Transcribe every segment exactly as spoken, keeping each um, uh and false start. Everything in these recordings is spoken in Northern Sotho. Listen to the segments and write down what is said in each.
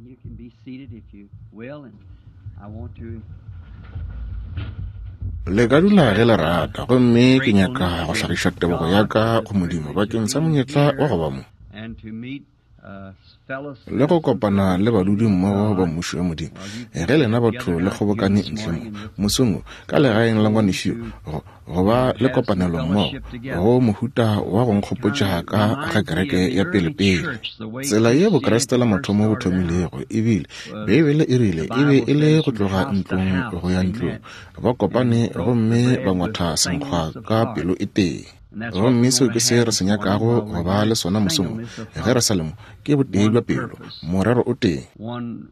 You can be seated if you will, and I want to Le ka dula ge le rata, gomme ke nyaka go hlagiša tebogo ya ka go Modimo bakeng sa monyetla wa go ba mo and to meet uh, fellow le go kopana le badudi mmogo ba mmušo wa Modimo. Ge lena batho le kgobokane ntle mo mosong wo ka legaeng la ngwanešu yo, go go ba le kopanelo mmogo go mohuta wa go nkgopotša ka ga kereke ya pelepele. Tsela ye Bokreste la mathomo bo thomilego ebile Beibele e rile e be e le go tloga ntlong go ya ntlong, ba kopane gomme ba ngwatha senkgwa ka pelo e tee. Gomme seo ke se re se nyakago go ba le sona mosong wo, ge re sa le mo, ke botee bja pelo, morero o tee, one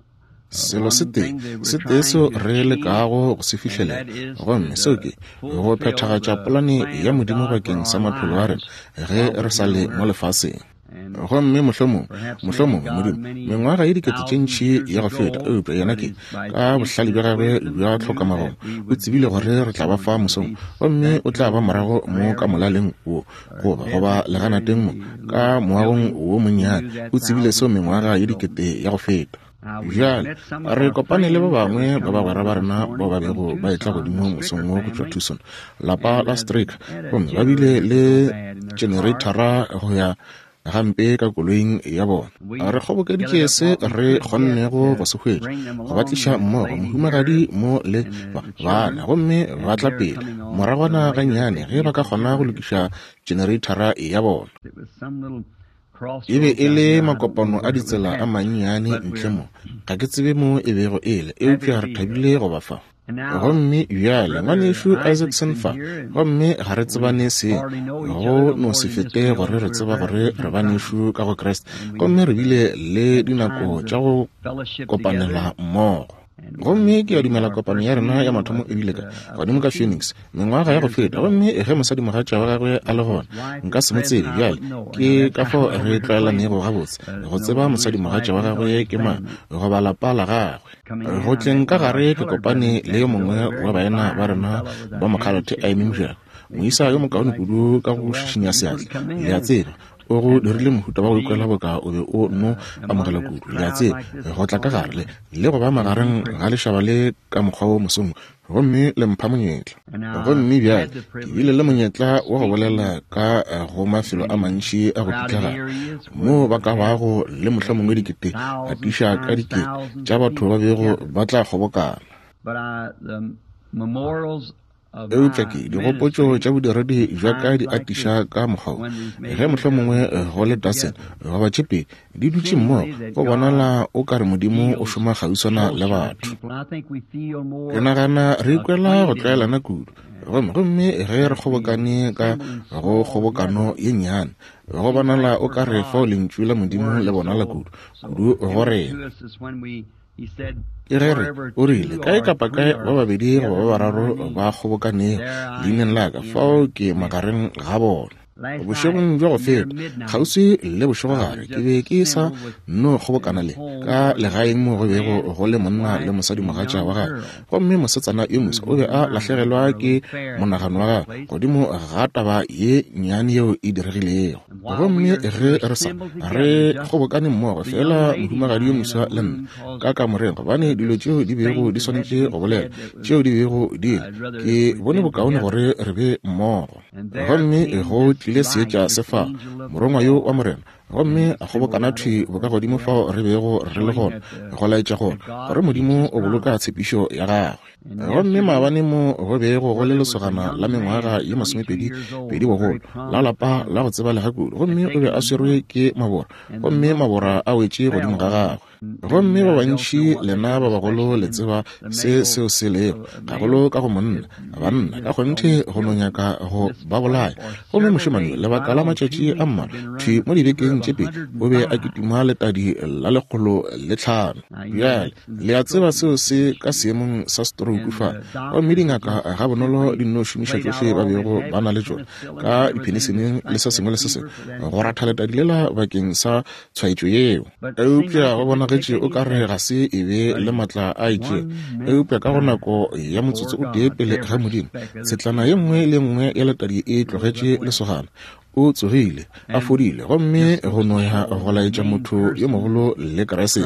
selo se tee, se tee seo re lekago go se fihlelela, gomme seo ke go phethagatša polane ya Modimo bakeng sa maphelo a rena ge re sa le mo lefaseng. Gomme mohlomong, mohlomongwe Modimo, mengwaga ye dikete tše ntši ya go feta, eupša yena ke, ka bohlale bja gagwe bja tlhokamagomo, o tsebile gore re tla ba fa mosong, gomme o tla ba morago mo ka molaleng wo, goba goba leganateng mo, ka moagong wo monnyane. O tsebile seo mengwaga ye dikete ya go feta. Bjale re kopane le ba bangwe ba bagwera ba rena bao ba bego ba etla godimo mosong wo go tšwa Tucson, lapa la Straker, gomme ba bile le generatora go ya gampe ka koloing ya bona. Re kgobokeditše se re kgonnego go se hwetša, go ba tliša mmogo, mohumagadi mo le ba bana, gomme ba tla pele moragwana gannyane ge ba ka kgona go lokiša generatora ya bona. It was some little E be crossroads e down le here. I don't know makopano where a it was ditsela a at, mannyane but ntle we're mo. Ga ke tsebe mo e bego e le, happy eupša to re be here. thabile go ba fa. And now, Gomme bjale Brother ngwanešu Isaacson Isaacson fa, here, and gomme ga re we tsebane seng, hardly know each go other no no more se than just fete we know gore that re we're tseba gore brethren re in Christ. banešu ka go Kriste. And Gomme we've re bile le had dinako times tša of go fellowship together, kopanela mmogo. and we, Gomme ke a we dumela our kopano first ya rena ya meeting mathomo was e bile ka at uh, godimo ka Phoenix Phoenix mengwaga ya go years feta. ago. Gomme ge mosadimogatša wa gagwe a le His gona, wife nka is se mo present, tsebe. I Bjale wouldn't know her. ke Now that's ka how fao well re we're acquainted. tlwaelanego gabotse Uh, go know tseba who his mosadimogatša wife wa is or gagwe his ke mang family. goba lapa la gagwe. Coming Go in, I tleng met ka one of our gare ke colored kopane brethren le yo at the mongwe door, a wa very baena ba fine rena fellow with ba a mokgalate a handshake eme with mojako, makes moisa yo you mokaone like kudu ka so go welcome šišinya to seatla. come Le in a and, tseba, o go and dirile mohuta wa go be ikwela boka o be o no uh, among amogela this kudu. Le a crowd tseba, like this go this tla ka gare morning le le go ba is a magareng ga privilege. lešaba le ka mokgwa wo mosong, gomme le mpha monyetla. And I've Gomme bjale had the ke bile privilege le of monyetla wa go speaking bolela ka eh, go mafelo a many mantši a go crowded pitlagana, areas where moo we ba ka have bago le mohlomongwe maybe dikete thousands atiša ka times dikete thousands tša of batho ba people bego together. ba tla kgobokana. But I, the memorials of Eupša my ke digopotšo ministry tša bodiredi in bja ka times di like atiša this, ka mokgwa wo, when these ge major mohlomongwe gatherings eh, go le come dozen together, goba tše pedi di dutše mmogo, seemingly that go God bonala o ka re Modimo o feels šoma kgauswana le closer to batho. people. I think we feel Ke more nagana re ikwela go acquainted tlwaelana kudu, gomme gomme ge re as we kgobokane ka assemble in go small kgobokano gatherings. ye nnyane, go Seems bonala like o where ka re fao God's lentšu la Modimo word le is bonala so kudu so kudu go evident rena. to us is when we he said, Ke ge re wherever o rile two kae or kapa three kae ba are babedi goba gathered ba in my bararo name, ba kgobokanego there I leineng am la ka, in fao their ke midst. magareng ga bona. Last night Bošegong bja go near feta, midnight, kgauswi le I bošegogare, was ke just be ke sa assembled with no in kgobokana the le home ka where legaeng mo go a bego man, go le his monna le wife, and a mosadimogatša young wa gagwe, girl gomme mosetsana yo who moswa o be was a mine lahlegelwa for a ke little fair at monagano wa the gagwe place. godimo ga taba ye nnyane yeo e diregilego. And while we Gomme are ge were re sa assembled together, re just kgobokane mmogo the young fela, lady and mohumagadi yo I in a moswa le room nna caused ka kamoreng, gobane dilo there's tšeo di bego things di that had to swanetše be go bolela, said that was tšeo di bego di le, I'd rather ke we'd bone been bokaone together. gore re be mmogo. And there Gomme came go this tlile light, seetša this se fa angel of the morongwa yo wa Lord, Morena, and gomme he a assembled kgobokana right thwi over where bokagodimo we fao are, re bego re le showing gona, that the go laetša gore that God gore keeps Modimo his o boloka promise. tshepišo ya gagwe. And Gomme yesterday, maabane mo go bego go where le there was a lesogana la young mengwaga man, ye twenty-two masomepedi years old, pedi a bogolo, very la prominent lapa la family, go tsebalega kudu, had gomme o be taken a a swerwe month, ke mabora, and the gomme month mabora a wetše fell godimo ga on him. gagwe. And, and Gomme you ba guys else bantši know what that lena is, ba bagolo especially le in tseba the se male seo se lego, uh, gagolo male. ka go monna, It, it banna ka just kgonthe almost go no killed him. nyaka go This ba boy bolaya. for Gomme several mošemane days, lebaka right la on two matšatši a weeks, had mmalwa been thwi running mo a fever dibekeng of tše pedi a hundred o and be a five. kitima letadi la lekgolo le tlhano. Now you know Bjale that's in le a tseba stroke seo se ka condition. seemong sa stroke And fa, the gomme doctors had dingaka just ga bonolo simply di nno šomiša played out tšohle ba all they bego had ba na with le tšona penicillin ka and everything to dipheniseleng le fight se that sengwe le se fever sengwe for that go ratha infection. letadi lela bakeng sa tshwaetšo yeo. But it seemed Eupša like go it didn't take bonagetše o any ka re effect. ga se e be But le in maatla a itšego, one minute's eupša ka go time, nako ya motsotso before o tee God, pele ga every Modimo, speck of the tshetlana ye fever nngwe le ye nngwe ya letadi e rose tlogetše up with him. lesogana. O tsogile, a fodile, gomme go no ya go laetša motho yo mogolo le Kriste.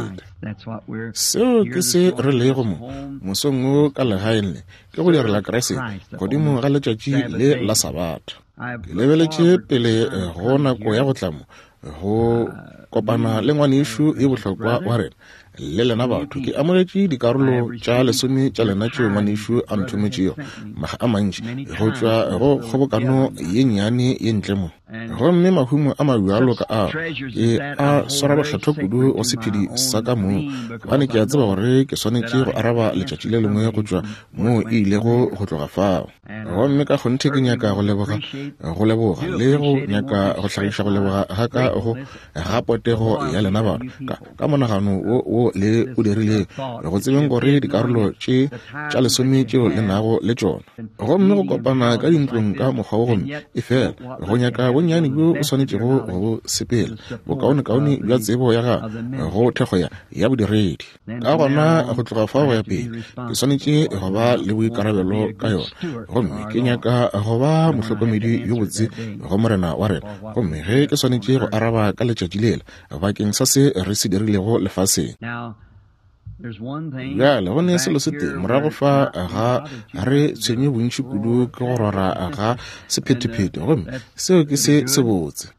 Seo ke se re lego mo mosong wo ka legaeng le, ke go direla Kriste godimo ga letšatši le la Sabatha. Ke lebeletše pele go nako ya go tla mo go kopana le ngwanešu e bohlokwa wa rena le lena batho. Ke amogetše dikarolo tša lesome tša lena tšeo ngwanešu a nthometšego maga a mantši go tšwa go kgobokano ye nnyane ye ntle mo. Gomme mahumo a mabjalo ka ao ke a swara bohlatho kudu go sephedi sa ka moo, gobane ke a tseba gore ke swanetše go araba letšatši le lengwe go tšwa moo e ilego go tloga fao. Gomme ka kgonthe ke nyaka go leboga, go leboga le go nyaka go hlagiša go leboga ga ka go ga potego ya lena batho ka, ka monagano wo wo le o dirilego, go tsebeng gore dikarolo tše tša lesome tšeo le nago le tšona, gomme go kopana ka dintlong ka mokgwa wo, gomme e fela go nyaka bonnyane bjo o swanetšego go sepela bokaonekaone bja tsebo ya gago go thekgo ya ya bodiredi. Ka gona go tloga fao go ya pele ke swanetše go ba le boikarabelo ka yona, gomme ke nyaka go ba mohlokomedi yo botse go Morena wa rena. Gomme ge ke swanetše go araba ka letšatši lela bakeng sa se re se dirilego lefaseng. Bjale go ne selo se tee morago fa ga re tshwenye bontši kudu ke go rora ga sephetephete, gomme seo ke se sebotse.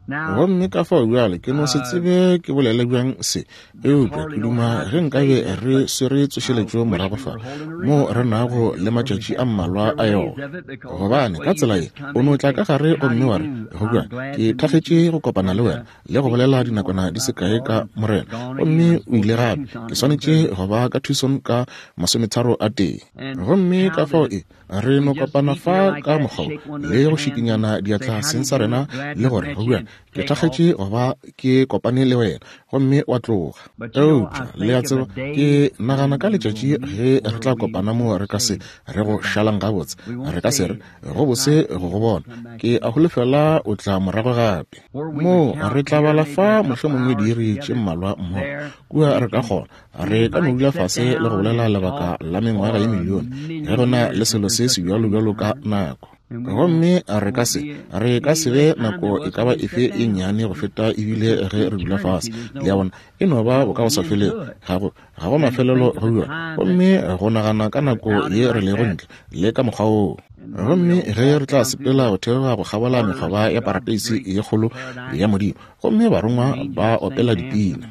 Gomme ka fao bjale ke no se tsebe ke bolele bjang se, eupša ke duma ge nkabe re swere tsošeletšo morago fa mo re nago le matšatši a mmalwa a yona. Gobane ka tsela ye o no tla ka gare gomme wa re, go bjang, ke thakgetše go kopana le wena le go bolela dinakwana di se kae ka Morena, gomme o ile gape. Ke swanetše go ba ka Tucson ka masometharo a tee. Gomme ka fao e re no kopana fa ka mokgwa le go šikinyana diatla seng sa rena le gore go bjang, ke thakgetše go ba ke kopane le wena, gomme wa tloga. Eupša le a tseba, ke nagana ka letšatši ge re tla kopana mo re ka se re go šalang gabotse, re ka se re go bose go go bona, ke a holofela o tla morago gape. Mo re tla bala fa mohlomongwe diiri tše mmalwa mmogo kua, re ka kgona re ka no dula fase le go bolela lebaka la mengwaga ye milione ge go na le selo se se bjalo bjalo ka nako. Gomme re ka se re ka se be nako e ka ba efe e nnyane go feta ebile ge re dula fase. Le a bona, e no ba bokago sa felego, ga go ga go mafelelo go yona. Gomme go nagana ka nako ye re lego ntle le ka mokgwa woo. Gomme ge re tla sepela go theoga go kgabola mekgoba ya parateisi ye kgolo ya Modimo, gomme barongwa ba opela dipina.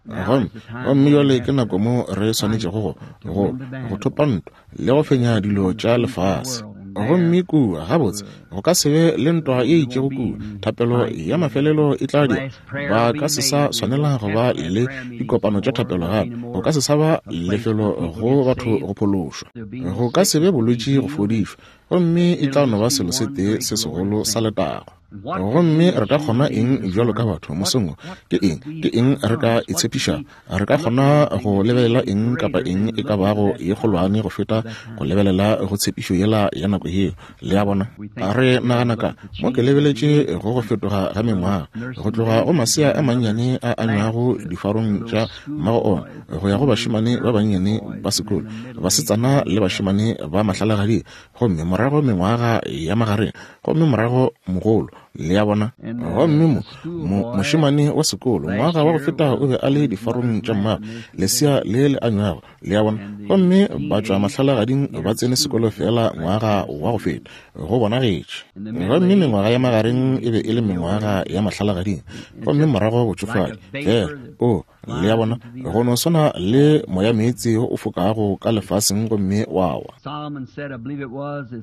Gomme gomme jwale ke nako mo re swanetšego go go go thopa ntwa le go fenya dilo tša lefase. Gomme kua gabotse go ka se be le ntwa ye itšego kua, thapelo ya mafelelo e tla dira. Ba ka se sa swanela go ba le dikopano tša thapelo gape, go ka se sa ba lefelo go batho go phološwa, go ka se be bolwetši go fodišwa, gomme e tla no ba selo se tee se segolo sa letago. Gomme re ka kgona eng bjalo ka batho mosong wo? Ke eng ke eng re ka itshepiša? Re ka kgona go lebelela eng kapa eng e ka bago ye kgolwane go feta go lebelela go tshepišo yela ya nako yeo? Le a bona, re nagana ka mo ke lebeletše go go fetoga ga mengwaga, go tloga go masea a mannyane a anywago difarong tša mmago ona go ya go bašemane ba bannyane ba sekolo, basetsana le bašemane ba mahlalagading, gomme morago mengwaga ya magareng, gomme morago mogolo. Le a bona, gomme mo mo mošemane wa sekolo ngwaga wa go feta o be a le difarong tša mmago, lesea le le anywago. Le a bona, gomme ba tšwa mahlalagading ba tsene sekolo fela ngwaga wa go feta, go bonagetše. Gomme mengwaga ya magareng e be e le mengwaga ya mahlalagading, gomme morago botšofadi fela. O le a bona, go no swana le moya meetse o fokago ka lefaseng gomme wa wa.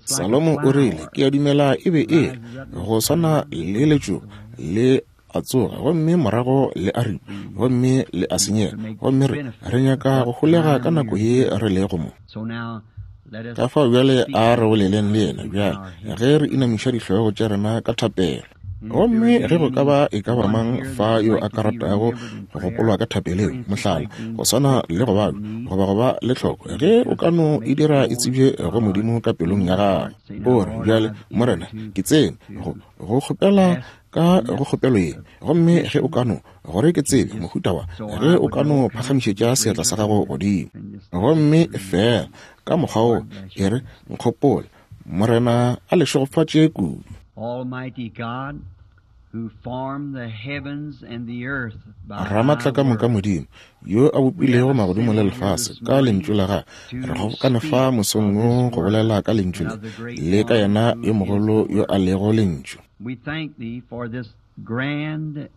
Salomo o rile, ke a dumela e be e go swana le letšoba le a tsoga, gomme morago le a ripa, gomme le a senyega. Gomme re re nyaka go holega ka nako ye re lego mo. Ka fao bjale a re boleleng le yena bjale ge re inamiša dihlogo tša rena ka thapelo. Gomme ge go ka ba e ka ba mang fa yo a ka ratago go gopolwa ka thapeleng, mohlala go swana le go babja goba go ba le tlhoko, ge o ka no e dira e tsebje go Modimo ka pelong ya gago, o re, bjale Morena, ke tsene go go kgopela ka go kgopelo ye, gomme ge o ka no gore ke tsebe mohuta wa, ge o ka no phagamišetša seatla sa gago godimo, gomme fela ka mokgwa wo e re, nkgopole Morena a le šegofatše kudu. Almighty God, who formed the heavens and the earth by Ramatla ka moka Modimo, yo a bopilego magodimo le lefase ka lentšu la gagwe, re kgobokane fa mosong wo go bolela ka lentšu le, le ka yena yo mogolo yo a lego lentšu. We thank thee for this grand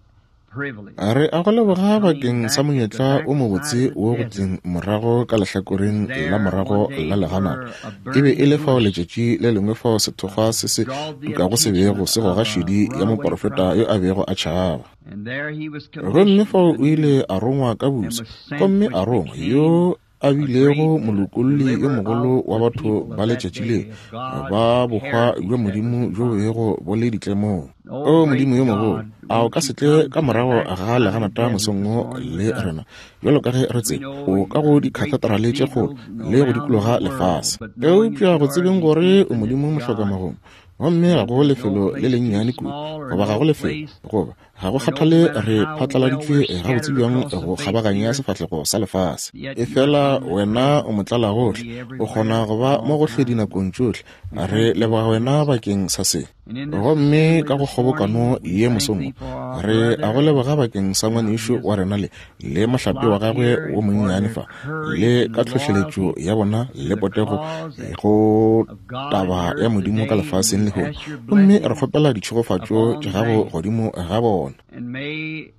privilege. Re a go leboga bakeng sa monyetla o mobotse wo go tleng morago ka lehlakoreng la morago la leganata. E be e le fao letšatši le lengwe fao sethokgwa se se tukago se bego se goga šedi ya moporofeta yo a bego a tšhaba. And there he was Gomme fao commissioned o ile a rongwa ka busa, gomme a rongwa yo a bilego molokolli yo mogolo wa batho ba letšatši le, ba bohwa bja Modimo bjo bo bego bo le ditlemong. O Modimo yo mogolo, a o ka se tle ka morago ga leganata mosong wo le rena, bjalo ka ge re tseba o ka go dikhatheterale tše kgolo le go dikologa lefase. Eupša go tsebeng gore o Modimo mohlokamagomo, gomme ga go lefelo le lennyane kudu, goba ga go lefelo, goba ga go kgathale re phatlaladitšwe gabotse bjang go kgabaganya sefahlego sa lefase. Efela wena o motlalagohle, o kgona go ba mo gohle dinakong tšohle. Re leboga wena bakeng sa se. Gomme ka go kgobokano ye mosong, re a go leboga bakeng sa ngwanešu wa rena le le mohlape wa gagwe wo monnyane fa, le ka tlhohleletšo ya bona le potego go taba ya Modimo ka lefaseng lehono. Gomme re kgopela ditšhegofatšo tša gago godimo ga bona. And may,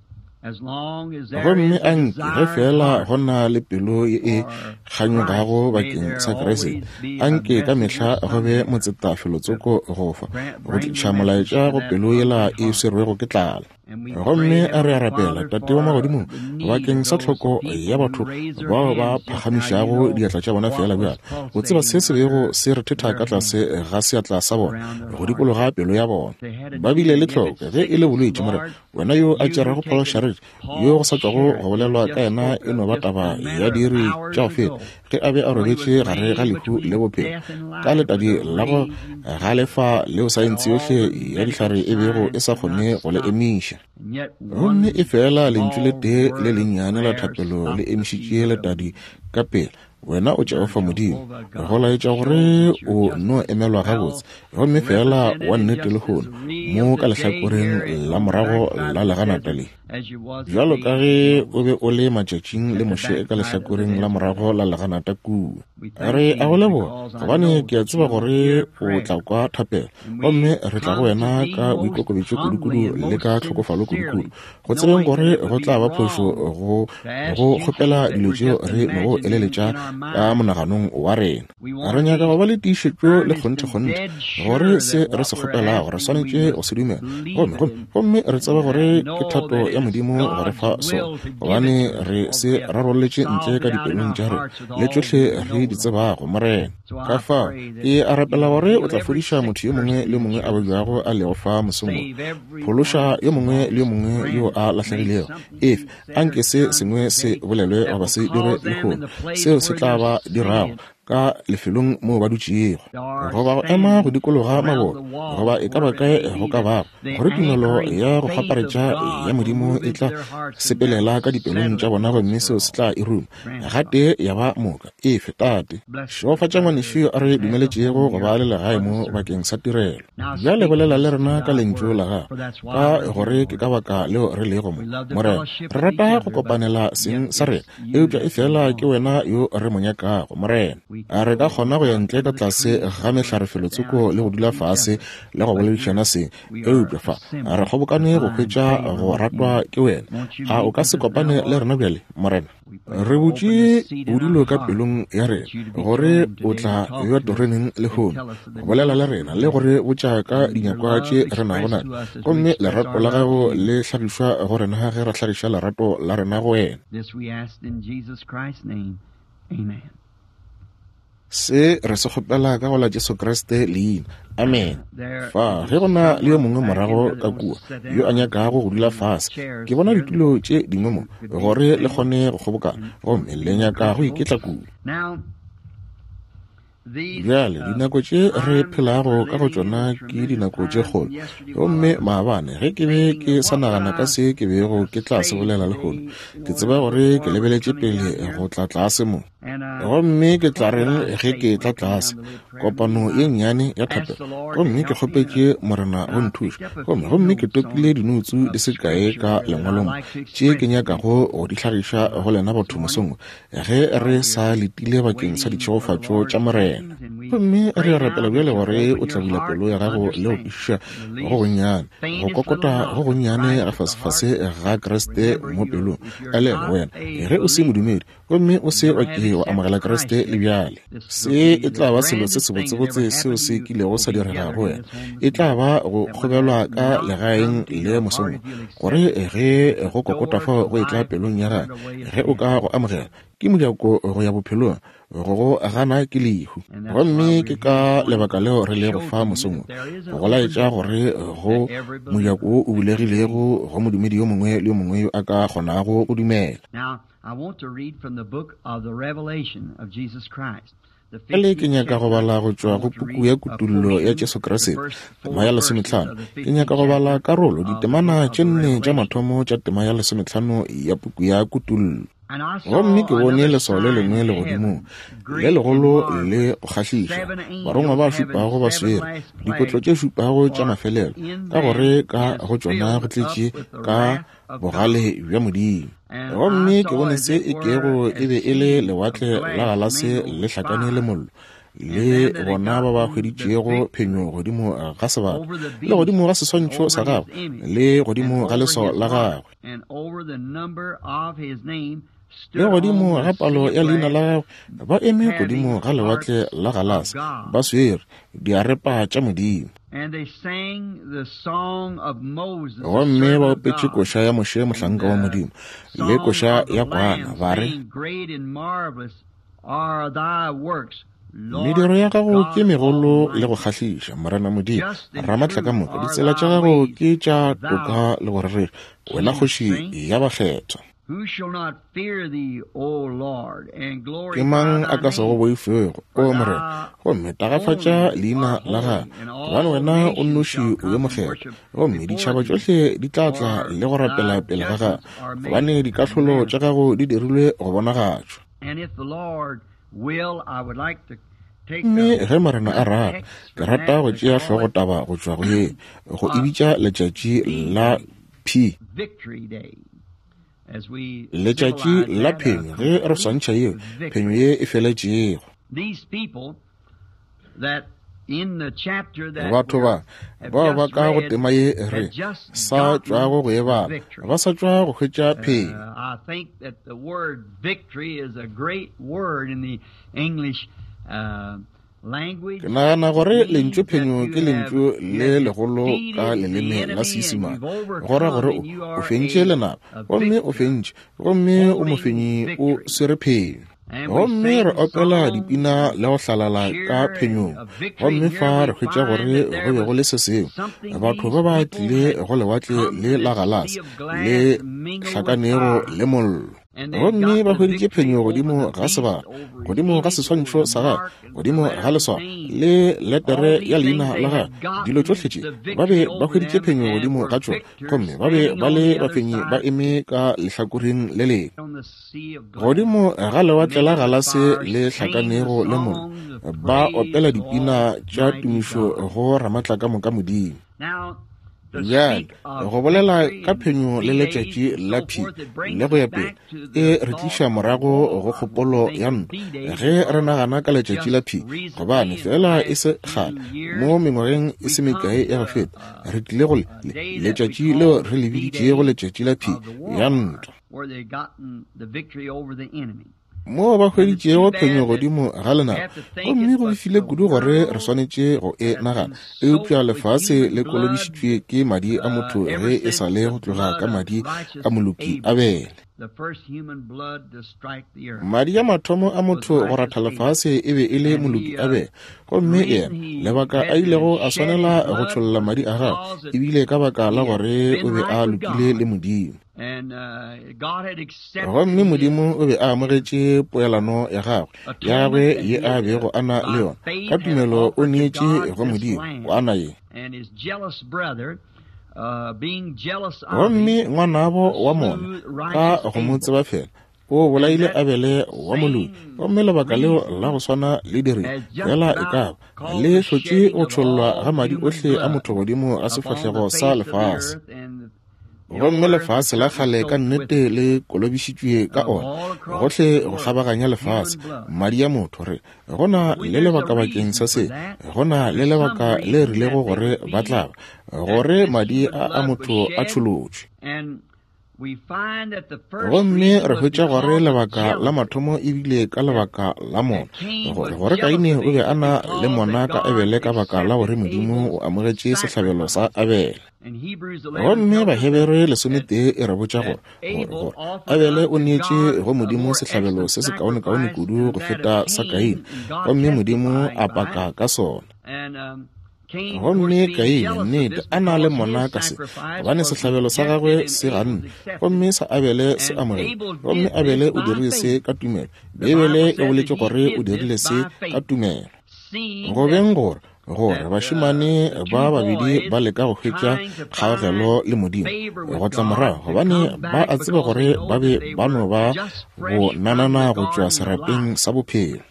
as long as there Gomme is a anke ge desiring fela heart go na le pelo ye e kganyogago bakeng sa Kriste, anke ka mehla go be motsetafelo-tsoko go fa, go tliša molaetša go pelo yela e swerwego ke tlala. And we Gomme pray, a re a Heavenly rapela, Father, Tate wa for magodimong, the need bakeng of sa those tlhoko people ya who batho raise their bao ba hands just now. You phagamišago know diatla tša bona what fela was bjale, o tseba se pulsating se bego under se rethetha their ka tlase hands, ga seatla sa bona, around their go heart. dikologa pelo ya bona. They had a Ba bile need, le and if tlhoko it's ge e le sickness, bolwetši, Morena, Lord, wena yo a you who tšerego Paul taken Sharrit, yo go Paul sa tšwago Sharrit go bolelwa just ka yena spoke e no of ba just a taba ya matter of diiri tša hours go feta, ago, ge a be a when he was robetše gare ga laying lehu le between bophelo, death and ka life with letadi a la go raging galefa leo that saense all yohle the ya medical dihlare e bego e science sa could not kgone go le stop. emiša. And yet Gomme one e fela lentšu le small tee le word of lennyane la prayer thapelo le stopped the emišitše fever of letadi ka pele. Wena o Jehofa Lord Modimo, Jehovah go God laetša shows gore that you're o just no as emelwa well gabotse, gomme fela represented wa and nnete just as lehono real mo ka today lehlakoreng here in la on the morago backside la of the leganata desert le. as you was the Bjalo ka days of ge o Moses be o le matšatšing le at the Moshe ka backside of the lehlakoreng la desert. morago la leganata kua. We thank Re a thee go leboga, because I gobane know ke a that tseba you will gore hear o prayer. tla kwa thapelo, And gomme we re tla go come to wena thee ka most boikokobetšo humbly kudukudu and le most ka tlhokofalo kudukudu, sincerely, go tsebeng knowing gore that it would go be tla ba phošo wrong go to ask go you kgopela things that dilo we're tšeo just re nogo imagining eleletša in our ka minds. monaganong wa rena. We Re want to nyaka be go ba le tiišetšo le earnest and kgonthe-kgonthe dead gore sure se that re what se we're kgopelago re asking we swanetše go must se dumela, believe gomme it gomme and, gomme re tseba and gore uh, ke know thato that ya it is Modimo go re God's fa sona, will to give it gobane to us re because se we have rarolletše ntle solved ka it out in dipelong our tša rena hearts with le all tšohle we re know, di Lord. tsebago, Morena. So Ka I fao pray that ke a rapela you'll gore o heal tla every fodiša sick motho yo mongwe person le yo that's mongwe a here this babjago morning. a lego fa mosong wo. Save every Phološa one yo that's mongwe le yo lost, mongwe yo friend a that's made lahlegilego. something Efe you've said or anke se done sengwe se today bolelwe that goba will se dirwe cause them in lehono, the place seo se where tla they're ba dirago sitting ka lefelong moo ba dutšego, or goba go ema go standing dikologa around maboto, the wall, goba e ka ba wherever it kae may go be, ka that bago, the gore tumelo anchoring ya go faith of kgwaparetša ya God will Modimo move e into tla their hearts and that sepelela will ka dipelong settle tša it bona once gomme for seo se all. tla e ruma Grant it, gatee Father. ya ba moka. Efe Tate, Bless the šegofatša ngwanešu yo brother a re at the home dumeletšego go here ba le legae for the mo service. bakeng sa tirelo. Now Bjale speak to bolela le us rena through ka thy lentšu word, la gago, for that's why ka we're here, gore ke Lord. ka baka leo re lego mo. We love to Morena, fellowship re with each rata go other, but kopanela yet seng sa rena, it's you eupša e that we fela ke want. wena yo re mo nyakago, Morena. We A could re ka go kgona go ya out ntle ka under the tlase trees ga and sit mehlarefelotsoko down and le go talk dula to each fase other, le go but here boledišana seng, we are eupša fa re assembled to kgobokane go find hwetša favor go with ratwa you. ke wena. Won't you A o meet ka with se us now, kopane le Lord? rena bjale, Morena? We pray Re you'll open butše the seat in our bodulo ka heart pelong ya rena that you to be gore throned o today to tla talk bewa to us teroneng and lehono tell us of go the bolela le needs rena we le have gore botša ka and your dinyakwa love tše re nago expressed natšo, to us as we gomme express lerato our la love to gago you. le hlagišwa go rena ge re hlagiša lerato la rena go wena. This we ask in Jesus Christ's name. Amen. Se re se kgopela ka go la Jesu Kriste leina. Amen. There Fa is ge go na le yo someone mongwe back in morago there that ka wants kua to sit yo a down nyakago go dula in the fase, chairs ke bona here ditulo tše dingwe mo who could be gore le standing kgone go kgobokana, and gomme would le be more nyaka go comfortable. iketla kudu. Now, these Bjale uh, dinako tše re times that phelago we're ka go living in tšona are ke tremendous dinako tše times. kgolo. And yesterday, while I Gomme was maabane ge ke be thinking ke of sa what would nagana ka I se ke bego uh, ke tla se say bolela lehono, today, ke Lord, tseba gore ke before I was lebeletše coming pele down here, go tla tlase mo. Gomme ke tla reng ge ke tla tlase kopano ye nnyane ya thapelo, gomme ke kgopetše Morena go nthuša, gomme gomme ke topile dinoutsu di se kae ka lengwalong tše ke nyakago go di hlagiša go lena batho mosong ge re sa letile bakeng sa ditšhegofatšo tša Morena. Gomme re a rapela bjale gore o tla bula pelo ya gago le go kwešiša go gonnyane, go kokota go gonnyane ga fasefase ga Kriste mo pelong. Elelwa wena ge o se modumedi gomme o se wa ke wa amogela Kriste le bjale, se e tla ba selo se sebotsebotse seo se kilego sa direga go wena. E tla ba go kgobelwa ka legaeng le mosong, gore ge go kokota fao go etla pelong ya gago, ge o ka go amogela, ke mojako go ya bophelong, go go gana ke lehu. Gomme ke ka lebaka leo re lego fa mosong, go laetša gore go mojako wo o bulegilego go modumedi yo mongwe le yo mongwe yo a ka kgonago go dumela. I want to read from the book of the Revelation of Jesus Christ. Bjale ke nyaka go bala go tšwa go puku ya Kutullo ya Jesu Kriste, tema ya lesometlhano. Ke nyaka go bala karolo ditemana tše nne tša mathomo tša tema ya lesometlhano ya puku ya Kutullo. Gomme ke bone leswao le lengwe legodimong, le legolo le go kgahliša, barongwa ba šupago ba swere dikotlo tše šupago tša mafelelo, ka gore ka go tšona go tletše ka bogale bja Modimo. Gomme ke bone se e kego e be e le lewatle la galase le hlakane le mollo, le bona ba ba hweditšego phenyo godimo ga sebata, le godimo ga seswantšho sa gagwe, le godimo ga leswao la gagwe, le godimo ga palo ya leina la gagwe, ba eme godimo ga lewatle la galase ba swere diarepa tša Modimo. Gomme ba opetše koša ya Moshe mohlanka wa Modimo, le koša ya Kwana, ba re: Mediro ya gago ke megolo le go kgahliša, Morena Modimo Ramatlakamoka. Ditsela tša gago ke tša toka le go rereša, wena kgoši ya bakgethwa. Ke mang a ka se go boifego, o Morena, gomme tagafatša leina la gago, gobane wena o nnoši o yo mokgethwa, gomme ditšhaba tšohle di tla tla le go rapela pele ga gago, gobane dikahlolo tša gago di dirilwe go bonagatšwa. Mme ge Morena a rata, ke rata go tšea hlogotaba go tšwa go ye, go e bitša letšatši la P, letšatši la phenyo, ge re swantšha yeo phenyo ye e feletšego. Batho ba bao ba ka go tema ye re sa tšwago go e bala, ba sa tšwa go hwetša phenyo. Ke nagana gore lentšu phenyo ke lentšu le legolo ka leleme la Seisemane, go ra gore o fentše lenaba, gomme o fentše, gomme o mofenyi o swere phenyo. Gomme re opela dipina le go hlalala ka phenyong. Gomme fa re hwetša gore go be go le se sengwe, batho ba ba tlile go lewatle le la galase le hlakanego le mollo, gomme ba hweditše phenyo godimo ga sebata, godimo ga seswantšho sa gagwe, godimo ga leswao le letere ya leina la gagwe. Dilo tšohle tše ba be ba hweditše phenyo godimo ga tšona, gomme ba be ba le bafenyi ba eme ka lehlakoreng le lengwe godimo ga lewatle la galase le hlakanego le mollo, ba opela dipina tša tumišo go Ramatlakamoka Modimo. Bjale go bolela ka phenyo le letšatši la P le go ya pele e re tliša morago go kgopolo ya ntwa ge re nagana ka letšatši la P, gobane fela e se kgale mo mengwageng e se mekae ya go feta re tlile go le letšatši leo re le biditšego letšatši la P ya ntwa, moo ba hweditšego phenyo godimo ga lenaba. Gomme go befile kudu gore re swanetše go e nagana, eupša lefase le kolobišitšwe ke madi a motho ge e sa le go tloga ka madi a moloki Abele. Madi a mathomo a motho go ratha lefase e be e le moloki Abele, gomme yena lebaka a ilego a swanela go tšholla madi a gagwe ebile ka baka la gore o be a lokile le Modimo. Gomme Modimo o be a amogetše poelano ya gagwe ya gagwe ye a bego a na le yona ka tumelo, o neetše go Modimo kwana ye. Gomme ngwanabo wa mona ka go mo tseba fela O bolaile Abele wa moloki, gomme lebaka leo la go swana le dirile fela e ka ba le hlotše go tšhollwa ga madi ohle a motho godimo ga sefahlego sa lefase. Gomme lefase la kgale ka nnete le kolobišitšwe ka ona, gohle go kgabaganya lefase, madi a motho. Re go na le lebaka bakeng sa se, go na le lebaka le rilego gore ba tla ba, gore madi a a motho a tšholotšwe. Gomme re hwetša gore lebaka la mathomo e bile ka lebaka la mona, gore gore Kaine o be a na le mona ka Abele ka baka la gore Modimo o amogetše sehlabelo sa Abele. Gomme Bahebere lesometee e re botša gore gore gore Abele o neetše go Modimo sehlabelo se sekaonekaone kudu go feta sa Kaine, gomme Modimo a paka ka sona. Gomme Kaine nnete a na le mona ka se, gobane sehlabelo sa gagwe se ganne, gomme sa Abele se amogetše. Gomme Abele o dirile se ka tumelo. Beibele e boletše gore o dirile se ka tumelo. Go beng gore gore bašemane ba babedi ba leka go hwetša kgaogelo le Modimo go tla morago, gobane ba a tseba gore ba be ba no ba bo nanana go tšwa serapeng sa bophelo,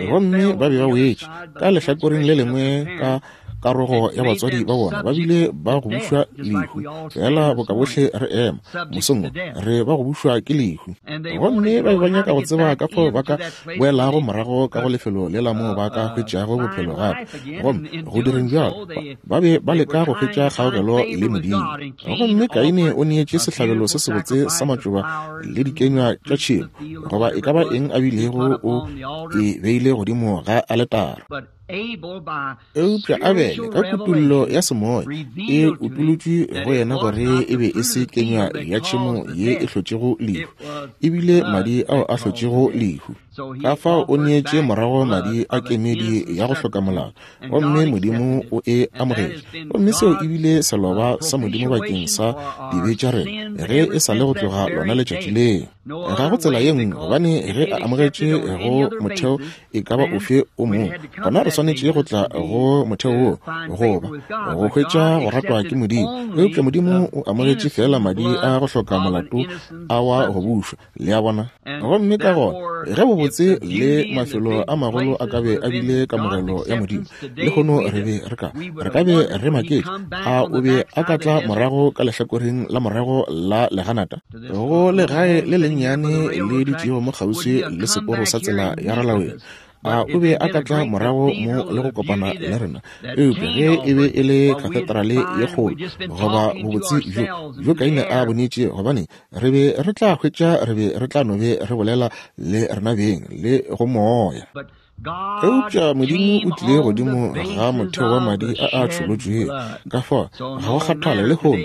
gomme ba be ba wetše ka lehlakoreng le lengwe ka karogo ya batswadi ba bona, ba bile ba go bušwa lehu, fela boka bohle re ema mosong re ba go bušwa ke lehu. Gomme ba be ba nyaka go tseba ka fao ba ka boelago morago ka go lefelo le la moo ba ka hwetšago bophelo gape, gomme go direng bjalo ba be ba leka go hwetša kgaogelo le Modimo. Gomme Kaine o neetše sehlabelo se sebotse sa matšoba le dikenywa tša tšhemo, goba e ka ba eng a bilego o e beile godimo ga aletara. Eupša Abele ka kutollo ya semoya e utolotšwe go yena gore e be e se kenywa ya tšhemo ye e hlotšego lehu, ebile madi ao a hlotšego lehu. Ka fao o neetše morago madi a kemedi ya go hloka molao, gomme Modimo o e amogetše. Gomme seo ebile seloba sa Modimo bakeng sa dibe tša rena ge e sa le go tloga lona letšatši leo. Ga go tsela ye nngwe, gobane ge a amogetše go motheo e ka ba ofe o mongwe, gona re swanetše go tla go motheo wo goba go hwetša go ratwa ke Modimo. Eupša Modimo o amogetše fela madi a go hloka molato a wa go bušwa, le a bona. Gomme ka gona ge bobotse le mafelo a magolo a ka be a bile kamogelo ya Modimo, lehono re be re ka re ka be re maketše, a o be a ka tla morago ka lehlakoreng la morago la leganata go legae le lennyane le dutšego mo kgauswi le seporo sa tsela ya Ralaweng? A o be a ka tla morago mo le go kopana le rena? Eupša ge e be e le katedrale ye kgolo goba bobotse bjo bjo Kaine a bonetše, gobane re be re tla hwetša re be re tla no be re bolela le rena beng le go moya. Eupša Modimo o tlile godimo ga motheo wa madi a a tšholotšwego. Ka fao ga go kgathale lehono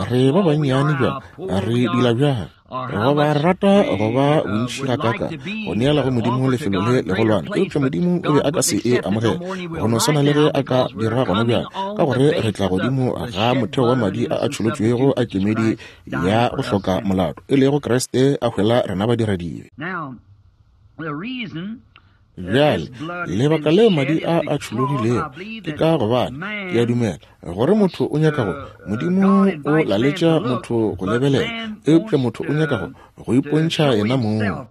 re ba bannyane bjang, re dila bjang, goba re rata go ba bontši gakaka go neela go Modimo lefelo le legolwane, eupša Modimo o be a ka se e amogele, go no swana le ge a ka dira gona bjang, ka gore re tla godimo ga motheo wa madi a a tšholotšwego a kemedi ya go hloka molato, e lego Kriste a hwela rena badiradibe. Bjale lebaka leo madi a a tšhologilego ke ka gobane ke a dumela gore motho o nyaka go, Modimo o laletša motho go lebelela, eupša motho o nyaka go go ipontšha yena mong.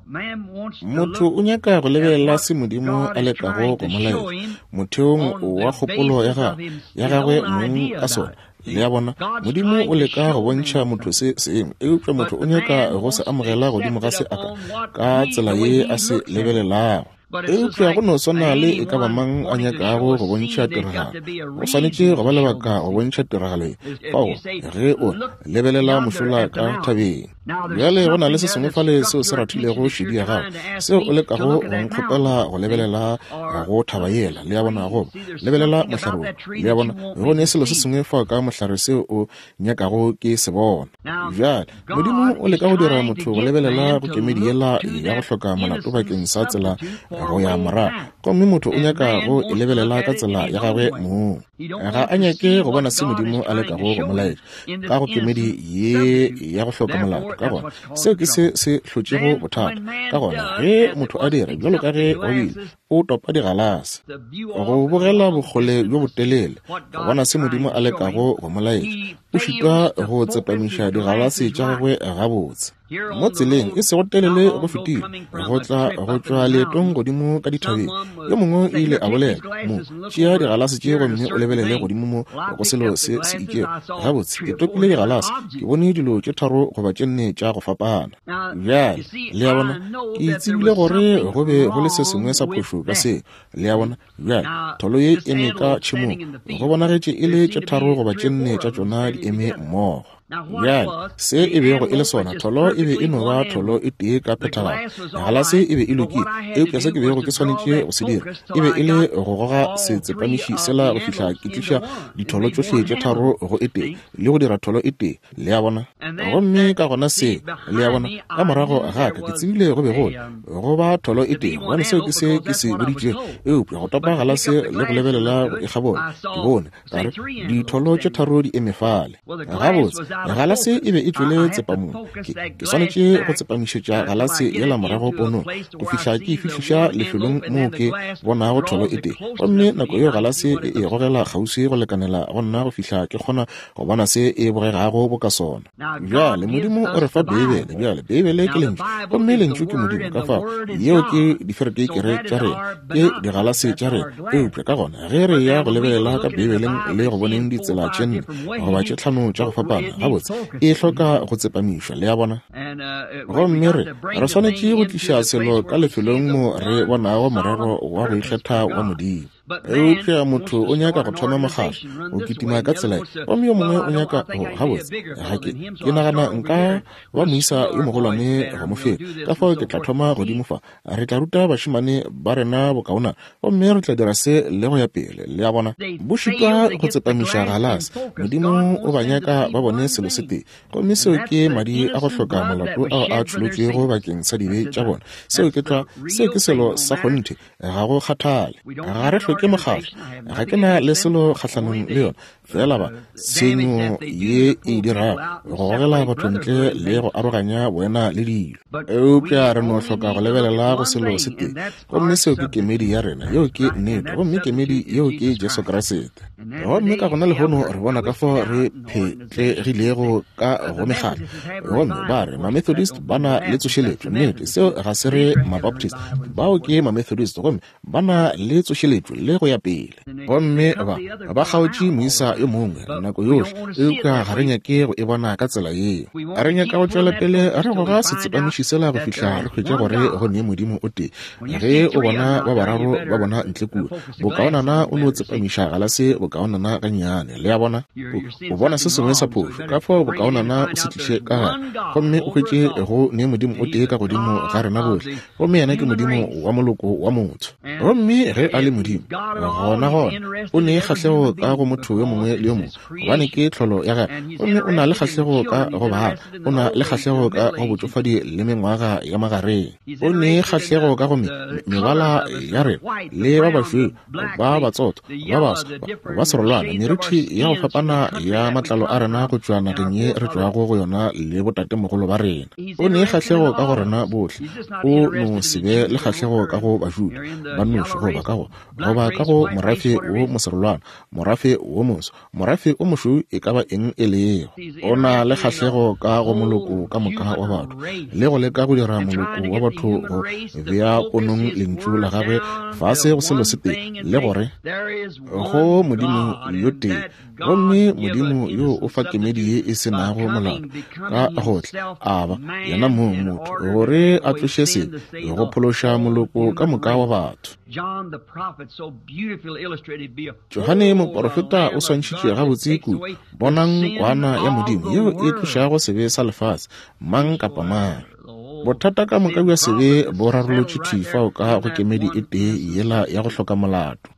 Motho o nyaka go lebelela se Modimo a lekago go mo laetša motheong wa kgopolo ya gagwe ya gagwe mong ka sona. Le a bona, Modimo o leka go bontšha motho se sengwe, eupša motho o nyaka go se amogela godimo ga se a ka ka tsela ye a se lebelelago. Eupša go no swana le e ka ba mang a nyakago go bontšha tiragalo, go swanetše go ba lebaka go bontšha tiragalo ye. Fao ge o lebelela mošola ka thabeng, bjale go na le se sengwe fale seo se rathilego šedi ya gago, seo o lekago go nkgopela go lebelela go thaba yela, le a bona, goba lebelela mohlare wo, le a bona, go ne selo se sengwe fao ka mohlare seo o nyakago ke se bona. Bjale Modimo o leka go dira motho go lebelela go kemedi yela ya go hloka molato bakeng sa tsela go ya morago, gomme motho o nyaka go e lebelela ka tsela ya gagwe mong. Ga a nyake go bona se Modimo a lekago go mo laetša ka go kemedi ye ya go hloka molato. Ka gona seo ke se se hlotšego bothata. Ka gona ge motho a dira bjalo ka ge go bile, O topa digalase. Go bogela bokgole bjo botelele, go bona se Modimo a lekago go mo laetša, o šitwa go tsepamiša digalase tša gagwe gabotse. Mo tseleng e sego telele go fetile, go tla go tšwa leetong godimo ka dithabeng, yo mongwe o ile a bolela, mo, tšea digalase tše gomme o lebelele godimo mo go selo se se itšego. Gabotse, ke topile digalase, ke bone dilo tše tharo goba tše nne tša go fapana. Bjale, le a bona, ke tsebile gore go be go le se sengwe sa phošo ka seo. Le a bona, bjale, tholo ye eme ka tšhemong, go bonagetše e le tše tharo goba tše nne tša tšona di eme mmogo. Bjale, se e bego e le sona, tholo e be e no ba tholo e tee ka phethagalo. Galase e be e lokile, eupša se ke bego ke swanetše go se dira e be e le go goga setsepamiši sela go fihla ke tliša ditholo tšohle tše tharo go e tee le go dira tholo e tee. Le a bona? Gomme ka gona se, le a bona, ka morago ga ka ke tsebile go be go go ba tholo e tee, gobane seo ke se ke se boditšego. Eupša go topa galase le go lebelela go e kgabola, ke bone ka re ditholo tše tharo di eme fale. Gabotse, galase e be e tšwele tsepamong. Ke, ke swanetše go tsepamišetša galase yela morago ponong go fihla ke e fihliša lefelong moo ke bonago tholo e tee. Gomme nako yeo galase e e gogela kgauswi go lekanela go nna go fihla ke kgona go bona se e bogegago boka sona. Bjale Modimo o re fa Beibele. Bjale Beibele ke lentšu, gomme lentšu ke Modimo. Ka fao yeo ke diferekeikere tša rena, ke digalase tša rena. Eupša ka gona ge re ya go lebelela ka Beibeleng le go boneng ditsela tše nne goba tše tlhano tša go fapana, gabotse e hloka go tsepamišwa. Le a bona? Gomme re re swanetše go tliša selo ka lefelong mo re bonago morero wa go ikgetha wa Modimo. Eupša motho o nyaka go thoma mokgatlo, o kitima ka tsela ye, gomme yo mongwe o nyaka go, gabotse, ga ke, ke nagana nka ba moisa yo mogolwane go mo feta, ka fao ke tla thoma godimo fa. Re tla ruta bašemane ba rena bokaona, gomme re tla dira se le go ya pele. Le a bona? Bo šitwa go tsepamiša galase. Modimo o ba nyaka ba bone selo se tee, gomme seo ke madi a go hloka molato ao a tšholotšwego bakeng sa dibe tša bona. Seo ke tlwa, seo ke selo sa kgonthe, ga go kgathale. Ga re hloke mokgatlo, ga ke na le selo kgahlanong le yona, fela ba tshenyo ye e dirago go gogela batho ntle le go aroganya boena le dilo. Eupša re no hloka go lebelela go selo se tee, gomme seo ke kemedi ya rena. Yeo ke nnete, gomme kemedi yeo ke Jesu Kriste. Gomme ka gona lehono re bona ka fao re phetlegilego ka go mekgatlo. Gomme ba re Mamethodist ba na le tsošeletšo. Nnete, seo ga se re Mabaptist, bao ke Mamethodist, gomme ba na le tsošeletšo le go ya pele. Gomme ba ba kgaotše moisa yo mongwe nako yohle, eupša ga re nyake go e bona ka tsela yeo. Re nyaka go tšwela pele re goga setsepamiši sela go fihla re hwetša gore go ne Modimo o tee. Ge o bona ba bararo ba bona ntle kua, bokaonana o no tsepamiša galase bokaonana gannyane. Le a bona? O bona se sengwe sa phošo, ka fao bokaonana o se tliše ka gare, gomme o hwetše go ne Modimo o tee ka godimo ga rena bohle, gomme yena ke Modimo wa moloko wa motho. Gomme ge a le Modimo, gona gona o ne kgahlego ka go motho yo mongwe le yo mongwe, gobane ke tlholo ya gagwe. Gomme o na le kgahlego ka go bana, o na le kgahlego ka go botšofadi le mengwaga ya magareng, o ne kgahlego ka go mebala ya rena le ba bašweu, ba batsotho, ba baso, ba serolwana, merithi ya go fapana ya matlalo a rena go tšwa nageng ye re tšwago go yona le botatemogolo ba rena. O ne kgahlego ka go rena bohle. O no se be le kgahlego ka go Bajuda ba noši, goba ka go goba ka go morafe wo moserolwana, morafe wo moso, morafe o mošweu, e ka ba eng e lego. O na le kgahlego ka go moloko ka moka wa batho, le go leka go dira moloko wa batho go bea ponong lentšu la gagwe fase go selo se tee, le gore go Modimo yo tee, gomme Modimo yo o fa kemedi ye e se nago molato ka gohle, a ba yena mong motho, gore a tloše sebe go phološa moloko ka moka wa batho. Johane moporofeta o swantšhitše gabotse kudu, bonang kwana ya Modimo yeo e tlošago sebe sa lefase, mang kapa mang. Bothata ka moka bja sebe bo rarolotšwe thwi fao ka go kemedi e tee yela ya go hloka molato.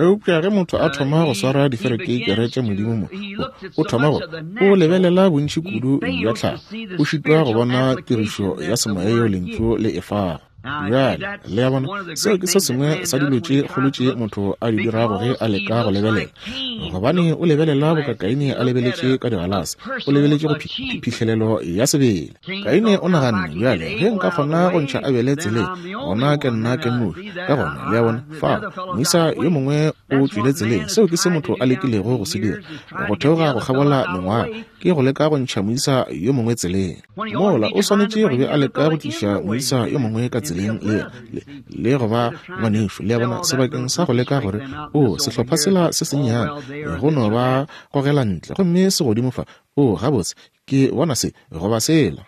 Eupša ge motho a thoma go swara diferekeikere tša Modimo mo, o thoma go o lebelela bontši kudu bja tlhago, o šitwa go bona tirišo ya semoya yeo lentšu le e fago. Bjale, le a bona, seo ke se sengwe sa dilo tše kgolo tše motho a di dirago ge a leka go lebelela, gobane o lebelela boka Kaine a lebeletše ka digalase, o lebeletše go phihlelelo ya sebele. Kaine o naganne, bjale, ge nka kgona go ntšha Abele tseleng, gona ke nna ke nnoši. Ka gona, le a bona, fao moisa yo mongwe o tšwile tseleng. Seo ke se motho a lekilego go se dira, go theoga go kgabola mengwaga, ke go leka go ntšha moisa yo mongwe tseleng. Mola o swanetše go be a leka go tliša moisa yo mongwe ka tseleng le le go ba ngwanešo, le a bona, sebakeng sa go leka gore o sehlopha sela se sennyane go no ba gogela ntle, gomme se godimo fa, o gabotse ke bona se goba sela.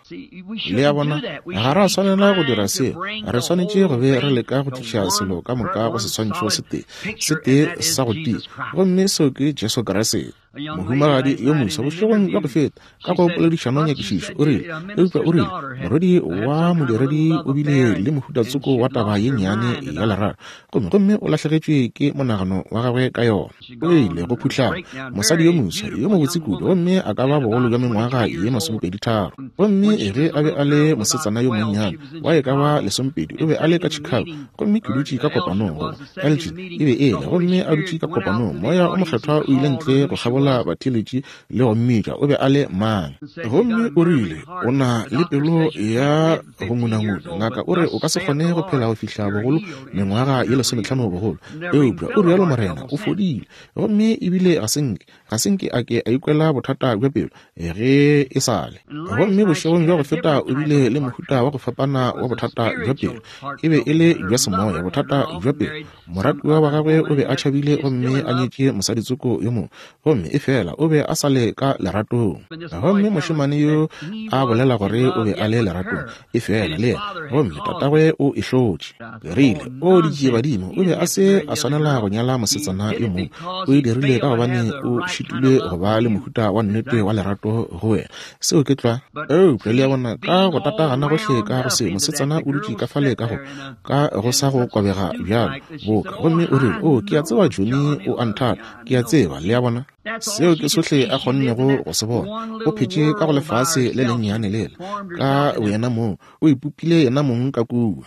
Le a bona, ga ra swanela go dira seo. Re swanetše go be re leka go tliša selo ka moka go seswantšho se tee, se tee sa go tia, gomme seo ke Jesu Kriste. Mohumagadi yo moswa bošegong bja go feta ka go poledišano nyakišišo o rile, eupša o rile morwedi wa modiredi o bile le mohutatsoko wa taba ye nnyane ya lerato, gomme gomme o lahlegetšwe ke monagano wa gagwe ka yona. O ile go phuhlama, mosadi yo moswa yo mobotse kudu, gomme a ka ba bogolo bja mengwaga ye masomepedi tharo. Gomme ge a be a le mosetsana yo monnyane wa e ka ba lesomepedi, o be a le ka Chicago, gomme ke dutše ka kopanong, goba Elgin e be e le, gomme a dutše ka kopanong, moya o mokgethwa o ile ntle go kgabola batheeletši le go mmitša o be a le mang. Gomme o rile o na le pelo ya go ngunanguna, ngaka o re o ka se kgone go phela go fihla bogolo mengwaga ye lesometlhano bogolo, eupša o rialo Morena o fodile. Gomme ebile ga se nke ga se nke a ke a ikwela bothata bja pelo ge e sa le. Gomme bošegong bja go feta o bile le mohuta wa go fapana wa bothata bja pelo, e be e le bja semoya, bothata bja pelo. Moratiwa wa gagwe o be a tšhabile gomme a nyetše mosaditsoko yo mongwe, gomme efela o be a sa le ka leratong. Gomme mošemane yo a bolela gore o be a le leratong, efela le yena, gomme tatagwe o e hlotše. Ke rile, o ditšie badimo, o be a se a swanela go nyala mosetsana yo mongwe, o e dirile ka gobane o šitilwe go ba le mohuta wa nnete wa lerato go wena. Seo ke tlwa. Eupša le a bona, ka go tatagana gohle ka go se, mosetsana o dutše ka fale ka go ka go sa go kobega bjalo boka, gomme o rile, o ke a tseba Johnny o a nthata, ke a tseba. Le a bona, seo ke sohle a kgonnego go se bona. O phetše ka go lefase le lennyane lela ka boyena mong, o ipopile yena mong ka kua.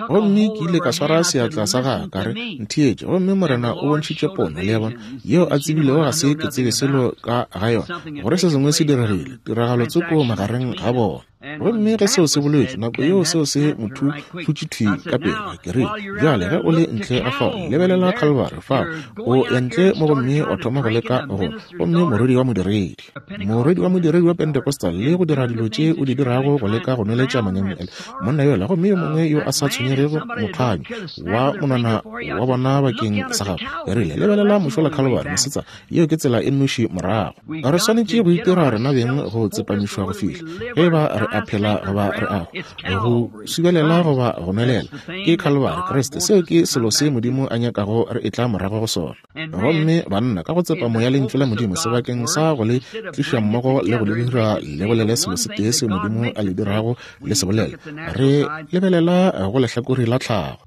Gomme ke ile ka swara seatla sa gagwe ka re, ntheetše, gomme Morena o bontšhitše pono, le a bona, yeo a tsebilego ga se ke tsebe selo ka ga yona, gore se sengwe se diregile, tiragalo tsoko magareng ga bona. Gomme ge seo se boletšwe, nako yeo seo se motho thutše thwi ka pele. Ke rile, bjale ge o le ntle ga fao, lebelela Calvary fao, o ya ntle mo gomme o thoma go leka go, gomme morwedi wa modiredi, morwedi wa modiredi wa Pentecostal, le go dira dilo tše o di dirago go leka go nweletša manyami monna yola, gomme yo mongwe yo a sa tshwenyegego mokganyo wa monwana wa bona bakeng sa gago. Ke rile, lebelela mošola Calvary, mosetsana, yeo ke tsela e nnoši morago. Re swanetše go itira rena beng go tsepamišwa go fihla ge ba re a phela goba re a go subelela goba go nwelela, ke Calvary Kriste. Seo ke selo se Modimo a nyakago re etla morago go sona. Gomme banna ka go tsepamo ya lentšu la Modimo, sebakeng sa go le tliša mmogo le go le dira le bolele selo se tee seo Modimo a le dirago le se bolela, re lebelela go lehlakore la tlhago.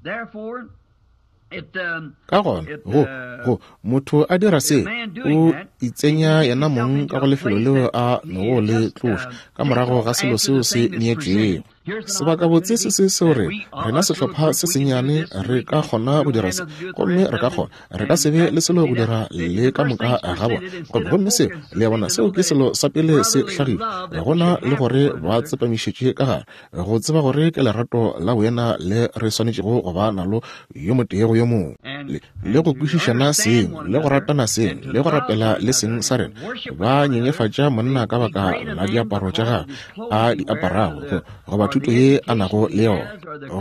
Ka gona go go motho a dira se, o itsenya yena mong ka go lefelo leo a nogo le tloša ka morago ga selo seo se neetšwego. Sebakabotse se se seo re rena sehlopha se sennyane re ka kgona go dira se, gomme re ka kgona, re ka se be le selo go dira le ka moka ga bona. Gomme seo, le a bona, seo ke selo sa pele se hlagile gona, le gore ba tsepamišetše ka gare go tseba gore ke lerato la boena le re swanetšego go ba nalo yo motee go yo mongwe, le, le go kwešišana seng, le go ratana seng, le go rapela le seng sa rena. Ba nyenyefatša monna ka baka la diaparo tša gagwe a di aparago, goba thuto ye a nago le yona,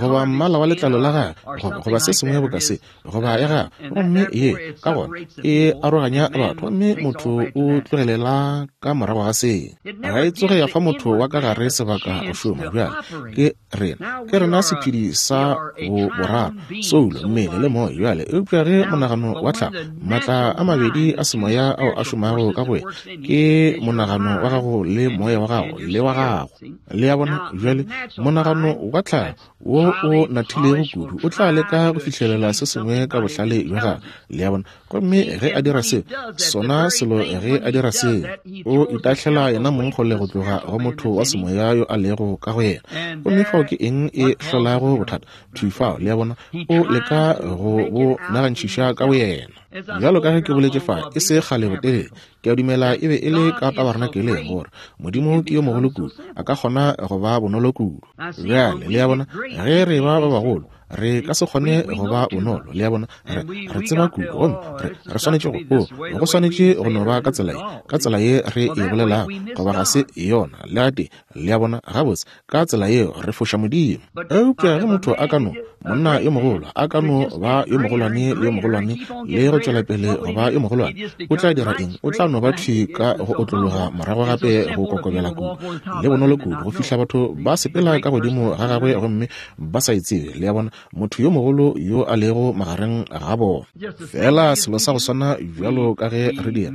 goba mmala wa letlalo la gagwe, goba goba se sengwe boka se, goba ya gagwe. Gomme ye ka gona e aroganya batho, gomme motho o tlogelela ka morago ga se. Ga e tsoge ya fa motho wa ka gare sebaka go šoma. Bjale ke rena, ke rena sephedi sa bo boraro, soulo, mmele le moya. Bjale Eupša ge monagano wa tlhago, maatla a mabedi a semoya ao a šomago ka go wena, ke monagano wa gago le moya wa gago le wa gago. Le a bona? Bjale monagano wa tlhago wo o nathilego kudu o tla leka go fihlelela se sengwe ka bohlale bja gagwe. Le a bona? Gomme ge a dira seo, sona selo ge a dira seo, o itahlela yena mong kgole go tloga go motho wa semoya yo a lego ka go yena. Gomme fao ke eng e hlolago bothata? Thwi fao, le a bona, o leka go bo nagantšhiša ka boyena. Bjalo ka ge ke boletše fa e se kgale botelele, ke a dumela e be e le ka tabernakeleng, gore Modimo ke yo mogolo kudu, a ka kgona go ba bonolo kudu. Bjale, le a bona, ge re ba ba bagolo, re ka se kgone go ba bonolo. Le a bona, re, re tseba kudu, gomme re, re swanetše go, o, go swanetše go no ba ka tsela ye, ka tsela ye re e bolelago, goba ga se yona. Le a tee, le a bona, gabotse, ka tsela yeo re foša Modimo. Eupša ge motho a ka no, monna yo mogolo, a ka no ba yo mogolwane le yo mogolwane, le go tšwela pele go ba yo mogolwane, o tla dira eng? O tla no ba thwi ka go otlologa morago gape go kokobela kudu le bonolo kudu, go fihla batho ba sepela ka godimo ga gagwe gomme ba sa e tsebe. Le a bona, motho yo mogolo yo a lego magareng ga bona. Fela selo sa go swana bjalo ka ge re dira,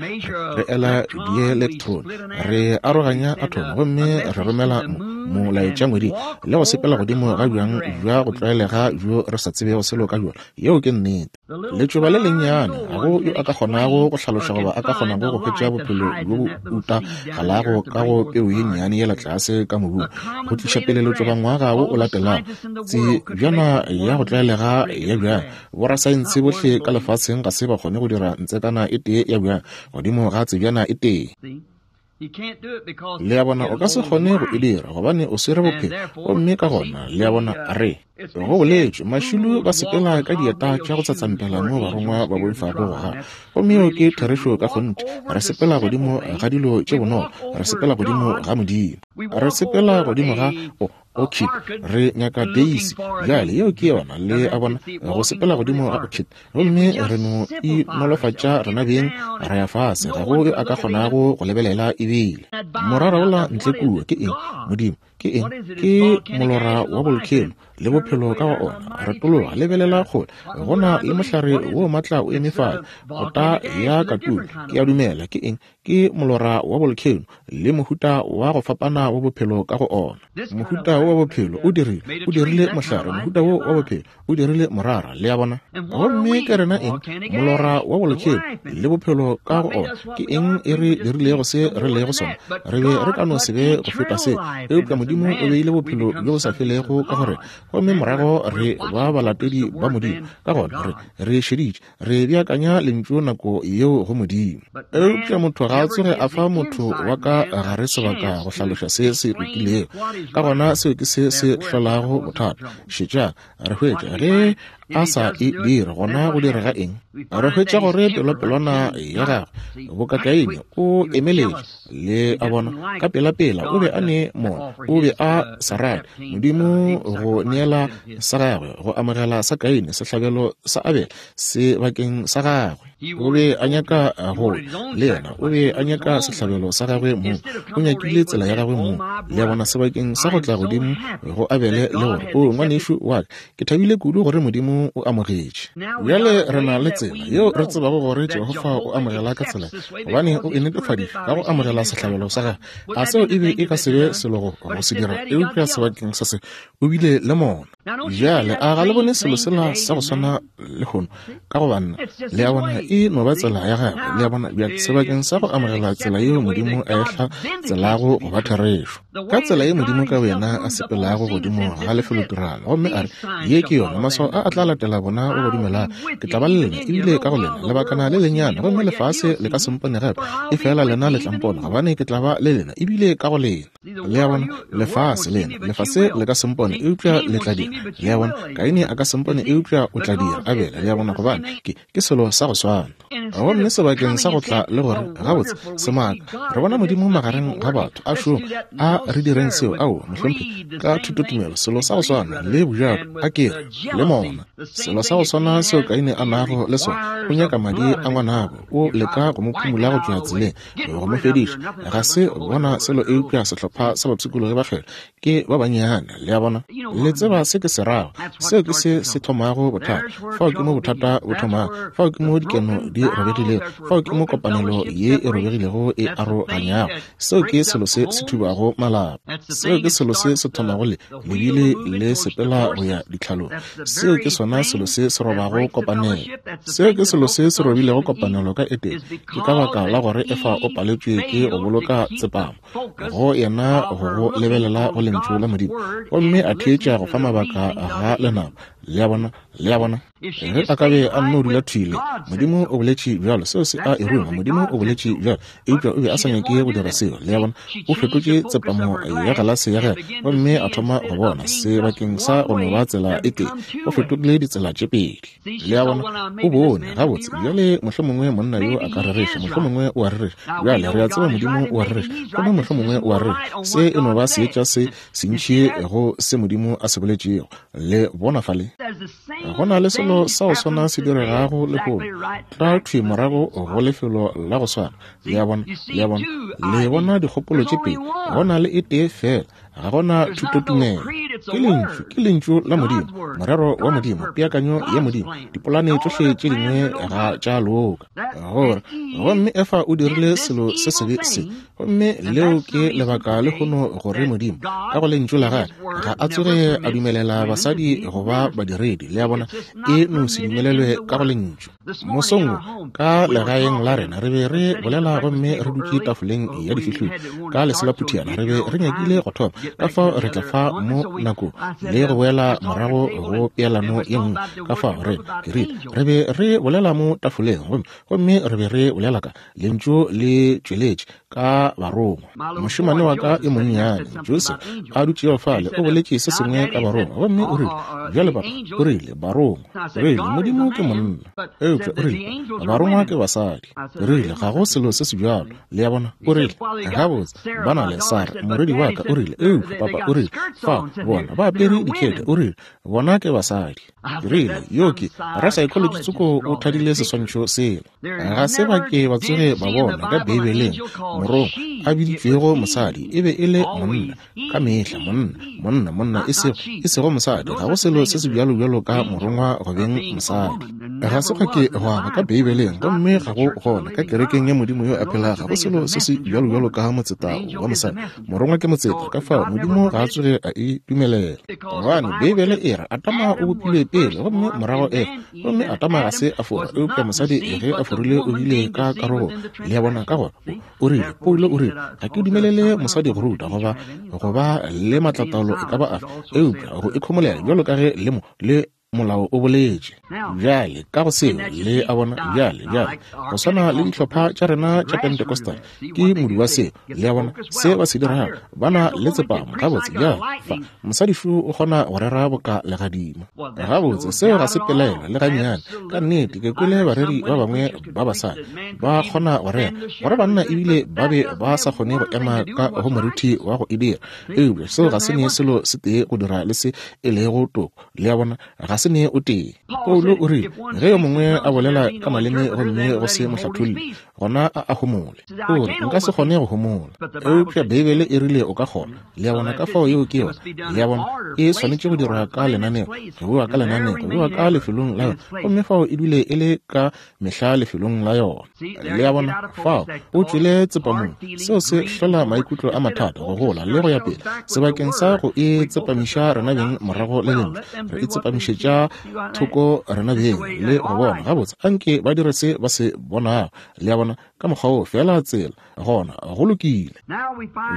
re ela dielektrone, re aroganya athomo, gomme re romela molaetša ngweding le go sepela godimo ga bjang bja go tlwaelega bjo re sa tsebego selo ka bjona. Yeo ke nnete. Letšoba le lennyane, ga go yo a ka kgonago go hlaloša goba a ka kgonago go hwetša bophelo bjo bo utagalago ka go peu ye nnyane yela tlase ka mobung, go tliša pele letšoba ngwaga wo o latelago. Tsebjana ya go tlwaelega ya bjang, borasaense bohle ka lefaseng ga se ba kgone go dira ntsekana e tee ya bjang godimo ga tsebjana e tee. Le a bona, o ka se kgone go e dira, gobane o swere bophelo. Gomme ka gona, le a bona, re go boletšwe, mašilo ba sepela ka dieta tša go tsatsampela mo barongwa ba boifago go gana. Gomme yeo ke therešo ka kgonthe. Re sepela godimo ga dilo tše bonolo, re sepela godimo ga Modimo, re sepela godimo ga o orchid, re nyaka daisy. Bjale yeo ke yona, le a bona, go sepela godimo ga orchid. Gomme re no inolofatša rena beng, ra ya fase, ga go yo a ka kgonago go lebelela ebile. Morara wola ntle kua ke eng? Modimo ke eng? Ke molora wa volcano le bophelo ka go ona. Re tologa, lebelela kgole, go na le mohlare wo matla o eme fale, kota ya katulu, ke a dumela ke eng? Ke molora wa volcano le mohuta wa go fapana wa bophelo ka go ona. Mohuta wo wa bophelo o dirile, o dirile mohlare, mohuta wo wa bophelo o dirile morara. Le a bona? Gomme ke rena eng? Molora wa volcano le bophelo ka go ona. Ke eng e re dirilego se re lego sona? Re be re ka no se be go feta se, eupša Modimo o beile bophelo bjo bo sa felego ka go rena, gomme morago re ba balatedi ba Modimo. Ka gona re re šeditše, re beakanya lentšu nako yeo go Modimo. Eupša motho ga a tsoge a fa motho wa ka gare sebaka go hlaloša se se lokilego. Ka gona seo ke se se hlolago bothata. Šetšang, re hwetša ge a sa e dire, gona go direga eng? Re hwetša gore pelopelwana ya gagwe bokakaine o emeletše. Le a bona, ka pelapela o be a ne mona, o be a sa rate Modimo go neela sa gagwe, go amogela sa Kaine, sehlabelo sa Abele se bakeng sa gagwe. O be a nyaka go le yena, o be a nyaka sehlabelo sa gagwe mong, o nyakile tsela ya gagwe mong. Le a bona, sebakeng sa go tla godimo go Abele le gore, o ngwanešu wa ka, ke thabile kudu gore Modimo o amogetše. Bjale re na le tsela yeo re tsebago gore Jehofa o amogela ka tsela, gobane o e netefaditše ka go amogela sehlabelo sa gagwe. A seo e be e ka se be selo go go se dira, eupša sebakeng sa se o bile le mona. Bjale a ga le bone selo sela sa go swana lehono ka go banna? Le a bona, e no ba tsela ya gagwe. Le a bona, bjale sebakeng sa go amogela tsela yeo Modimo a e hlatselago go ba therešo, ka tsela ye Modimo ka boyena a sepelago godimo ga lefelotiragalo, gomme a re, ye ke yona, maswao a a tla latela bona ba ba dumelang, ke tla ba le lena ebile ka go lena lebakana le lennyane, gomme lefase le ka se mpone gape, efela lena le tla mpona, gobane ke tla ba le lena ebile ka go lena. Le a bona, lefase lena, lefase le ka se mpone, eupša le tla dira. Le a bona, Kaine a ka se mpone, eupša o tla dira. Abele, le a bona, gobane ke ke selo sa go swana. swana. Gomme sebakeng sa go tla le gore gabotse semaka, re bona Modimo magareng ga batho a šoma, a re direng seo, ao mohlomphegi, ka thutotumelo, selo sa go swana le bojato, a kere le mona, selo sa go swana seo Kaine a nago le sona, o nyaka madi a ngwanabo, o leka go mo phumula go tšwa tseleng, go mo fediša. Ga se bona selo eupša sehlopha sa bapshikologi ba kgwele ke ba bannyane, le a bona. Le tseba se ke se rago, seo ke se se thomago bothata. Fao ke mo bothata bo thomago, fao ke mo dikeno di robegilego, fao ke mo kopanelo ye e robegilego e aroganyago. Seo ke selo se se thubago malapa, seo ke selo se se thomago le lebile le sepela go ya ditlhalong. Seo ke sona selo se se robago kopanelo, seo ke selo se se robilego kopanelo ka Edene. Ke ka baka la gore Efa o paletšwe ke go boloka tsepamo go yena go go lebelela go lentšu la Modimo, gomme a theetša go fa mabaka ga lenaba. Le a bona, le a bona. Ge a ka be a nno dula thwile, Modimo o boletše bjalo, seo se a e ruma, Modimo o boletše bjalo, eupša o be a sa nyake go dira seo. Le a bona, o fetotše tsepamo ya galase ya gagwe gomme a thoma go bona sebakeng sa go no ba tsela e tee, o fetogile ditsela tše pedi. Le a bona, o bone gabotse bjale mohlomongwe monna yo a ka rereša, mohlomongwe o a rereša. Bjale re a tseba Modimo o a rereša, gomme mohlomongwe o a rereša. Se e no ba seetša se sentši go se Modimo a se boletšego. Le bona fale, go na le selo sa go swana se diregago lehono, tla thwi morago go lefelo la go swana. Le a bona, le a bona, le bona dikgopolo tše pedi, go na le e tee fela, ga gona thutotumelo. Ke lentšu, ke lentšu la Modimo, morero wa Modimo, peakanyo ya Modimo, dipolane tšohle tše dingwe ga tša loka. Gore gomme Efa o dirile selo se sebe se, gomme leo ke lebaka lehono gore Modimo ka go lentšu la gagwe ga a tsoge a dumelela basadi go ba badiredi. Le a bona, e no se dumelelwe ka go lentšu. Mosong wo ka legaeng la rena re be re bolela gomme re dutše tafoleng ya difihlolo ka leselaphutiana, re be re nyakile go thoma, ka fao re tla fa mo nako le go boela morago go peelano ye nngwe. Ka fao re ke rile re be re bolela mo tafoleng gomme gomme re be re bolela ka lentšu le tšweletše ka barongwa. Mošemane wa ka e monnyane Joseph a dutšego fale o boletše se sengwe ka barongwa, gomme o rile, bjale papa, o rile barongwa, o rile Modimo ke monna, eupša o rile barongwa ke basadi. O rile ga go selo se se bjalo. Le a bona, o rile gabotse ba na le Sara morwedi wa ka, o rile eupša papa, o rile fa bona ba apere dikete, o rile bona ke basadi. Ke rile yo ke rasaekholoji tsoko o thadile seswantšho sela. Ga se ba ke ba tsoge ba bona ka Beibeleng morongwa a biditšwego mosadi, e be e le monna ka mehla, monna, monna, monna, e sego, e sego mosadi. Ga go selo se se bjalo bjalo ka morongwa go beng mosadi. Ga se gwa ke gwa ba ka Beibeleng, gomme ga go gona ka kerekeng ya Modimo yo a phelago. Ga go selo se se bjalo bjalo ka motseta wa mosadi. Morongwa ke motseta, ka fao Modimo ga a tsoge a e dumelela. Gobane Beibele e re Adama o bopilwe pele gomme morago Efa, gomme Adama ga se a fora, eupša mosadi ge a forile o bile ka karogo. Le a bona, ka gore o rile, Paulo o rile, ga ke dumelele mosadi go ruta goba go ba le matlataolo e ka ba afe, eupša go ikhomolela bjalo ka ge le mo le molao o boletše. Bjale ka go seo, le a bona, bjale bjale go swana le dihlopha tša rena tša Pentecostal ke modu wa seo. Le a bona se ba se dirago, ba na le tsepamo gabotse. Bjale fa mosadi šo o kgona go rera boka legadima gabotse, seo ga se pelaelo le gannyane. Ka nnete ke kwele bareri ba bangwe ba basadi ba kgona go rera gore banna ebile ba be ba sa kgone go ema ka go moruti wa go e dira, eupša seo ga se ne selo se tee go dira le se e lego toko. Le a bona, ga se ne o tee. Paulo o rile ge yo mongwe a bolela ka maleme gomme go se mohlatholli, gona a a homole. O re nka se kgone go homola, eupša Beibele e rile o ka kgona. Le a bona, ka fao yeo ke yona. Le a bona, e swanetše go dirwa ka lenaneo, go bewa ka lenaneo, go bewa ka lefelong la yona, gomme fao e dule e le ka mehla lefelong la yona. Le a bona, fao o tšwele tsepamong. Seo se hlola maikutlo a mathata, go gola le go ya pele. Sebakeng sa go e tsepamiša rena beng morago le lentšu, re e tsepamišetša thoko rena beng le go bona gabotse anke ba dire se ba se bonago. Le a bona, ka mokgwa wo fela tsela gona go lokile.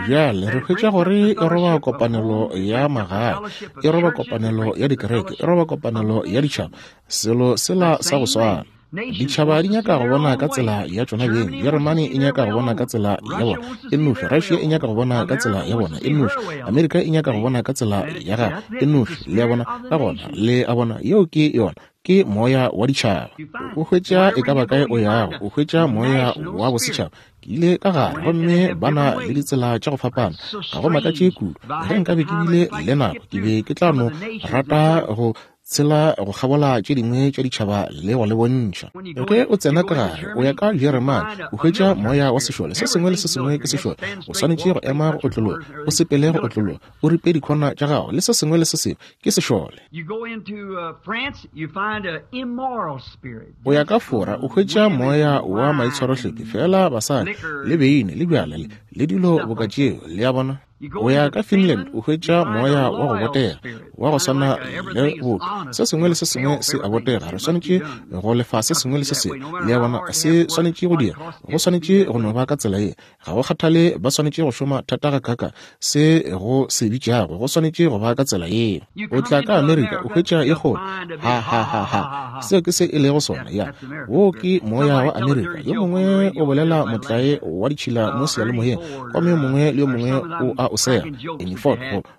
Bjale re hwetša gore e roba kopanelo ya magae, e roba kopanelo ya dikereke, e roba kopanelo ya ditšhaba, selo sela sa go swana. Ditšhaba di nyaka go bona ka tsela ya tšona beng. Jeremane e nyaka go bona ka tsela ya bona e nnoši. Russia e nyaka go bona ka tsela ya bona e nnoši. Amerika e nyaka go bona ka tsela ya gagwe e nnoši. Le a bona? Ka gona, le a bona, yeo ke yona. Ke moya wa ditšhaba. O hwetša e ka ba kae o yago, o hwetša moya wa bosetšhaba. Ke ile ka gare gomme ba na le ditsela tša go fapana. Ga go makatše kudu. Ge nkabe ke bile le nako, ke be ke tla no rata go tshela go kgabola tše dingwe tša ditšhaba le go le bontšha. Ge o tsena ka gare, o ya ka Jeremane, o hwetša moya wa sešole. Se sengwe le se sengwe ke sešole. O swanetše go ema go otlologa, o sepele go otlologa, o ripe dikhona tša gago, le se sengwe le se sengwe ke sešole. O ya ka Fora, o hwetša moya wa maitshwarohlephi, fela basadi le beine le bjala le le dilo boka tšeo, le a bona. O ya ka Finland, o hwetša moya wa go botega, wa go swana le botho. Se sengwe le se sengwe se a botega. Re swanetše go lefa se sengwe le se sengwe, le a bona. Se swanetše go dira, go swanetše go no ba ka tsela ye. Ga go kgathale ba swanetše go šoma thata gakaka se go se bitšago, go swanetše go ba ka tsela yeo. O tla ka Amerika, o hwetša ye kgolo, ha ha ha ha. Seo ke se e lego sona, ya. Wo ke moya wa Amerika. Yo mongwe o bolela motlae wa ditšhila mo seyalemoyeng, gomme yo mongwe le yo mongwe o a o sega. Ford,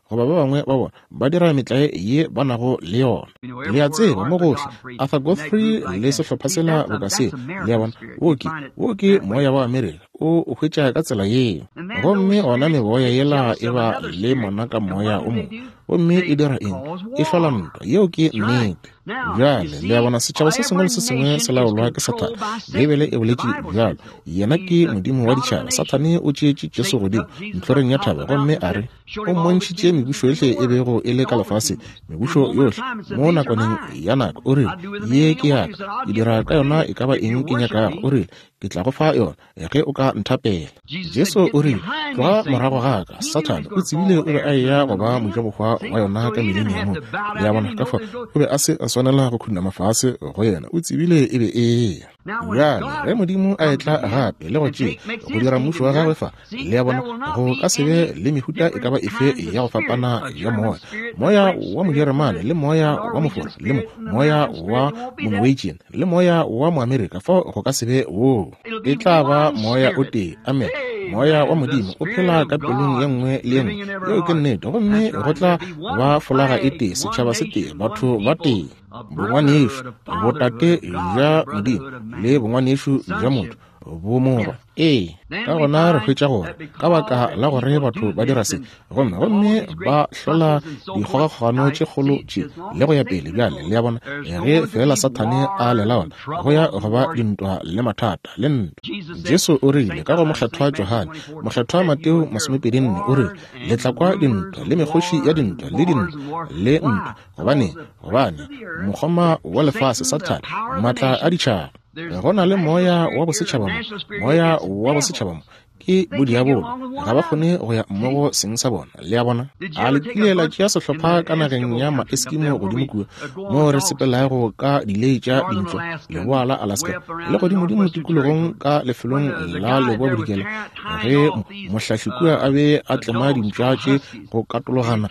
goba ba bangwe ba bona ba dira metlae ye ba nago le yona. Le a tseba mo gohle, Arthur Godfrey le sehlopha sela boka se, le a bona. Wo ke, wo ke moya wa Amerika, o o hwetša ka tsela yeo. Gomme ona meboya yela e ba le mona ka moya o mongwe, gomme e dira eng? E hlola ntwa. Yeo ke nnete. Bjale, le a bona, setšhaba se sengwe le se sengwe se laolwa ke Sathane. Beibele e boletše bjalo. Yena ke modimo wa ditšhaba. Sathane o tšeetše Jesu godimo ntlhoreng ya thaba gomme a re o mmontšhitše mebušo yohle e bego e le ka lefaseng, mebušo yohle mo nakwaneng ya nako. O rile, ye ke ya ka, ke dira ka yona e ka ba eng ke nyakago. O rile, ke tla go fa yona ge o ka nthapela. Jesu o rile, tloga morago ga ka, Sathane. O tsebile o be a eya go ba mojabohwa wa yona ka mileniumong. Le a bona, ka fao o be a se a swanela go khunama fase go yena. O tsebile e be e ya. Bjale ge Modimo a etla gape le go tšea go dira mmušo wa gagwe fa, le a bona, go ka se be le mehuta e ka ba efe ya go fapana ya moya. Moya wa Mojeremane le moya wa Mofora le mo, moya wa Monorwegian le moya wa Moamerika, fao go ka se be woo. E tla ba moya o tee. Amen. Moya wa Modimo o phela ka pelong ye nngwe le ye nngwe. Yeo ke nnete. Gomme go tla ba folaga e tee, setšhaba se tee, batho ba tee, bongwanešu, botate bja Modimo le bongwanešu bja motho, bomorwa. Ee, ka gona re hwetša gore ka baka la gore batho ba dira se, gomme gomme ba hlola dikgogakgogano tše kgolo tše le go ya pele. Bjale, le a bona, ge fela Sathane a le laola, go ya go ba dintwa le mathata le ntwa. Jesu o rile ka go mokgethwa Johane, mokgethwa Mateo masomepedi nne, o rile, le tla kwa dintwa le mekgoši ya dintwa le dintwa le ntwa. Gobane, gobane mokgoma wa lefase Sathane, maatla a ditšhaba. Go na le moya wa bosetšhaba mo, moya wa bosetšhaba mo ke bodiabolo. Ga ba kgone go ya mmogo seng sa bona. Le a bona? A le kile la tšea sehlopha ka nageng ya Maeskimo godimo kua, mo re sepelago ka dilei tša dintlo, leboa la Alaska, le godimodimo tikologong ka lefelong la leboa bodikela, ge mohlahli kua a be a tlema dimpša tše go katologana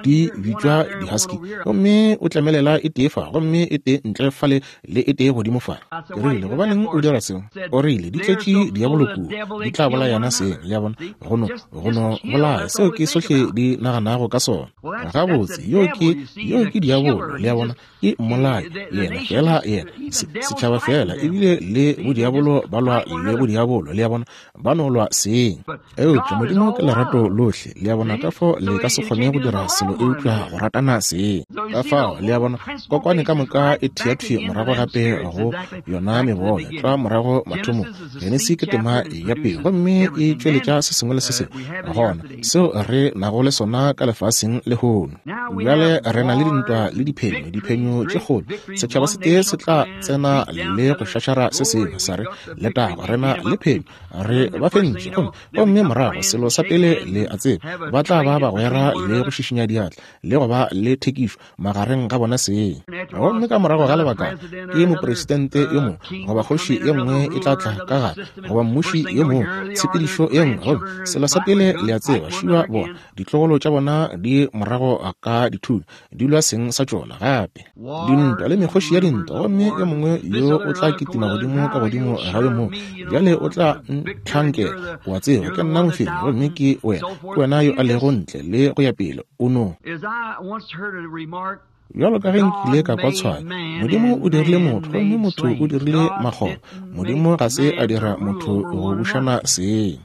di bitšwa di-husky, gomme o tlemelela e tee fa, gomme e tee ntle fale le e tee godimo fa. Ke rile, gobaneng o dira seo? O rile, di tletše diabolo kua, di tla bolayana seng. Le a bona, go no, go no bolaya. Seo ke sohle di naganago ka sona. Gabotse, yo ke, yo ke diabolo. Le a bona, ke mmolai, yena fela, yena setšhaba fela, ebile le bodiabolo ba lwa le bodiabolo. Le a bona, ba no lwa seng. Eupša Modimo ke lerato lohle. Le a bona, ka fao le ka se kgone go dira selo eupša go ratana seng. Ka fao, le a bona, kokwane ka moka e theathwe morago gape go yona meboya, tla morago mathomong. Genesi ke tema ya pele, gomme e tšweletša se sengwe le se sengwe gona seo re nago le sona ka lefaseng lehono. Bjale re na le dintwa le diphenyo, diphenyo tše kgolo. Setšhaba se tee se tla tsena le go šašara se sengwe, sa re letago, re na le phenyo, re ba fentše. Gomme gomme morago selo sa pele le a tseba, ba tla ba bagwera le go šišinya diatla le go ba le thekišo magareng ga bona seng. Gomme ka morago ga lebaka ke mopresidente yo mongwe goba kgoši ye nngwe e tla tla ka gare, goba mmuši yo mongwe, tshepedišo ye nngwe, gomme selo sa pele le a tseba, šiwa bona ditlogolo tša bona di morago ka dithunya di lwa seng sa tšona gape. Dintwa le mekgoši ya dintwa, gomme yo mongwe yo o tla kitima godimo ka godimo ga yo mongwe. Bjale o tla ntlhankela, o a tseba, ke nna mofenyi gomme ke wena, ke wena yo a lego ntle le go ya pele. O no bjalo ka ge nkile ka kwa tshwayo, Modimo o dirile motho gomme motho o dirile makgoba. Modimo ga se a dira motho go bušana seng.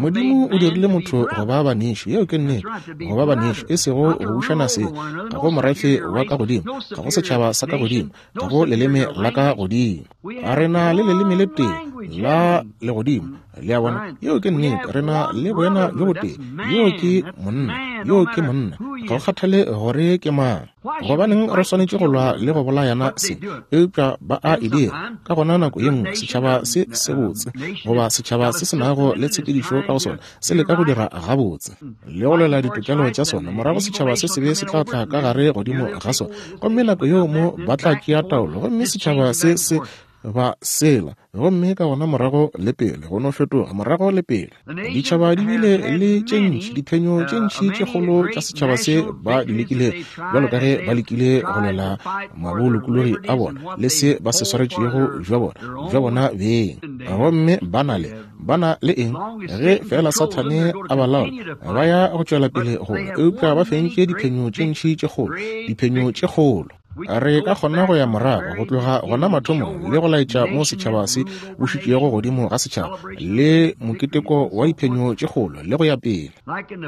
Modimo o dirile motho go ba banešu, yeo ke nnete, go ba banešu, e sego go bušana seng. Ga go morafe wa ka godimo, ga go setšhaba sa ka godimo, ga go leleme la ka godimo. A re na le leleme le tee la legodimo, le a bona, yeo ke nnete. Re na le boena bjo botee, yeo ke monna, yeo ke monna, ga go kgathale gore ke mang. Gobaneng re swanetše go lwa le go bolayana se? Eupša ba a e dira. Ka gona nako ye nngwe setšhaba se sebotse goba setšhaba se se nago le tshepedišo ka go sona se leka go dira gabotse le go lwela ditokelo tša sona, morago setšhaba se sebe se tla tla ka gare godimo ga sona, gomme nako yeo mo ba tla tšea taolo, gomme setšhaba se se ba sela, gomme ka gona morago le pele go no fetoga morago le pele. Ditšhaba di bile le tše ntši diphenyo tše ntši tše kgolo tša setšhaba se ba di lekile, bjalo ka ge ba lekile go lwela mabolokologi a bona le se ba se swaretšego bja bona bja bona beng. Gomme ba na le ba na le eng? Ge fela Sathane a ba laola, ba ya go tšwela pele go, eupša ba fentše diphenyo tše ntši tše kgolo, diphenyo tše kgolo. Re ka kgona go ya morago go tloga gona mathomong le go laetša mo setšhaba se bušitšego godimo ga setšhaba le moketeko wa diphenyo tše kgolo le go ya pele.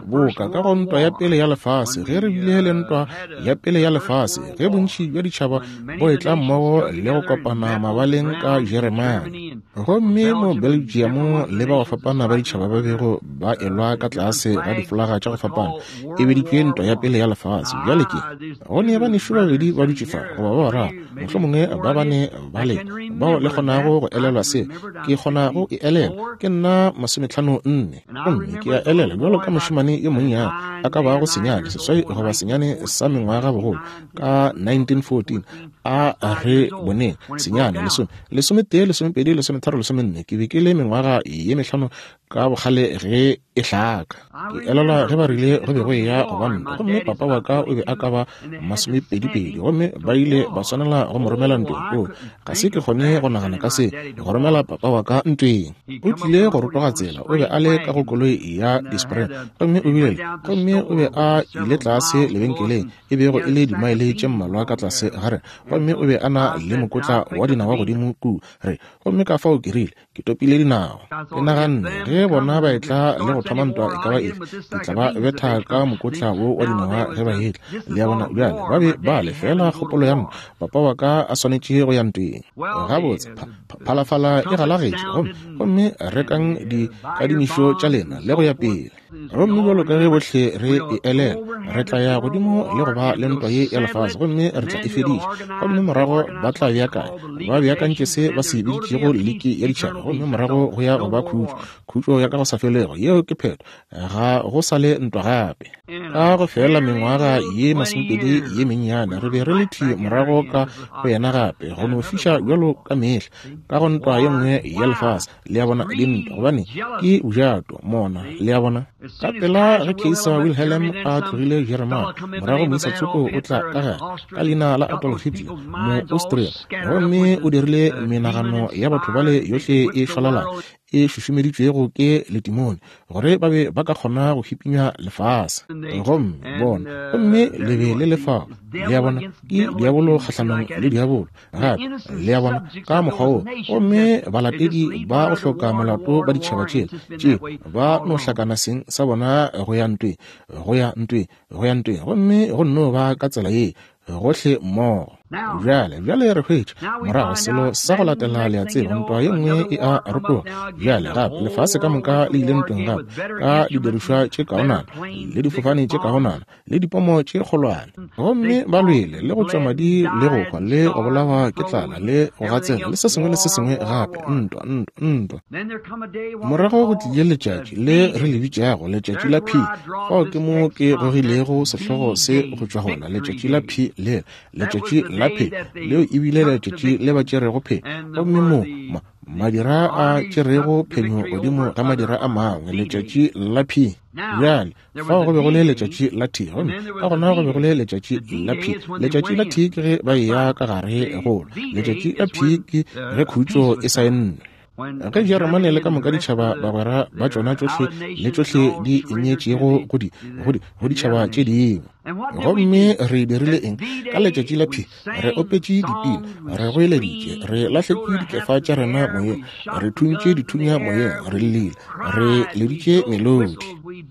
Boka ka go ntwa ya pele ya lefase, ge re bile le ntwa ya pele ya lefase, ge bontši bja ditšhaba bo etla mmogo le go kopana mabaleng ka Jeremane, gomme mo Belgium le ba go fapana ba ditšhaba ba bego ba elwa ka tlase ga difolaga tša go fapana, e beditšwe ntwa ya pele ya lefase. Bjale ke go ne banešu babedi ba dutše fa goba ba bararo, mohlomongwe ba bane ba le bao le kgonago go elelwa se ke kgona go e elelwa. Ke nna masometlhano nne, gomme ke a elelwa bjalo ka mošemane yo monnyane a ka bago senyane seswai goba senyane sa mengwaga bogolo ka nineteen fourteen. A re boneng senyane lesome lesometee lesomepedi lesometharo lesomenne. Ke be ke le mengwaga ye mehlano ka bogale ge e hlaka. Ke elelwa ge ba rile go be go eya go ba ntwa, gomme papa wa ka o be a ka ba masomepedipedi, gomme ba ile ba swanela go mo romela ntweng. O ga se ke kgone go nagana ka se, go romela papa wa ka ntweng. O tlile go rotoga tsela, o be a le ka go koloi ya dispring, gomme o bile gomme o be a ile tlase lebenkeleng e bego e le dimaele tše mmalwa ka tlase ga rena, gomme o be a na le mokotla wa dinawa godimo ku re, gomme ka fao ke rile ke topile dinawa. Ke naganne ge bona ba etla le go thoma ntwa e ka ba efe, ke tla ba betha ka mokotla wo wa dinawa ge ba etla. Le a bona, bjale ba be ba le fela kgopolo ya ntwa, papa wa ka a swanetše go ya ntweng. Gabotse phalafala e galagetše, gomme gomme rekang dikadimišo tša lena le go ya pele. Gomme bjalo ka ge bohle re e elela, re tla ya godimo le go ba le ntwa ye ya lefase, gomme re tla e fediša. Gomme morago ba tla beakanya, ba beakantše se ba se biditšego liki ya ditšhaba, gomme morago go ya go ba khutšo, khutšo ya ka go sa felego. Yeo ke phetho, ga go sa le ntwa gape. Ka go fela mengwaga ye masomepedi ye mennyane, re be re le thwi morago ka go yena gape, go no fiša bjalo ka mehla ka go ntwa ye nngwe ya lefase. Le a bona, dintwa gobane ke bojato mona, le a bona. Ka pela ge Kaiser Wilhelm a tlogile Jeremane, morago moisa tsoko o tla ka gare ka leina la Adolf Hitler mo Austria, gomme o dirile menagano ya batho bale yohle e šwalalana e šušumeditšwego ke letimone gore ba be ba ka kgona go hipinya lefase. Gomme bona, gomme le be le lefao, le a bona, ke diabolo kgahlanong le diabolo gape, le a bona, ka mokgwa wo. Gomme balatedi ba go hloka molato ba ditšhaba tšela tšeo ba no hlakana seng sa bona go ya ntweng, go ya ntweng, go ya ntweng, gomme go nno ba ka tsela ye gohle mmogo. Bjale, bjale re hwetša morago selo sa go latela, le a tseba, ntwa ye nngwe e a rotoga. Bjale gape lefase ka moka le ile ntweng gape ka didirišwa tše kaonana le difofane tše kaonana le dipomo tše kgolwane, gomme ba lwele le go tšwa madi le go hwa le go bolawa ke tlala le go gatsela le se sengwe le se sengwe gape. Ntwa, ntwa, ntwa. Morago go tlile letšatši le re le bitšago letšatši la P. Fao ke mo ke gogilego sehlogo se go tšwa gona, letšatši la P letšatši lela, letšatši la phenyo. Leo e bile letšatši le ba tšerego phenyo. Gomme mo ma, madira a tšerego phenyo godimo ga madira a mangwe, letšatši la P. Bjale, fao go be go le letšatši la T, gomme ka gona go be go le letšatši la P. Letšatši la T ke ge ba eya ka gare go lwa. Letšatši la P ke ge khutšo e saennwe. Ge Jeremane le ka moka ditšhaba bagwera ba tšona tšohle le tšohle di ineetšego go di, go di, go ditšhaba tše dingwe. Gomme re dirile eng? Ka letšatši la P, re opetše dipina, re goeleditše, re lahletše dikefa tša rena moyeng, re thuntše dithunya moyeng, re llile, re leditše melodi,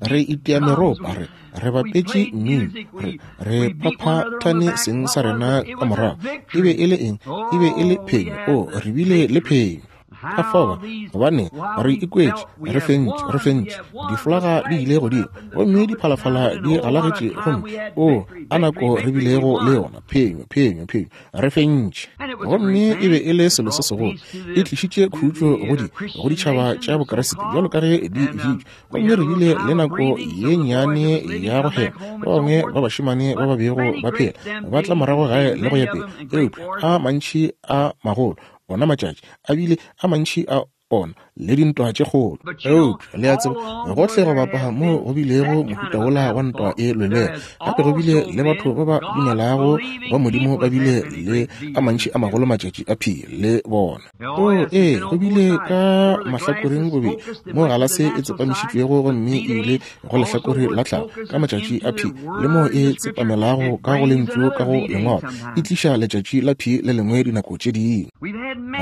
re itia meropa, re re bapetše mmino, re re phaphathane seng sa rena ka morago. E be e le eng? E be e le phenyo. O, re bile le phenyo. Ka fao, gobane re ikwetše, re fentše, re fentše. Difolaga di ile godimo, gomme diphalafala di galagetše, gomme o, a nako re bilego le yona, phenyo, phenyo, phenyo, re fentše. Gomme e be e le selo se segolo, e tlišitše khutšo go di, go ditšhaba tša Bokriste, bjalo ka ge di bitšwa. Gomme re bile le nako ye nnyane ya go hema. Ba bangwe ba bašemane ba ba bego ba phela ba tla morago gae le go ya pele, eupša a mantši a magolo ona matšatši a bile a mantši a ona le dintwa tše kgolo. Eupša le a tseba, gohle go bapa mo go bilego mohuta wola wa ntwa e lwelwela, gape go bile le batho ba ba dumelago ba Modimo ba bile le a mantši a magolo matšatši a P le bona. O, ee, go bile ka mahlakoreng bobedi mo galase e tsepamišitšwego gomme e ile go lehlakore la tlhago ka matšatši a P, le mo e tsepamelago ka go lentšu ka go lengwalo, e tliša letšatši la P le lengwe dinako tše dingwe.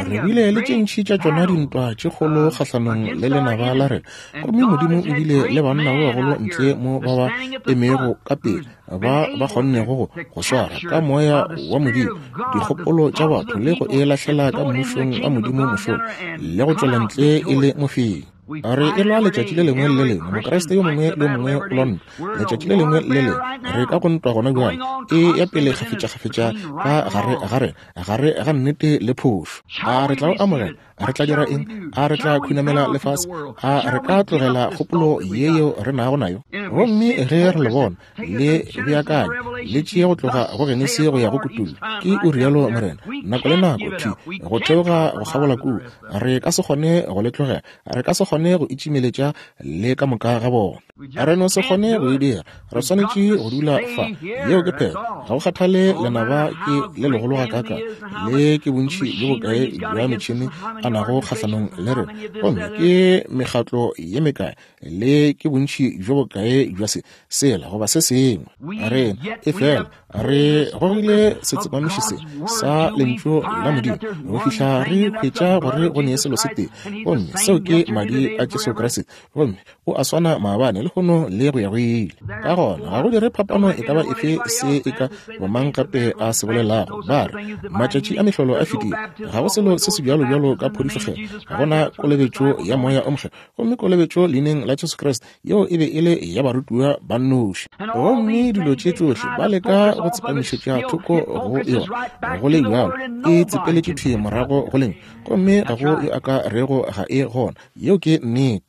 Re bile le tše ntši tša tšona dintwa tše kgolo kgahlanong le lenaba la rena, gomme Modimo o bile le banna ba bagolo ntle mo ba ba emego ka pele, ba ba kgonnego go go swara ka moya wa Modimo dikgopolo tša batho le go e lahlela ka mmušong wa Modimo mošola le go tšwela ntle e le mofenyi. Re e lwa letšatši le lengwe le le lengwe. Mokriste yo mongwe le mongwe o lwa ntwa letšatši le lengwe le lengwe. Re ka go ntwa gona bjale, e ya pele kgafetša-kgafetša ka gare ga rena, gare ga nnete le phošo. A re tla o amogela? A re tla dira eng? A re tla khunamela lefase? A re ka tlogela kgopolo ye yeo re nago nayo? Gomme ge re le bona le beakanya, le tšee go tloga go Genesi go ya go Kutullo, ke o rialo Morena, nako le nako thwi go theoga go kgabola kua. Re ka se kgone go le tlogela, re ka se kgone go itšimeletša le ka moka ga bona. Re no se kgone go e dira, re swanetše go dula fa. Yeo ke phetho. Ga go kgathale lenaba ke le legolo gakaakang, le ke bontši bjo bokae bja metšhene a nago kgahlanong le rena, gomme ke mekgatlo ye mekae, le ke bontši bjo bokae bja se, sela goba se sengwe. Rena e fela re gogile setsepamiši se sa lentšu la Modimo go fihla re hwetša gore go ne selo se tee, gomme seo ke madi a Jesu Kriste, gomme o a swana maabane, lehono le go ya go ile. Ka gona ga go dire phapano e ka ba efe se e ka bomang gape a se bolelago. Ba re matšatši a mehlolo a fetile, ga go selo se se bjalo bjalo ka phodišo, ga gona kolobetšo ya moya o mokgethwa, gomme kolobetšo leineng la Jesu Kriste yeo e be e le ya barutiwa ba nnoši. Gomme dilo tše tšohle ba leka go tsepamišetša thoko go yona, go le bjalo e tsepeletše thwi morago go lentšu, gomme ga go yo a ka rego ga e gona. Yeo ke nnete.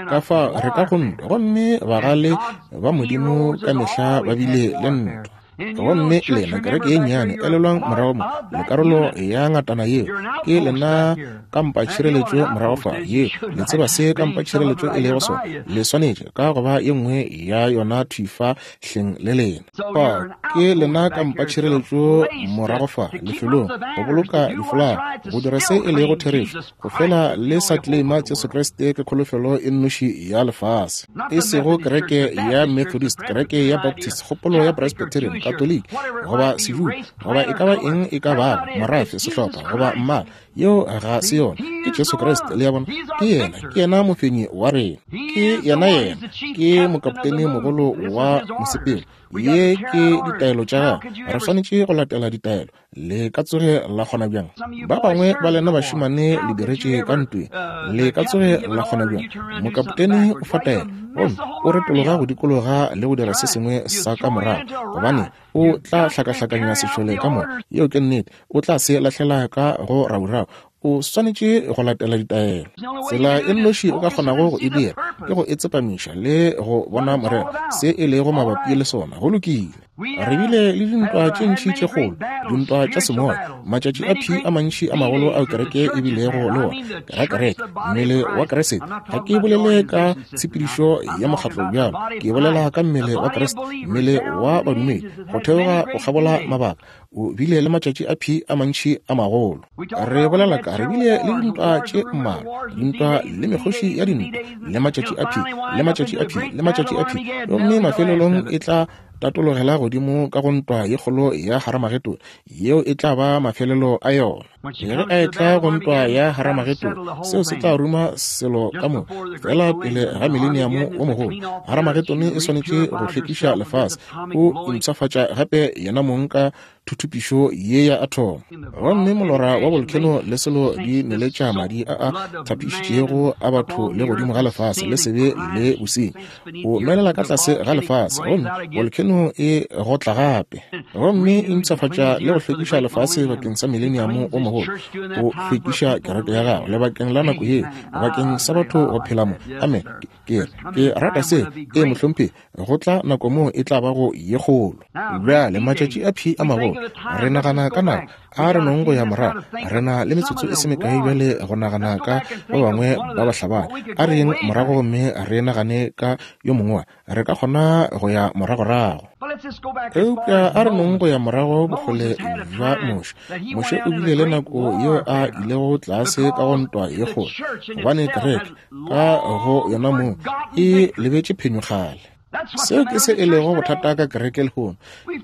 Ka fa re ka go ntwa, gomme bagale ba Modimo ka mehla ba bile le ntwa. Gomme lena kereke ye nnyane, elelwang morago mo, le karolo ya ngatana yeo, ke lena kampa tšhireletšo morago fa ye. Le tseba se kampa tšhireletšo e lego sona, le swanetše ka go ba ye nngwe ya yona thwi fa hleng le lena. Fao ke lena kampa tšhireletšo morago fa lefelong, go boloka difolaga, go dira se e lego therešo, go fela le sa claima Jesu Kriste ke kholofelo e nnoši ya lefase, e sego kereke ya Methodist, kereke ya Baptist, kgopolo ya Presbyterian, Katoliki, goba Sejuda, goba e ka ba eng e ka bago, morafe, sehlopha, goba mmala. Yeo ga se yona. Ke Jesu Kriste, le a bona. Ke yena, ke yena mofenyi wa rena. Ke yena yena, ke mokaptene mogolo wa mosepelo. Ye ke ditaelo tša gagwe, re swanetše go latela ditaelo. Le ka tsoge la kgona bjang? Ba bangwe ba lena bašemane le diretše ka ntweng, le ka tsoge la kgona bjang? Mokaptene o fa taelo, gomme o retologa go dikologa le go dira se sengwe sa ka morago, gobane o tla hlakahlakanya sešole ka moka. Yeo ke nnete. O tla se lahlela ka go raurau, O swanetše go latela ditaelo. Tsela e nnoši o ka kgonago go e dira ke go e tsepamiša le go bona morero se e lego mabapi le sona. Go lokile. Re bile le dintwa tše ntši tše kgolo, dintwa tša semoya, matšatši a phi a mantši a magolo ao kereke e bilego le ona. Ke kereke, mmele wa Kriste. Ga ke bolele ka tshepedišo ya mokgatlo bjalo, ke bolela ka mmele wa Kriste, mmele wa badumedi, go theoga go kgabola mabaka. O bile le matšatši a phi a mantši a magolo. Re bolela ka re bile le dintwa tše mmalwa, dintwa le mekgoši ya dintwa, le matšatši a phi, le matšatši a phi, le matšatši a phi, gomme mafelelong e tla tatologela godimo ka go ntwa ye kgolo ya Haramagedone, yeo e tla ba mafelelo a yona. Ge a e tla go ntwa ya Haramagedone, seo se tla ruma selo ka mo fela pele ga mileniamo wo mogolo. Haramagedone e swanetše go hlwekiša lefase, o impshafatša gape yena mong ka thuthupišo ye ya athomo. Gomme molora wa volcano le selo di neletša madi a a thapišitšego a batho le godimo ga lefase le sebe le bosenyi. O nwelela ka tlase ga lefase, gomme volcano e gotla gape, gomme e mpshafatša le go hlwekiša lefase bakeng sa mileniamo o mogolo. O hlwekiša kereke ya gagwe lebakeng la nako yeo bakeng sa batho go phela mo. Amen. Ke ke rata se. E mohlomphegi, go tla nako moo e tla bago ye kgolo. Bjale matšatši a phi a magolo, re nagana ka nako, a re nong go ya morago. Re na le metsotso e se mekae bjale go nagana ka ba bangwe ba bahlabani. A re yeng morago gomme re nagane ka yo mongwe, re ka kgona go ya moragorago. Eupša a re nong go ya morago bokgole bja Moshe. Moshe o bile le nako yeo a ilego tlase ka go ntwa ye kgolo, gobane kereke ka go yona moo e lebetše phenyo kgale. Seo ke se e lego bothata ka kereke lehono.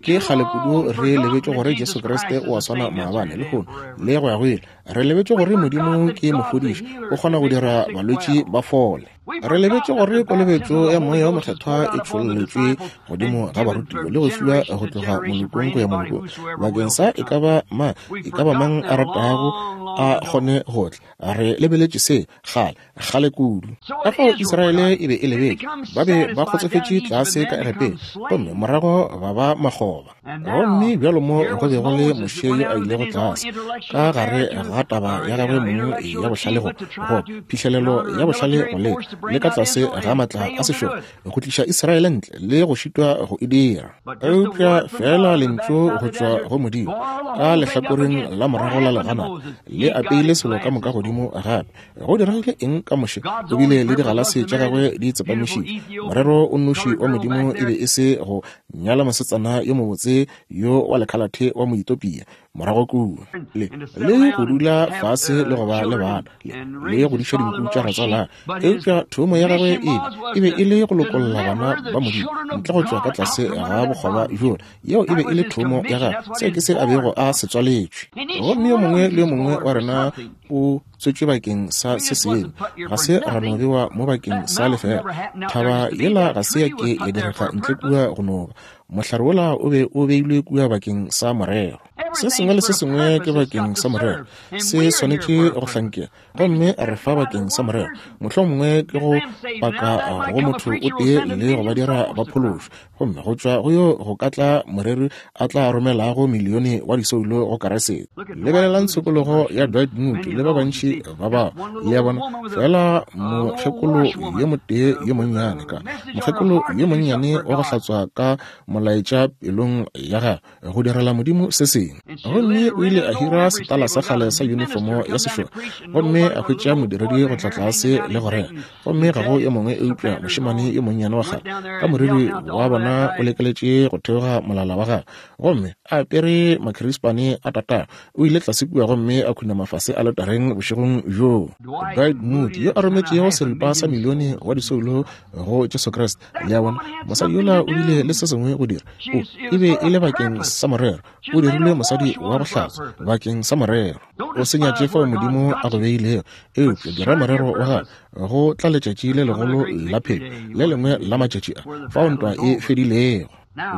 Ke kgale kudu re lebetše gore Jesu Kriste o a swana maabane, lehono le go ya go ile. Re lebetše gore Modimo ke mofodiši, o kgona go dira balwetši ba fole. Re lebetše gore kolobetšo ya Moya o Mokgethwa e tšholletšwe godimo ga barutiwa le go fiwa go tloga molokong go ya molokong, bakeng sa e ka ba mang, e ka ba mang a ratago a kgone go tla. Re lebeletše se kgale, kgale kudu. Ka fao Israele e be e lebetše, ba be ba kgotsofetše tlase ka Egepeta, gomme morago ba ba makgoba. Gomme bjalo mo go be go le Moshe yo a ilego tlase ka gare ga taba ya gagwe mong ya bohlale go go phihlelelo ya bohlale go le le ka tlase ga matla a sešole go tliša Israele ntle le go šitwa go e dira. Eupša fela lentšu go tšwa go Modimo ka lehlakoreng la morago la legana le apeile selo ka moka godimo gape. Go diregile eng ka Moshe? O bile le digalase tša gagwe di tsepamišitše. Morero o nnoši wa Modimo e be e se go nyala mosetsana yo mobotse yo wa lekhalathe wa Moethiopia morago kua, le le go dula fase le go ba le bana, le le go diša dinku tša ratswala. Eupša thomo ya gagwe e e be e le go lokolla bana ba Modimo ntle go tšwa ka tlase ga bokgoba bjola. Yeo e be e le thomo ya gagwe, seo ke se a bego a se tswaletšwe. Gomme yo mongwe le yo mongwe wa rena o tswetšwe bakeng sa se sengwe, ga se ra no bewa mo bakeng sa lefela. Thaba yela ga se ya ke ya direga ntle kua go noba. Mohlare wola o be o beilwe kua bakeng sa morero. Se sengwe le se sengwe ke bakeng sa morero, se swanetše go hlankela, gomme re fa bakeng sa morero. Mohlomongwe ke go paka go motho o tee le go ba dira ba phološwe, gomme go tšwa go yo go ka tla moreri a tla romelago milione wa disoulo go Keresete. Lebelelang tshokologo ya Dwight Moody le ba bantši ba bao, le a bona, fela mokgekolo yo motee yo monnyane ka mokgekolo yo monnyane wa go hlatswa ka molaetša pelong ya gagwe go direla Modimo se sengwe. Gomme o ile a hira setala sa kgale sa uniformo ya sešole, gomme a hwetša modiredi go tla tlase le go rera, gomme ga go yo mongwe eupša mošemane yo monnyane wa kgale ka moriri wa bona o lekeletše go theoga molala wa gagwe, gomme a apere makhirispane a tatago. O ile tlase kua gomme a khunama fase aletareng bošegong bjoo. Dwight Moody yo a rometšego seripa sa milione wa disoulo go Jesu Kriste, le a bona, mosadi yola o bile le se sengwe go dira. O e be e le bakeng sa morero, o dirilwe mosadi wa go hlatswa bakeng sa morero. O se nyatše fao Modimo a go beilego, eupša dira morero wa gagwe. Go tla letšatši le legolo la phenyo, le lengwe la matšatši a fao ntwa e fedilego.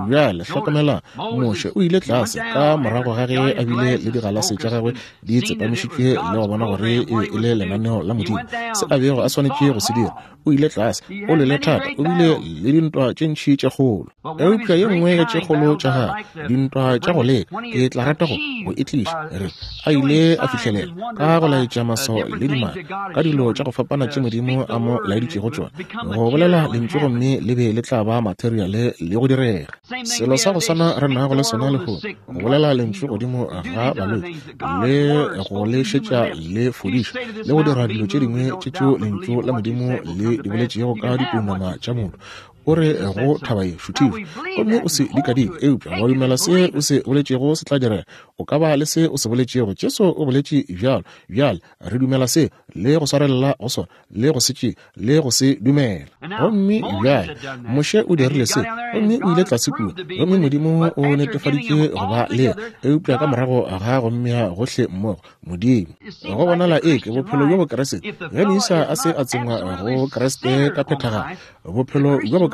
Bjale hlokomela, Moshe o ile tlase ka morago ga ge a bile le digalase tša gagwe di tsepamišitšwe le go bona gore e be e le lenaneo la Modimo, se a bego a swanetše go se dira. O ile tlase, o lwele thata, o bile le dintwa tše ntši tše kgolo. Eupša ye nngwe ya tše kgolo tša gagwe, dintwa tša go leka, ke tla rata go go e tliša, re a ile a fihlelela ka go laetša maswao le dimaka ka dilo tša go fapana tše Modimo a mo laeditšego tšona, go bolela lentšu gomme le be le tla ba materiale le go direga. Selo sa go swana re nago le sona lehono, go bolela lentšu godimo ga balwetši le go le šetša le fodiša le go dira dilo tše dingwe tše tšeo lentšu la Modimo le di boletšego ka dipounama tša motho. O re go thaba ye šuthišwa gomme o se dikadike, eupša wa dumela se o se boletšego se tla direga. O ka ba le se o se boletšego. Jesu o boletše bjalo. Bjale re dumela se le go swarelela go sona le go se tšee le go se dumela. Gomme bjale Moshe o dirile se gomme o ile tlase kua, gomme Modimo o netefaditše go ba le yena, eupša ka morago ga go mmea gohle mmogo Modimo. Go bonala eke bophelo bjo Bokriste, ge moisa a se a tsengwa go Kriste ka phethagalo, bophelo bjo Bokriste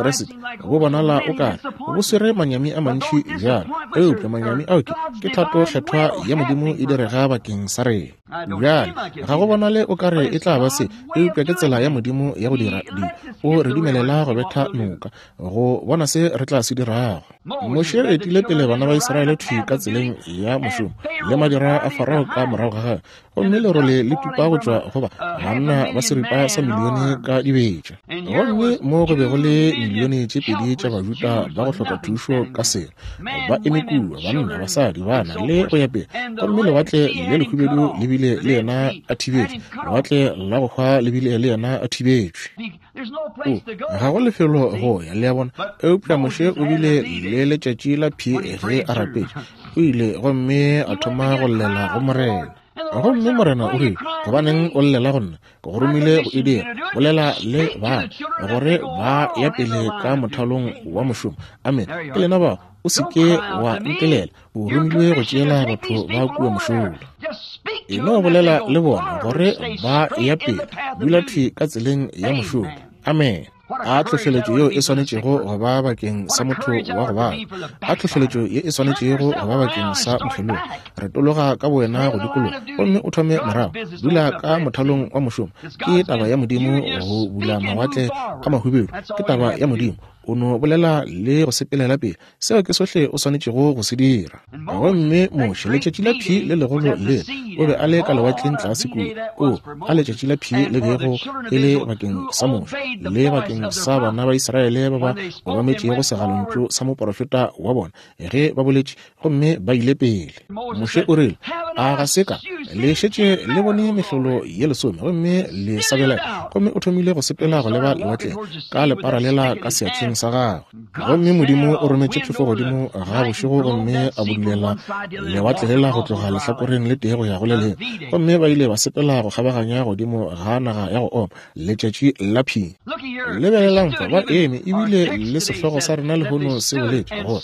bo bonala o kare bo swere manyami a mantši bjalo, eupša manyami ao ke ke thato kgethwa ya Modimo e direga bakeng sa rena. Bjale ga go bonale o kare e tla ba se, eupša ke tsela ya Modimo ya go dira dilo. O re dumelela go betha noka go bona se re tla se dirago. Moshe o etile pele bana ba Israele thwi ka tseleng ya mošomo le madira a Farao ka morago ga gagwe, gomme lerole le tupa go tšwa go ba banna ba seripa sa milione ka dibetša. Gomme mo go be go le milione tše pedi tša Bajuda ba go hloka thušo ka selo, ba eme kua, banna, basadi, bana le go ya pele. Gomme lewatle le lehubedu le bile le yena a thibetšwe, lewatle la go hwa le bile le yena a thibetšwe. O, ga go lefelo go ya, le a bona. Eupša Moshe o bile le letšatši la P ge a rapetše. O ile gomme a thoma go llela go Morena. Gomme Morena o rile, gobaneng o llela go nna? Ke go romile go e dira. Bolela le bana gore ba ya pele ka mothalong wa mošomo. Amen. Ke lena bao, o se ke wa ntelela. O romilwe go tšeela batho ba kua mošola. E no bolela le bona gore ba ya pele, dula thwi ka tseleng ya mošomo. Amen. A tlhohleletšo yeo e swanetšego go ba bakeng sa motho wa go bala, a tlhohleletšo ye e swanetšego go ba bakeng sa mokgelogi. Retologa ka bowena go dikologa gomme o thome morago, dula ka mothalong wa mošomo. Ke taba ya Modimo go bula mawatle a mahubedu, ke taba ya Modimo. O no bolela le go sepelela pele, seo ke sohle o swanetšego go se dira. Gomme Moshe, letšatši la P le legolo le, o be a le ka lewatleng tlase kua. O, a letšatši la P le bego e le bakeng sa Moshe le bakeng sa bana ba Israele ba ba obametšego segalontšu sa moporofeta wa bona ge ba boletše, gomme ba ile pele. Moshe o rile, a ga se ka le šetše le bone mehlolo ye lesome gomme le sa belaela? Gomme o thomile go sepela go leba lewatleng ka lepara lela ka seatleng sa gagwe. Gomme Modimo o rometše phefo godimo ga bošego gomme a budulela lewatle lela go tloga lehlakoreng le tee go ya go le lengwe, gomme ba ile ba sepela go kgabaganya godimo ga naga ya go oma, letšatši la P. Lebelelang fa, ba eme, ebile le sehlogo sa rena lehono se boletše gore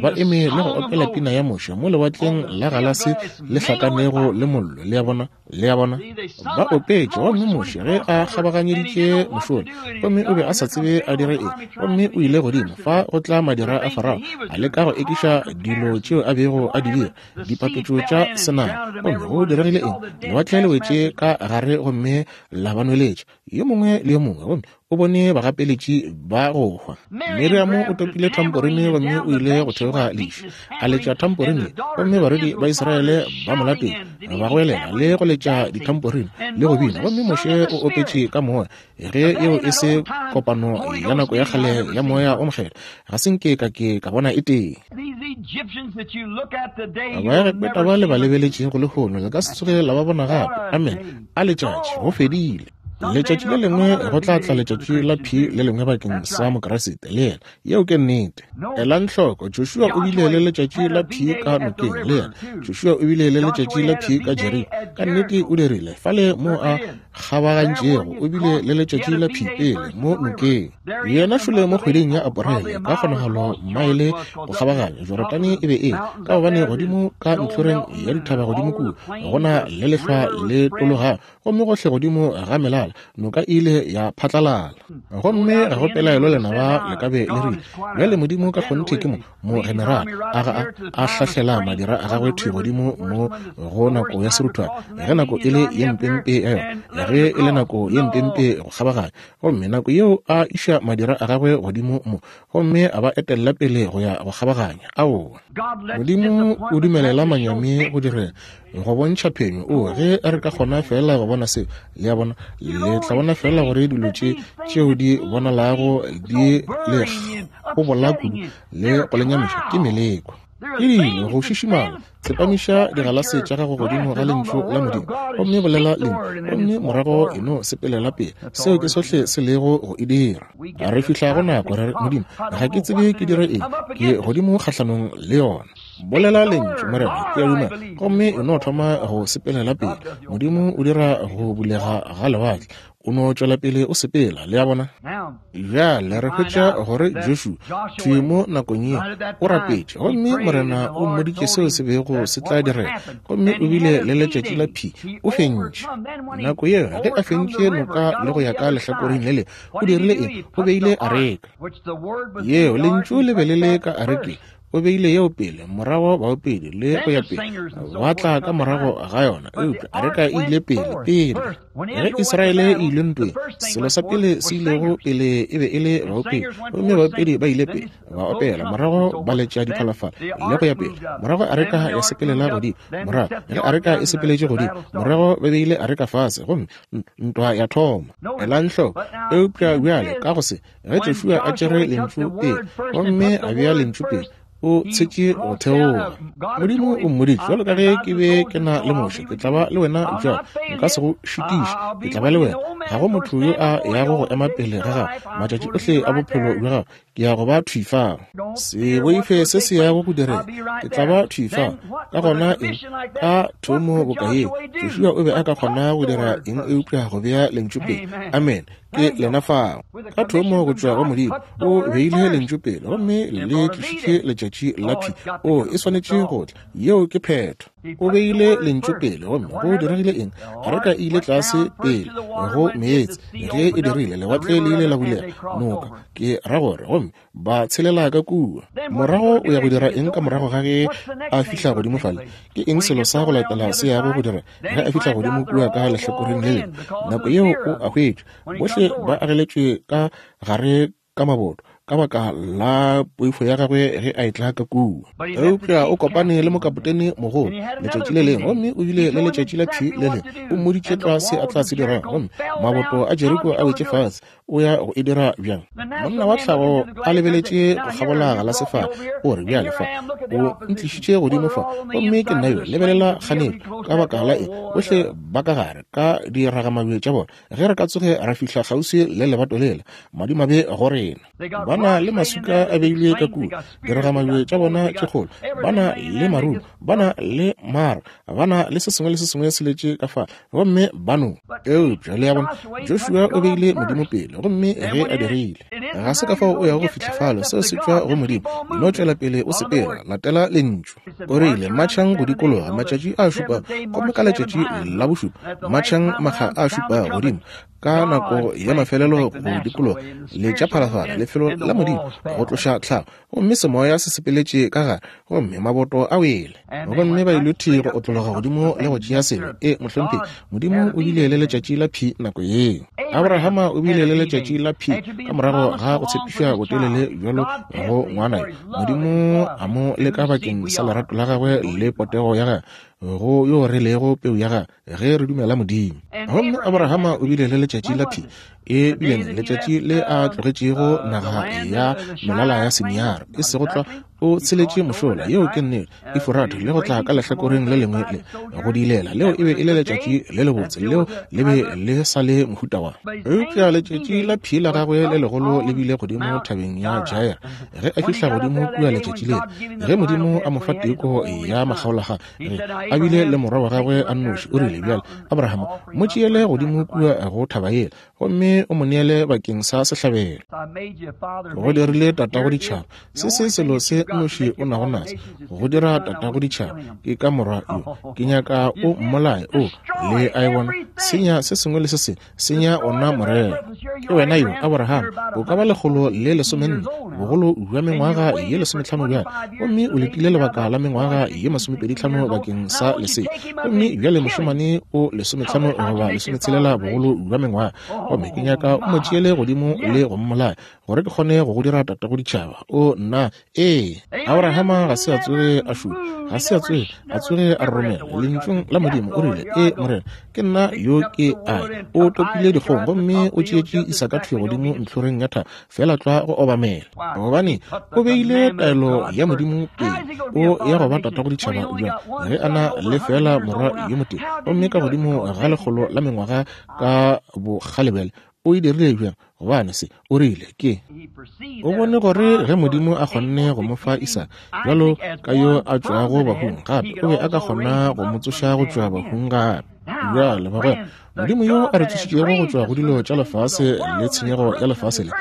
ba eme le go opela pina ya Moshe mo lewatleng la galase le hlakanego le mollo. Le a bona, le a bona, ba opetše. Gomme Moshe ge a kgabaganyeditše mošola, gomme o be a sa tsebe a dire eng, gomme o ile godimo fa go tla madira a Farao a leka go ekiša dilo tšeo a bego a di dira, dipapetšo tša senama. Gomme go diregile eng? Lewatle le wetše ka gare gomme la ba nweletša yo mongwe le yo mongwe, gomme o bone bagapeletši ba go hwa. Miriamo o topile thamporine gomme o ile go theoga leši, a letša thamporine, gomme barwedi ba Israele ba mo latela, ba goelela le go letša dithamporine le go bina. Gomme Moshe o opetše ka moya. Ge yeo e se kopano ya nako ya kgale ya moya o mokgethwa, ga se nke ka ke ka bona e tee. Baegepeta ba le ba lebeletšego lehono le ka se tsoge la ba bona gape. Amen. A letšatši, go fedile. Letšatši le lengwe go tla tla letšatši la P le lengwe bakeng sa Mokriste le yena. Yeo ke nnete. Elang hloko, Joshua o bile le letšatši la P ka nokeng le yena. Joshua o bile le letšatši la P ka Jeriko. Ka nnete o dirile. Fale mo a kgabagantšego, o bile le letšatši la P pele mo nokeng. Yena šole mo kgweding ya Aporele, ka kgonagalo maele go kgabaganya Jorodane e be e, ka gobane godimo ka ntlhoreng ya dithaba godimo kua go na le lehlwa le tologago, gomme gohle godimo ga melala phatlalala, noka e ile ya phatlalala. Gomme ga go pelaelo lenaba le ka be le rile, bjale Modimo ka kgonthe ke mo mogenerale a ga a hlahlela madira a gagwe thwi godimo mo go nako ya seruthwane, ge nako e le ye mpempe ya yona, ge e le nako ye mpempe go kgabaganya. Gomme nako yeo a iša madira a gagwe godimo mo, gomme a ba etella pele go ya go kgabaganya. Aowa, Modimo o dumelela manyami go direga go bontšha phenyo. O ge re ka kgona fela go bona seo, le a bona, le tla bona fela gore dilo tše tšeo di bonalago di le gobola kudu le go lenyamiša ke meleko. Ke dilo go šišimala. Tsepamiša digalase tša gago godimo ga lentšu la Modimo, gomme bolela lentšu, gomme morago e no sepelela pele. Seo ke sohle se lego go e dira. Re fihla go nako re re, Modimo, ga ke tsebe ke dire eng, ke godimo kgahlanong le yona. Bolela lentšu, Morena, ke a dumela, gomme e no thoma go sepelela pele. Modimo o dira go bulega ga lewatle, o no tšwela pele o sepela, le a bona. Bjale re hwetša gore Joshua thwi mo nakong ye o rapetše, gomme Morena o mmoditše seo se bego se tla direga, gomme o bile le letšatši la P, o fentše. Nako yeo ge a fentše noka le go ya ka lehlakoreng le le, o dirile eng? O beile areka yeo, lentšu le be le le ka arekeng. O beile yeo pele, morago baopedi le go ya pele ba tla ka morago ga yona, eupša areka e ile pele pele. Ge Israele e ile ntweng, selo sa pele se ilego pele e be e le baopedi, gomme baopedi ba ile pele ba opela, morago ba letša diphalafala le go ya pele. Morago areka ya sepelela godimo, morago ge areka e sepeletše godimo, morago ba beile areka fase, gomme ntwa ya thoma. Elang hloko. Eupša bjale ka go se, ge Joshua a tšere lentšu pele, gomme a bea lentšu pele, o tshetše go theoga. Modimo o mmoditše, jwalo ka ge ke be ke na le Moshe, ke tla ba le wena bjalo, nka se go šitiše, ke tla ba le wena. Ga go motho yo a yago go ema pele ga gago matšatši ohle a bophelo bja gago, ke ya go ba thwi fao. Se boife se se yago go direga, ke tla ba thwi fao. Ka gona eng? Ka thomo boka yeo, Joshua o be a ka kgona go dira eng eupša go bea lentšu pele? Amen. Ke lena fao. Ka thomo go tšwa go Modimo, o beile lentšu pele, gomme le tlišitše letšatši la P. O e swanetše go tla. Yeo ke phetho. O beile lentšu pele, gomme go diregile eng? Areka e ile tlase pele go meetse. Ge e dirile, lewatle le ile la bulega, noka ke ra gore, gomme ba tshelela ka kua. Morago o ya go dira eng ka morago ga ge a fihla godimo fale? Ke eng selo sa go latela se yago go dira ge a fihla godimo kua ka lehlakoreng le lengwe? Nako yeo o a hwetšwa, bohle ba ageletšwe ka gare ka maboto ka baka la poifo ya gagwe ge a etla ka kua. Eupša o kopane le mokapotene mogolo letšatši le lengwe, gomme o bile le letšatši la P le lengwe. O mmoditše tlwa se a tla se dirang, gomme maboto a Jeriko a wetše fase. O ya go e dira bjang? Monna wa tlhago a lebeletše go kgabola ga la sefala, o re, bjale fa o ntlišitše godimo fa, gomme ke nna yo, lebelela kganetšo. Ka baka la eng? Bohle ba ka gare ka diragamabje tša bona. Ge re ka tsoge ra fihla kgauswi le lebato lela, madimabe go rena. Ba na le maswika a beilwe ka kua, diragamabje tša bona tše kgolo, ba na le marumo, ba na le mara, ba na le se sengwe le se sengwe se letše ka fa, gomme ba no. Eupša le a bona, Joshua o beile Modimo pele, gomme ge a dirile, ga se ka fao o yago go fihla fale, seo se tšwa go Modimo. No tšwela pele o sepela, latela lentšu. O rile, matšhang go dikologa matšatši a šupa, gomme ka letšatši la bošupa matšhang makga a šupa godimo. Ka nako ya mafelelo go dikologa, letša phalafala, lefelo la Modimo go tloša tlhago, gomme semoya se sepeletše ka gare, gomme maboto a wele, gomme ba ile thwi go otlologa godimo le go tšea selo. E mohlomphegi, Modimo o bile le letšatši la P nako yeo. Abrahama o bile le letšatši la P ka morago ga go tshepišwa botelele bjalo go ngwana yo. Modimo a mo leka bakeng sa lerato la gagwe le potego ya gagwe go yo re lego peu ya gagwe ge re dumela Modimo. Gomme Abrahama o bile le letšatši la P, e bile letšatši le a tlogetšego naga ya melala ya Siniara, e sego tlwa o tsheletše mošola, yeo ke nnete, Eforate, le go tla ka lehlakoreng le lengwe le go dilela. Leo e be e le letšatši le lebotse, leo le be le sa le mohuta wa. Eupša letšatši la P la gagwe le legolo le bile godimo thabeng ya Jair. Ge a fihla godimo kua letšatši lele, ge Modimo a mo fa teko ya makgaolakgang, ge a bile le morwa wa gagwe a nnoši, o rile, bjale Abrahama, mo tšeele godimo kua go thaba yela, gomme o mo neele bakeng sa sehlabelo. Go dirile tatago ditšhaba. Se se selo se nnoši o nago naso, go dira tatago ditšhaba, ke ka morwa yo. Ke nyaka o mmolaye. O, le a e bona, senya se sengwe le se sengwe, senya ona morero. Ke wena yo, Abraham, o ka ba lekgolo le lesomenne, bogolo bja mengwaga ye lesometlhano bjale, gomme o letile lebaka la mengwaga ye masomepedi tlhano bakeng sa lesea, gomme bjale mošemane o lesometlhano goba lesometshelela bogolo bja mengwaga, gomme ke nyaka o mo tšeele godimo le go mmolaya gore ke kgone go go dira tatago ditšhaba. O nna, ee, Abrahama ga se a tsoge a šupa, ga se a tsoge a tsoge a romela lentšung la Modimo. O rile, ee Morena, ke nna yo ke a. O topile dikgong gomme o tšeetše Isaka thwi godimo ntlhoreng ya thaba, fela tlwa go obamela, gobane o beile taelo ya Modimo pele. O ya go ba tatago ditšhaba bjang ge a na le fela morwa yo motee, gomme ka godimo ga lekgolo la mengwaga ka bokgalebele? O e dirile bjang? Gobane se o rile ke o bone gore ge Modimo a kgonne go mo fa Isaka bjalo ka yo a tšwago bahung, gape o be a ka kgona go mo tsoša go tšwa bahung gape. Bjale bagwera, Modimo yo a re tsošitšego go tšwa go dilo tša lefase le tshenyego ya lefase le,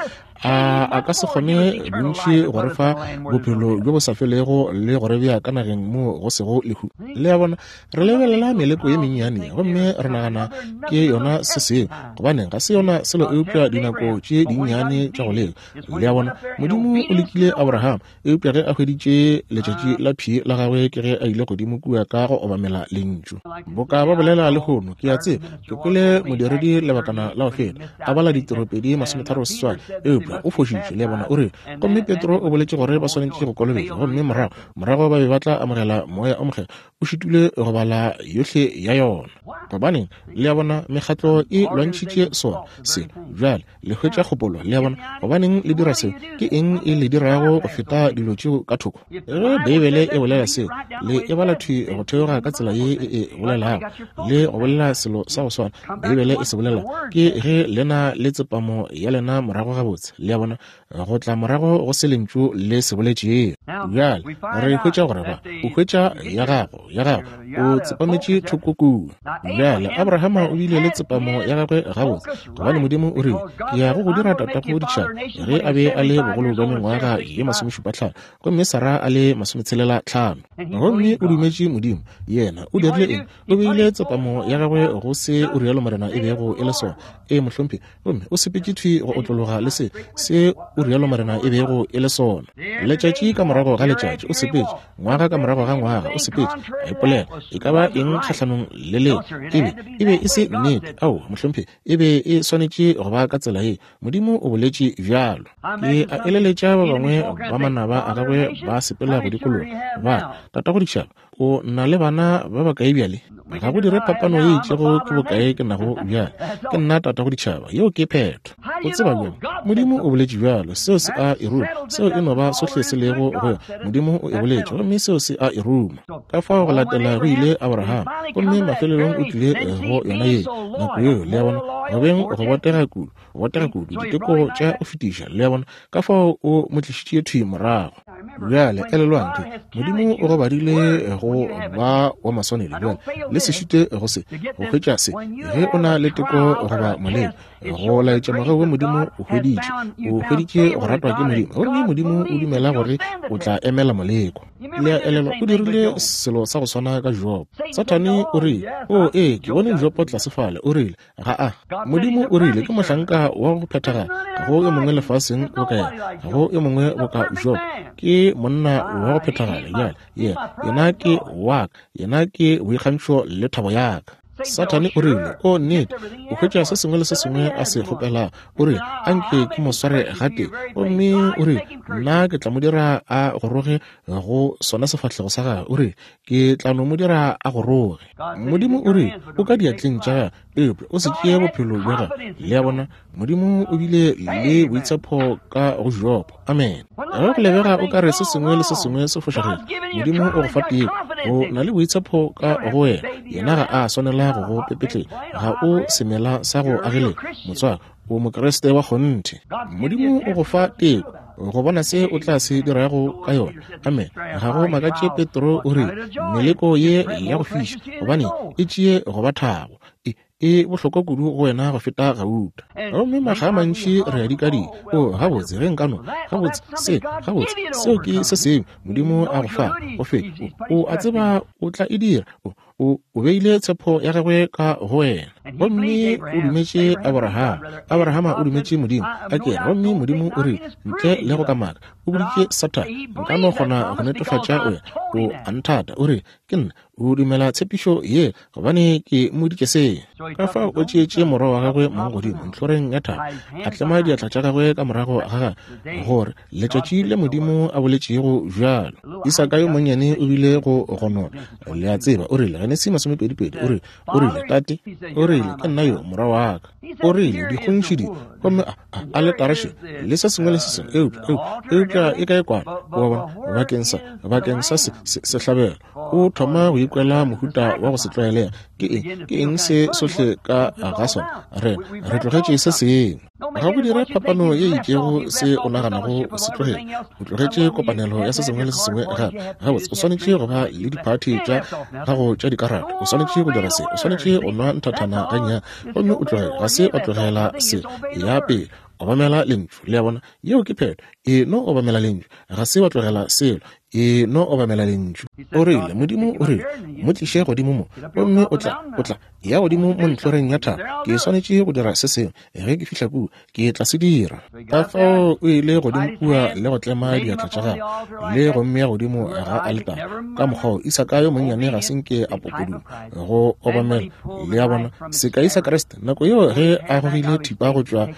a a ka se kgone bontši go re fa bophelo bjo bo sa felego le go re bea ka nageng mo go sego lehu? Le a bona, re lebelela meleko ye mennyane gomme re nagana ke yona se sengwe, gobaneng ga se yona selo eupša dinako tše dinnyane tša go leka. Le a bona, Modimo o lekile Abraham, eupša ge a hweditše letšatši la phi la gagwe ke ge a ile godimo kua ka go obamela lentšu. Boka ba bolela lehono, ke a tseba, ke kwele modiredi lebakana la go feta a bala ditiropedi masometharo seswai, eupša o fošitše. Le a bona, o rile, gomme Petro o boletše gore ba swanetše go kolobetšwa, gomme morago morago ba be ba tla amogela moya o mokgethwa. O šitile go bala yohle ya yona. Gobaneng, le a bona, mekgatlo e lwantšhitše sona se. Bjale le hwetša kgopolo, le a bona, gobaneng le dira seo? Ke eng e le dirago go feta dilo tšeo ka thoko? Ge Beibele e bolela seo, le e bala thwi go theoga ka tsela ye e e bolelago, le go bolela selo sa go swana Beibele e se bolela, ke ge lena le tsepamo ya lena morago gabotse. Le a bona, go tla morago go se lentšu le se boletšego. Bjale re hwetša gore ba o hwetša ya gago ya gago o tsepametše thoko kua. Bjale Abrahama o bile le tsepamo ya gagwe gabotse, gobane Modimo o rile, ke ya go go dira tatago ditšhaba, ge a be a le bogolo bja mengwaga ye masomešupa tlhano, gomme Sara a le masometshelela tlhano. Gomme o dumetše Modimo. Yena o dirile eng? O beile tsepamo ya gagwe go se o rialo Morena e bego e le sona. Ee mohlomphegi, gomme o sepetše thwi go otlologa le se se o rialo Morena e bego e le sona. Letšatši ka morago ga letšatši o sepetše, ngwaga ka morago ga ngwaga o sepetše, a ipolela e ka ba eng kgahlanong le leo e be e be e se nnete. Ao mohlomphegi, e be e swanetše go ba ka tsela ye. Modimo o boletše bjalo. Ke a eleletša ba bangwe ba manaba a gagwe ba sepela go dikologa ba tatago ditšhaba, o na le bana ba bakae bjale? Ga go dire phapano ye itšego ke bokae ke nago bjale. Ke nna tatago ditšhaba, yeo ke phetho. O tseba bjang? Modimo o boletše bjalo, seo se a e ruma. Seo e no ba sohle se lego go yona. Modimo o e boletše, gomme seo se a e ruma. Ka fao go latela go ile Abraham, gomme mafelelong o tlile go yona ye nako yeo. Le a bona, go beng go botega kudu, go botega kudu, diteko tša go fetiša. Le a bona, ka fao o mo tlišitše thwi morago. Bjale elelwang ke Modimo o go badile go ba wa maswanedi. Bjale le se šite go se go hwetša se ge o na le teko goba moleko, go laetša mogau wa Modimo o hweditše, o hweditše go ratwa ke Modimo, gomme Modimo o dumela gore o tla emela moleko. Le a elelwa, o dirile selo sa go swana ka Jobo. Sathane o rile, o ee, ke bone Jobo tlase fale. O rile, ga a. Modimo o rile ke mohlanka wa go phethagala, ga go yo mongwe lefaseng boka yena, ga go yo mongwe boka Jobo. Ke monna wa go phethagala. Bjale yena, yena ke wa ka, yena ke boikgantšho le thabo ya ka. Sathane o rile, o nnete, o hwetša se sengwe le se sengwe a se kgopelago. O rile, anke ke mo sware gatee, gomme o rile, nna ke tla mo dira a goroge go sona sefahlego sa gagwe. O rile, ke tla no mo dira a goroge. Modimo o rile, o ka diatleng tša gagwe, eupša o se tšee bophelo bja gagwe. Le a bona, Modimo o bile le boitshepo ka go Jobo. Amen. Ge go lebega o ka re se sengwe le se sengwe se fošagetse, Modimo o go fa teko. O na le boitshepo ka go wena. Yena ga a swanela go go pepetlela. Ga o semela sa go agelela, motswako. O Mokriste wa kgonthe. Modimo o go fa teko go bona se o tla se dirago ka yona. Amen. Ga go makatše Petro o rile, meleko ye ya go fiša, gobane e tšee go ba thabo. E E bohlokwa kudu go wena go feta gauta. Gomme makga a mantši re a dikadika. O, gabotse, ge nkano, gabotse, se, gabotse, seo ke se sengwe Modimo a go fa, go fe. O, o a tseba o tla e dira. O, o, o beile tshepo ya gagwe ka go wena. Gomme o dumetše Abraham. Abrahama o dumetše Modimo. A ke, gomme Modimo o rile, ntle le go kamaka, o boditše Sathane, nka no kgona go netefatša o ya, o a nthata. O rile, ke nna, o dumela tshepišo ye, gobane ke mmoditše se. Ka fao o tšeetše morwa wa gagwe mong godimo ntlhoreng ya thaba, a tlema diatla tša gagwe ka morago ga gagwe, gore letšatši le Modimo a boletšego bjalo. Isaka yo monnyane o bile go gonona, le a tseba. O rile, Genesi masomepedi-pedi, o rile, o rile, tate, o rile, ke nna yo, morwa wa ka. O rile, dikgontšhi di, gomme a, a, aletare še, le se sengwe le se sengwe, eupša, eupša, eupša e kae kwana, wa bona, bakeng sa, bakeng sa se, se, sehlabelo. O thoma go ikwela mohuta wa go se tlwaelega. Ke eng, ke eng se sohle ka ga sona? Re, re tlogetše se sengwe. Ga go dire phapano ye itšego se o naganago o se tlogele. O tlogetše kopanelo ya se sengwe le se sengwe gape. Gabotse, o swanetše go ba le diphathi tša gago tša dikarata. O swanetše go dira se. O swanetše go nwa nthathana gannyane. Gomme o tlogele. Ga se wa tlogela se. Ya pele, obamela lentšu. Le a bona? Yeo ke phetho. E no obamela lentšu. Ga se wa tlogela selo. E no obamela lentšu. O rile, Modimo o rile, mo tliše godimo mo, gomme o tla, o tla ya godimo mo ntlhoreng ya thaba. Ke swanetše go dira se sengwe. Ge ke fihla kua, ke tla se dira. Ka fao o ile godimo kua le go tlema diatla tša gagwe, le go mmea godimo ga aletare. Ka mokgwa wo, Isaka yo monnyane ga se nke a popoduma go obamela. Le a bona, sekai sa Kriste, nako yeo ge a gogile thipa go tšwa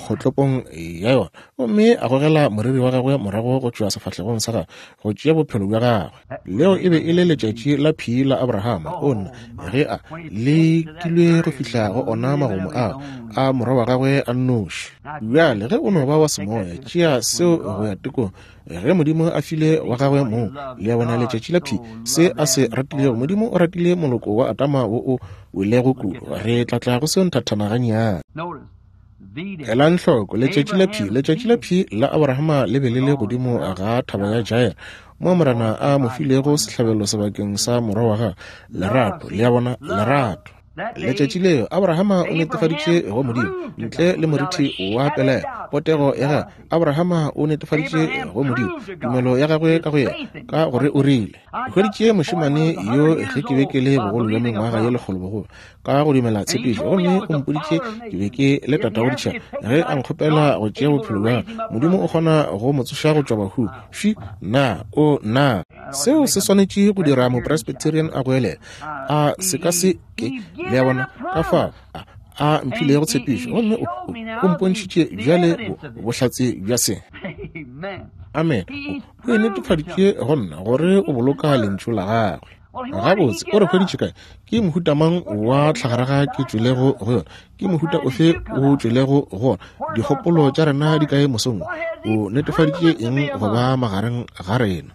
kgotlopong ya yona, gomme a gogela moriri wa gagwe morago go tšwa sefahlegong sa gagwe, go tšea bophelo bja gagwe. Leo e be e le letšatši la phi la Abrahama. O nna, ge a lekilwe go fihla go ona magomo ao a morwa wa gagwe a nnoši. Bjale ge o no ba wa semoya, tšea seo go ya tekong. Ge Modimo a file wa gagwe mong, le a bona, letšatši la phi, se a se ratilego, Modimo o ratile moloko wa Adama wo o welego kudu. Re tla tla go seo nthathana gannyane. Elang hloko, letšatši la phi, letšatši la phi la Abrahama le be le le godimo ga thaba ya Jair, mo Morena a mo filego sehlabelo sebakeng sa morwa wa gagwe. Lerato, le a bona, lerato. Letšatši leo Abrahama o netefaditše go Modimo, ntle le morithi wa pelaelo, potego ya gagwe. Abrahama o netefaditše go Modimo tumelo ya gagwe ka go yena, ka gore o rile, ke hweditše mošemane yo ge ke be ke le bogolo bja mengwaga ye lekgolo bogolo, ka go dumela tshepišo, gomme o mpoditše ke be ke le tatago ditšhaba. Ge a nkgopela go tšea bophelo bja gagwe, Modimo o kgona go mo tsoša go tšwa bahung. Fi, na, o, na. Seo se swanetše go dira mopresbyterian a goelela. A se ka se ke, le a bona, ka fao a, a mphilego tshepišo, gomme o, o, o mpontšhitše bjale bo, bohlatse bja se. Amen. O, o e netefaditše go nna gore o boloka lentšu la gagwe. Gabotse, o re hweditše kae? Ke mohuta mang wa tlhagaraga ke tšwelego go yona? Ke mohuta ofe o tšwelego go ona? Dikgopolo tša rena di kae mosong? O netefaditše eng go ba magareng ga rena?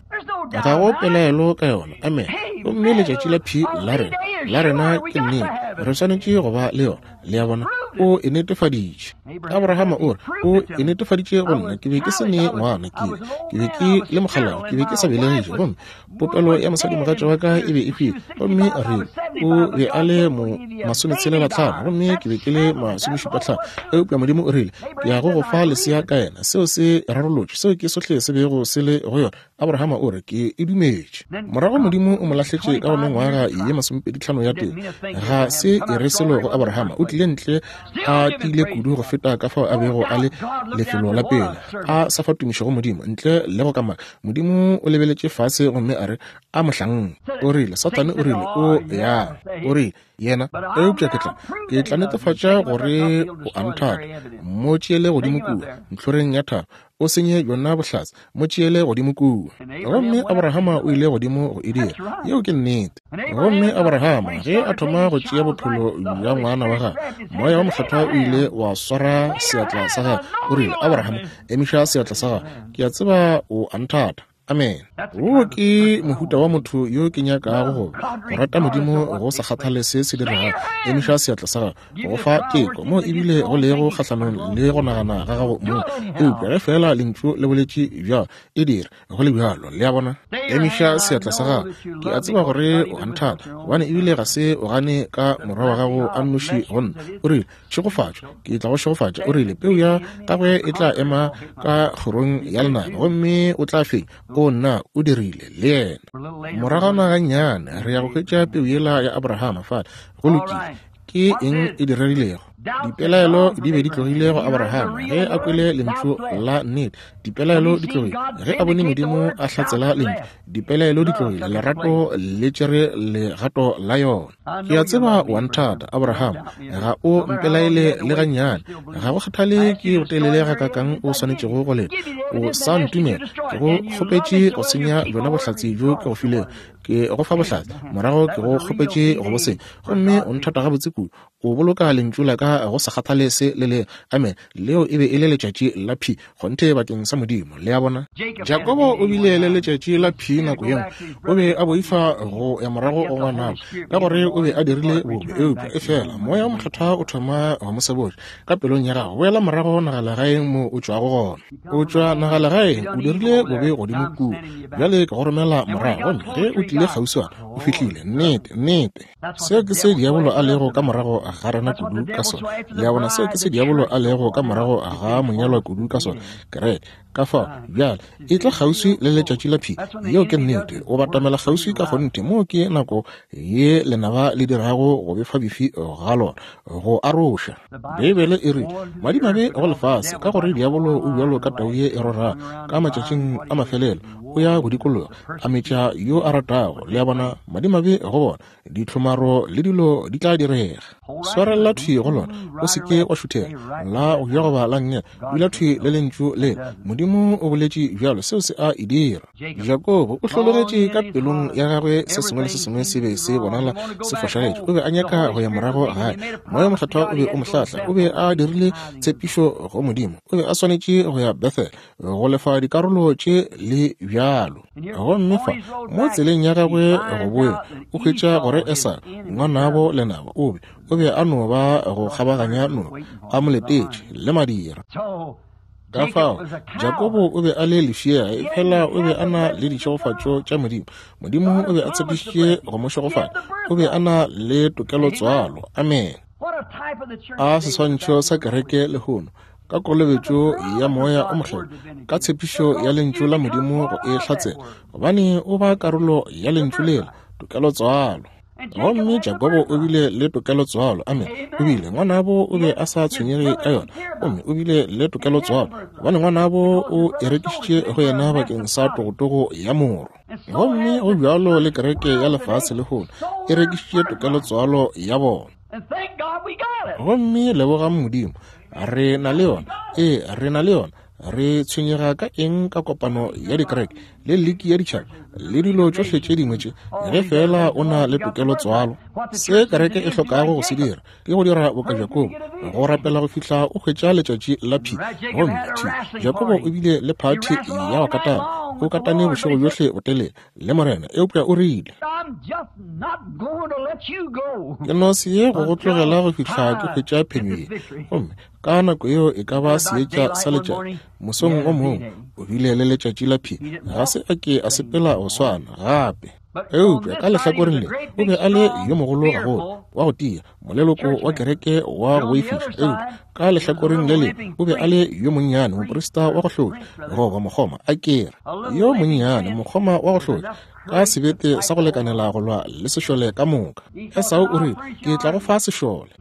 Ga go pelaelo ka yona. Amen. Gomme letšatši la phi la rena, la rena ke nnete. Re swanetše go ba le yona. Le a bona, o e netefaditše. Abrahama o re, o e netefaditše go nna. Ke be ke se ne ngwana, ke, ke be ke le mokgalabje, ke be ke sa belegiše, gomme popelo ya mosadimogatša wa ka e be e hwile. Gomme re, o be a le mo masometshelela tlhano, gomme ke be ke le masomešupa tlhano. Eupša Modimo o rile, ke ya go go fa lesea ka yena. Seo se rarolotšwe. Seo ke sohle se bego se le go yona. Abrahama o re, ke e dumetše. Morago Modimo o mo lahletše ka go mengwaga ye masomepedi tlhano ya teng. Ga se e re selo go Abrahama. O tlile ntle a tiile kudu go feta ka fao a bego a le lefelo la pele, a sa fa tumišo go Modimo, ntle le go kamaka. Modimo o lebeletše fase gomme a re, a mohlanka. O rile, Sathane o rile, o ya. O rile, yena, eupša ke tla, ke tla netefatša gore o a nthata. Mo tšeele godimo kua ntlhoreng ya thaba, o senye yona bohlatse, mo tšeele godimo kua. Gomme Abrahama o ile godimo go e dira. Yeo ke nnete. Gomme Abrahama ge a thoma go tšea bophelo bja ngwana wa gagwe, moya wa mokgethwa o ile wa swara seatla sa gagwe. O rile, Abrahama, emiša seatla sa gagwe. Ke a tseba o a nthata. Amen. Wo ke mohuta wa motho yo ke nyakago go go rata Modimo go sa kgathale se se diregago. Emiša seatla sa gago go fa teko mo ebile go lego kgahlanong le go nagana ga gago mong. Eupša ge fela lentšu le boletše bjalo, e dire go le bjalo. Le a bona? Emiša seatla sa gago. Ke a tseba gore o a nthata, gobane ebile ga se o gane ka morwa wa gago a nnoši go nna. O rile, tšhegofatšo, ke tla go šegofatša. O rile, peu ya gagwe e tla ema ka kgorong ya lenaba, gomme o tla fenya. O nna o dirile le yena. Moragwana gannyane re ya go hwetša peu yela ya Abrahama fale. Go lokile. Ke eng e diregilego? Dipelaelo di be di tlogile go Abrahama ge a kwele lentšu la nnete. Dipelaelo di tlogile ge a bone Modimo a hlatsela lentšu. Dipelaelo di tlogile, lerato le tšere legato la yona. Ke a tseba o a nthata, Abrahama, ga o mpelaele le gannyane. Ga go kgathale ke botelele gakaakang o swanetšego go leta, o sa ntumela. Ke go kgopetše go senya bjona bohlatse bjo ke go filego. Ke go fa bohlatse, morago ke go kgopetše go bo senya, gomme o nthata gabotse kudu. O boloka lentšu la ka go sa kgathale se le le. Amen. Leo e be e le letšatši la P kgonthe bakeng sa Modimo. Le a bona? Jakobo o bile le letšatši la P nako ye nngwe. O be a boifa go ya morago go ngwanabo ka gore o be a dirile bobe, eupša efela Moya o Mokgethwa o thoma go mo sebotša ka pelong ya gago, boela morago nagalegaeng mo o tšwago gona. O tšwa nagalegaeng, o dirile bobe godimo kua, bjale ke go romela morago. Gomme ge o tlile kgauswana, o fihlile. Nnete, nnete. Seo ke se diabolo a lego ka morago ga rena kudu ka sona. Le a bona? Seo ke se diabolo a lego ka morago ga monyalwa kudu ka sona. Kereke ka fao bjale e tla kgauswi le letšatši la P. Yeo ke nnete. O batamela kgauswi ka kgonthe. Moo ke nako ye lenaba le dirago go befa bifi ga lona, go aroša. Beibele e rile, madimabe go lefase, ka gore diabolo o bjalo ka tau ye e rorago ka matšatšing a mafelelo, o ya go dikologa a metša yo a ratago. Le a bona? Madimabe go bona, ditlhomaro le dilo di tla direga. Swarelela thwi go lona, o se ke wa šuthela la go ja goba la nngele. Dula thwi le lentšu le. Modimo o boletše bjalo, seo se a e dira. Jakobo o hlologetše ka pelong ya gagwe, se sengwe le se sengwe se be se bonala se fošagetše. O be a nyaka go ya morago gae. Moya Mokgethwa o be o mo hlahla. O be a dirile tshepišo go Modimo. O be a swanetše go ya Bethel go lefa dikarolo tše le bjalo. Gomme fa mo tseleng ya gagwe go boya, o hwetša gore Esau ngwanabo lenaba o be o be a no ba go kgabaganya noka, a mo letetše le madira. Ka fao Jakobo o be a le lefšega, efela o be a na le ditšhegofatšo tša Modimo. Modimo o be a tshepišitše go mo šegofatša. O be a na le tokelotswalo. Amen. A seswantšho sa kereke lehono, ka kolobetšo ya Moya o Mokgethwa, ka tshepišo ya lentšu la Modimo go e hlatsela, gobane o ba karolo ya lentšu lela, tokelotswalo. Gomme Jakobo o bile le tokelotswalo. Amen. O bile ngwanabo o be a sa tshwenyege ka yona, gomme o bile le tokelotswalo gobane ngwanabo o e rekišitše go yena bakeng sa togotogo ya moro. Gomme go bjalo le kereke ya lefase lehono e rekišitše tokelotswalo ya bona. Gomme lebogang Modimo, re na le yona. Ee, re na le yona. Re tshwenyega ka eng ka kopano ya dikereke le liki ya ditšhaba le dilo tšohle tše dingwe tše, ge fela o na le tokelotswalo? Se kereke e hlokago go se dira ke go dira boka Jakobo, go rapela go fihla o hwetša letšatši la P. Gomme T Jakobo o bile le phathi ya go katana, o katane bošego bjohle botelele le Morena, eupša o rile, ke no se ye go go tlogela go fihla ke hwetša phenyo ye. Gomme ka nako yeo e ka ba seetša sa letšatši mosong o mongwe, o bile le letšatši la P. Ga se a ke a sepela go swana gape. Eupša ka lehlakoreng le o be a le yo mogolo gagolo, wa go tia, moleloko wa kereke wa go boifiša. Eupša ka lehlakoreng le le o be a le yo monnyane, moprista wa go hlotša, goba mokgoma a kere, yo monnyane mokgoma wa go hlotša, ka sebete sa go lekanela go lwa le sešole ka moka. Esau o rile, ke tla go fa sešole.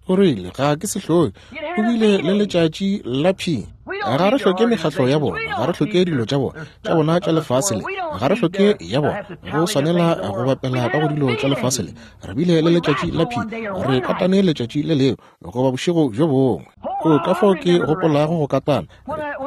O rile, ga ke se hloke. O bile le letšatši la P. Ga re hloke mekgatlo ya bona, ga re hloke dilo tša bona tša bona tša lefase le, ga re hloke ya bona go swanela go bapela ka go dilo tša lefase le. Re bile le letšatši la P. Re katane letšatši le leo goba bošego bjo bongwe. O ka fao ke gopolago go katana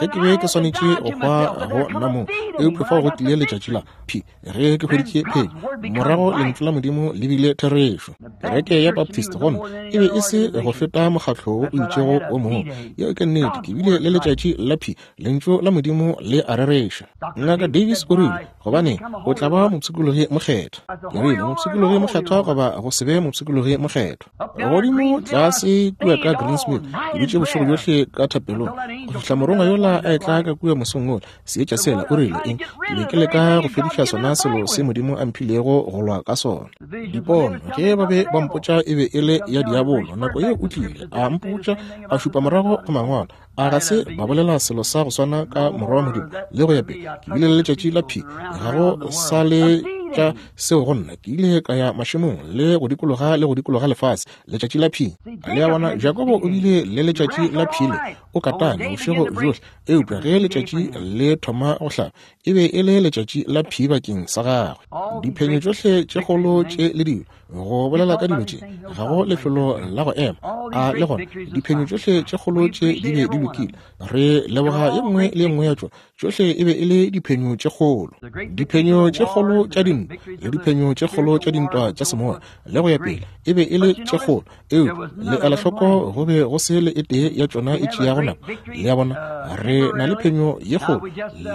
ge ke be ke swanetše go hwa go nna mong, eupša fao go tlile letšatši la P ge ke hweditše phenyo. Morago lentšu la Modimo le bile therešo. Kereke ya Baptist gona e be e se go feta mokgatlo wo o itšego o mongwe. Yeo ke nnete. Ke bile le letšatši la P, lentšu la Modimo le a rereša. Ngaka Davis o rile, gobane o tla ba mopshikologi mokgethwa. Ke rile, mopshikologi mokgethwa goba go se be mopshikologi mokgethwa. Godimo tlase kua ka Greensmith, ke dutše bošego bjohle ka thapelong go fihla morongwa yola a etla ka kua mosong wola. Seetša sela, o rile eng? Ke be ke leka go fediša sona selo se Modimo a mphilego go lwa ka sona. Dipono ge ba be ba mpotša e be e le ya diabolo. Nako yeo o tlile a mpotša, a šupa morago go mangwalo. A ga se ba bolela selo sa go swana ka morwa wa Modimo le go ya pele. Ke bile le letšatši la P, ga go sa le tša seo go nna. Ke ile ka ya mašemong le go dikologa le go dikologa lefase. Letšatši la P. Le a bona, Jakobo o bile le letšatši la P le o katane bošego bjohle, eupša ge letšatši le thoma go hlaba e be e le letšatši la P bakeng sa gagwe. Diphenyo tšohle tše kgolo tše le dilo, go bolela ka dilo tše, ga go lefelo la go ema. A le gona diphenyo tšohle tše kgolo tše di be di lokile. Re leboga ye nngwe le ye nngwe ya tšona. Tšohle e be e le diphenyo tše kgolo, diphenyo tše kgolo tša dintwa le diphenyo tše kgolo tša dintwa tša semoya le go ya pele, e be e le tše kgolo. Eupša le ela hloko, go be go se le e tee ya tšona e tšeago nako. Le a bona, re na le phenyo ye kgolo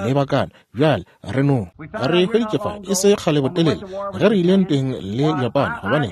lebakana bjale. Re no re hweditše fa e se kgale botelele ge re ile ntweng le Japan, gobane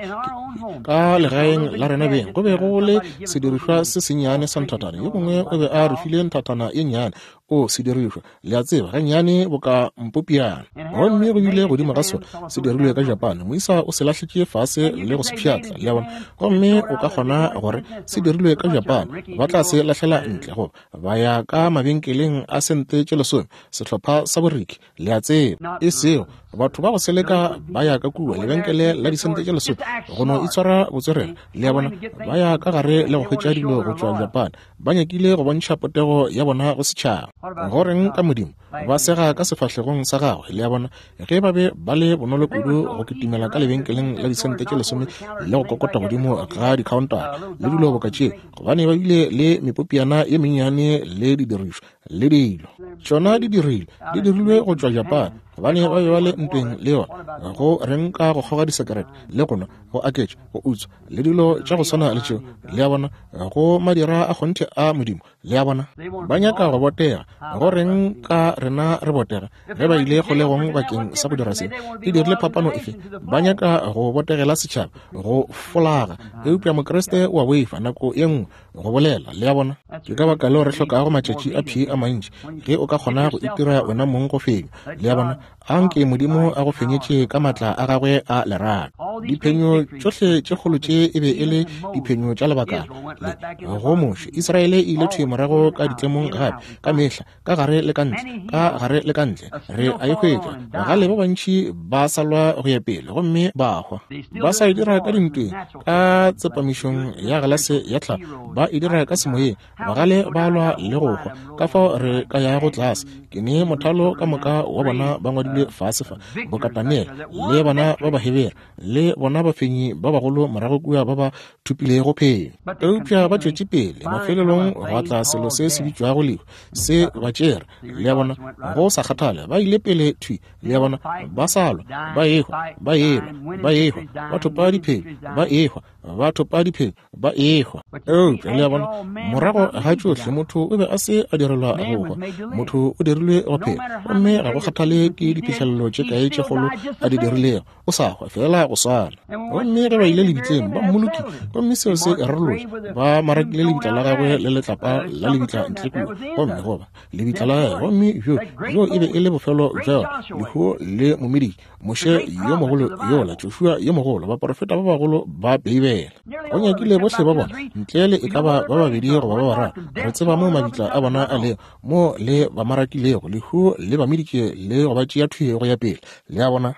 ka legaeng la rena beng go be go le sedirišwa se sennyane sa nthathana. Yo mongwe o be a re file nthathana ye nnyane, o sedirišwa, le a tseba, gannyane boka mpopiana, gomme go bile godimo ga sona se dirilwe ka Japan. Moisa o se lahletše fase le go se pšhatla, le a bona. Gomme o ka kgona gore se dirilwe ka Japan, ba tla se lahlela ntle goba ba ya ka mabenkeleng a sente tše lesome, sehlopha sa boriki, le a tseba. E sego batho ba go seleka ba ya ka kua lebenkele la disente tše lesome go no itshwara botswerere, le a bona. Ba ya ka gare le go hwetša dilo go tšwa Japan. Ba nyakile go bontšha potego ya bona go setšhaba. Go reng ka Modimo? Ba sega ka sefahlegong sa gagwe, le a bona. Ge ba be ba le bonolo kudu go kitimela ka lebenkeleng la disente tše lesome le go kokota godimo ga dikhaontara le dilo boka tšeo, gobane ba bile le mepopiana ye mennyane le didirišwa le dilo. Tšona di dirilwe, di dirilwe go tšwa Japan, gobane ba be ba le ntweng le yona. Go reng ka go kgoga disekerete le go nwa, go aketša, go utswa le dilo tša go swana le tšeo, le a bona, go madira a kgonthe a Modimo, le a bona. Ba nyaka go botega. Go reng ka rena re botega ge ba ile kgolegong bakeng sa go dira se? E dirile phapano efe? Ba nyaka go botegela setšhaba, go folaga, eupša Mokriste o a boifa nako ye nngwe go bolela, le a bona. Ke ka baka leo re hlokago matšatši a P a mantši, ge o ka kgona go itira wena mong go fenywa, le a bona. Anke Modimo a go fenyetše ka maatla a gagwe a lerato. Diphenyo tšohle tše kgolo tše e be e le diphenyo tša lebakana le go Moshe. Israele e ile thwi morago ka ditlemong gape, ka mehla, ka gare le ka ntle, ka gare le ka ntle. Re a e hwetša. Bagale ba bantši ba salwa go ya pele gomme ba hwa. Ba sa e dira ka dintweng, ka tsepamišong ya galase ya tlhago, ba e dira ka semoyeng. Bagale ba lwa le go hwa. Ka fao re ka yago tlase. Ke ne mothalo ka moka wa bona ba ngwadilwe fase fa, boka Daniel le bana ba Bahebere le bona bafenyi ba bagolo morago kua ba ba thupilego phenyo. Eupša ba tšwetše pele. Mafelelong gwa tla selo se se bitšwago lehu, se ba tšere, le a bona. Go sa kgathale, ba ile pele thwi, le a bona. Ba sa lwa, ba ehwa, ba elwa, ba ehwa, ba thopa diphenyo, ba ehwa, ba thopa diphenyo, ba ehwa. Eupša le a bona, morago ga tšohle motho o be a se a direlwa go hwa. Motho o dirilwe go phela, gomme ga go kgathale ke diphihlelelo tše kae tše kgolo a di dirilego, o sa hwa fela go swana. Gomme ge ba ile lebitleng ba mmolokile, gomme seo se rarolotše. Ba marakile lebitla la gagwe le letlapa la lebitla ntle kua, gomme goba lebitla la gagwe, gomme bjo bjo e be e le bofelo bja yona. Lehu le momeditše. Moshe yo mogolo yola, Joshua yo mogolo, baporofeta ba bagolo ba Beibele, go nyakile bohle ba bona ntle le e ka ba ba babedi goba ba bararo. Re tseba mo mabitla a bona a lego, mo le ba marakilego. Lehu le ba meditše le go ba tšea thwi go ya pele, le a bona.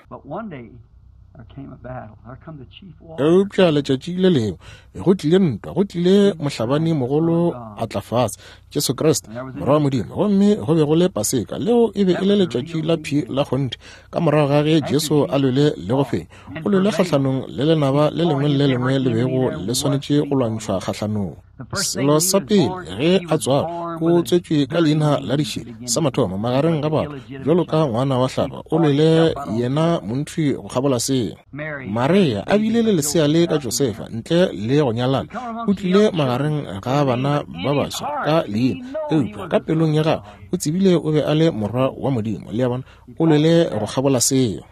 Eupša letšatši le lengwe go tlile ntwa, go tlile mohlabani mogolo a tla fase, Jesu Kriste morwa wa Modimo. Gomme go be go le Paseka. Leo e be e le letšatši la P la kgonthe. Ka morago ga ge Jesu a lwele le go fenya, o lwele kgahlanong le lenaba le lengwe le le lengwe le bego le swanetše go lwantšhwa kgahlanong. Selo sa pele ge a tswalwa, o tswetšwe ka leina la dišele sa mathomo magareng ga batho, bjalo ka ngwana wa hlaba, o lwele yena montši go kgabola seo. Maria a bile le lesea le ka Josefa ntle le go nyalana, o tlile magareng ga bana ba baswa ka leina, eupša ka pelong ya gagwe o tsebile o be a le morwa wa Modimo. Le a bona, o lwele go kgabola seo.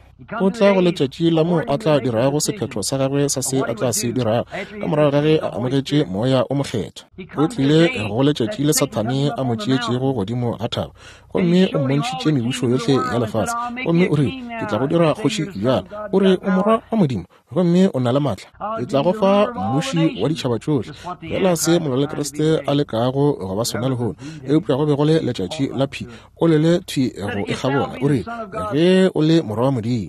O tla go letšatši la moo a tla dirago sephetho sa gagwe sa se a tla se dirago ka morago ga ge a amogetše moya o mokgethwa. O tlile go letšatši le Sathane a mo tšeetšego godimo ga thaba, gomme o mmontšhitše mebušo yohle ya lefase, gomme o rile, ke tla go dira kgoši bjalo. O re o morwa wa Modimo, gomme o na le maatla, ke tla go fa mmuši wa ditšhaba tšohle. Fela se molwalekriste a lekago go ba sona lehono, eupša go be go le letšatši la phi, o lele thwi go e kgabola. O re, ge o le morwa wa Modimo.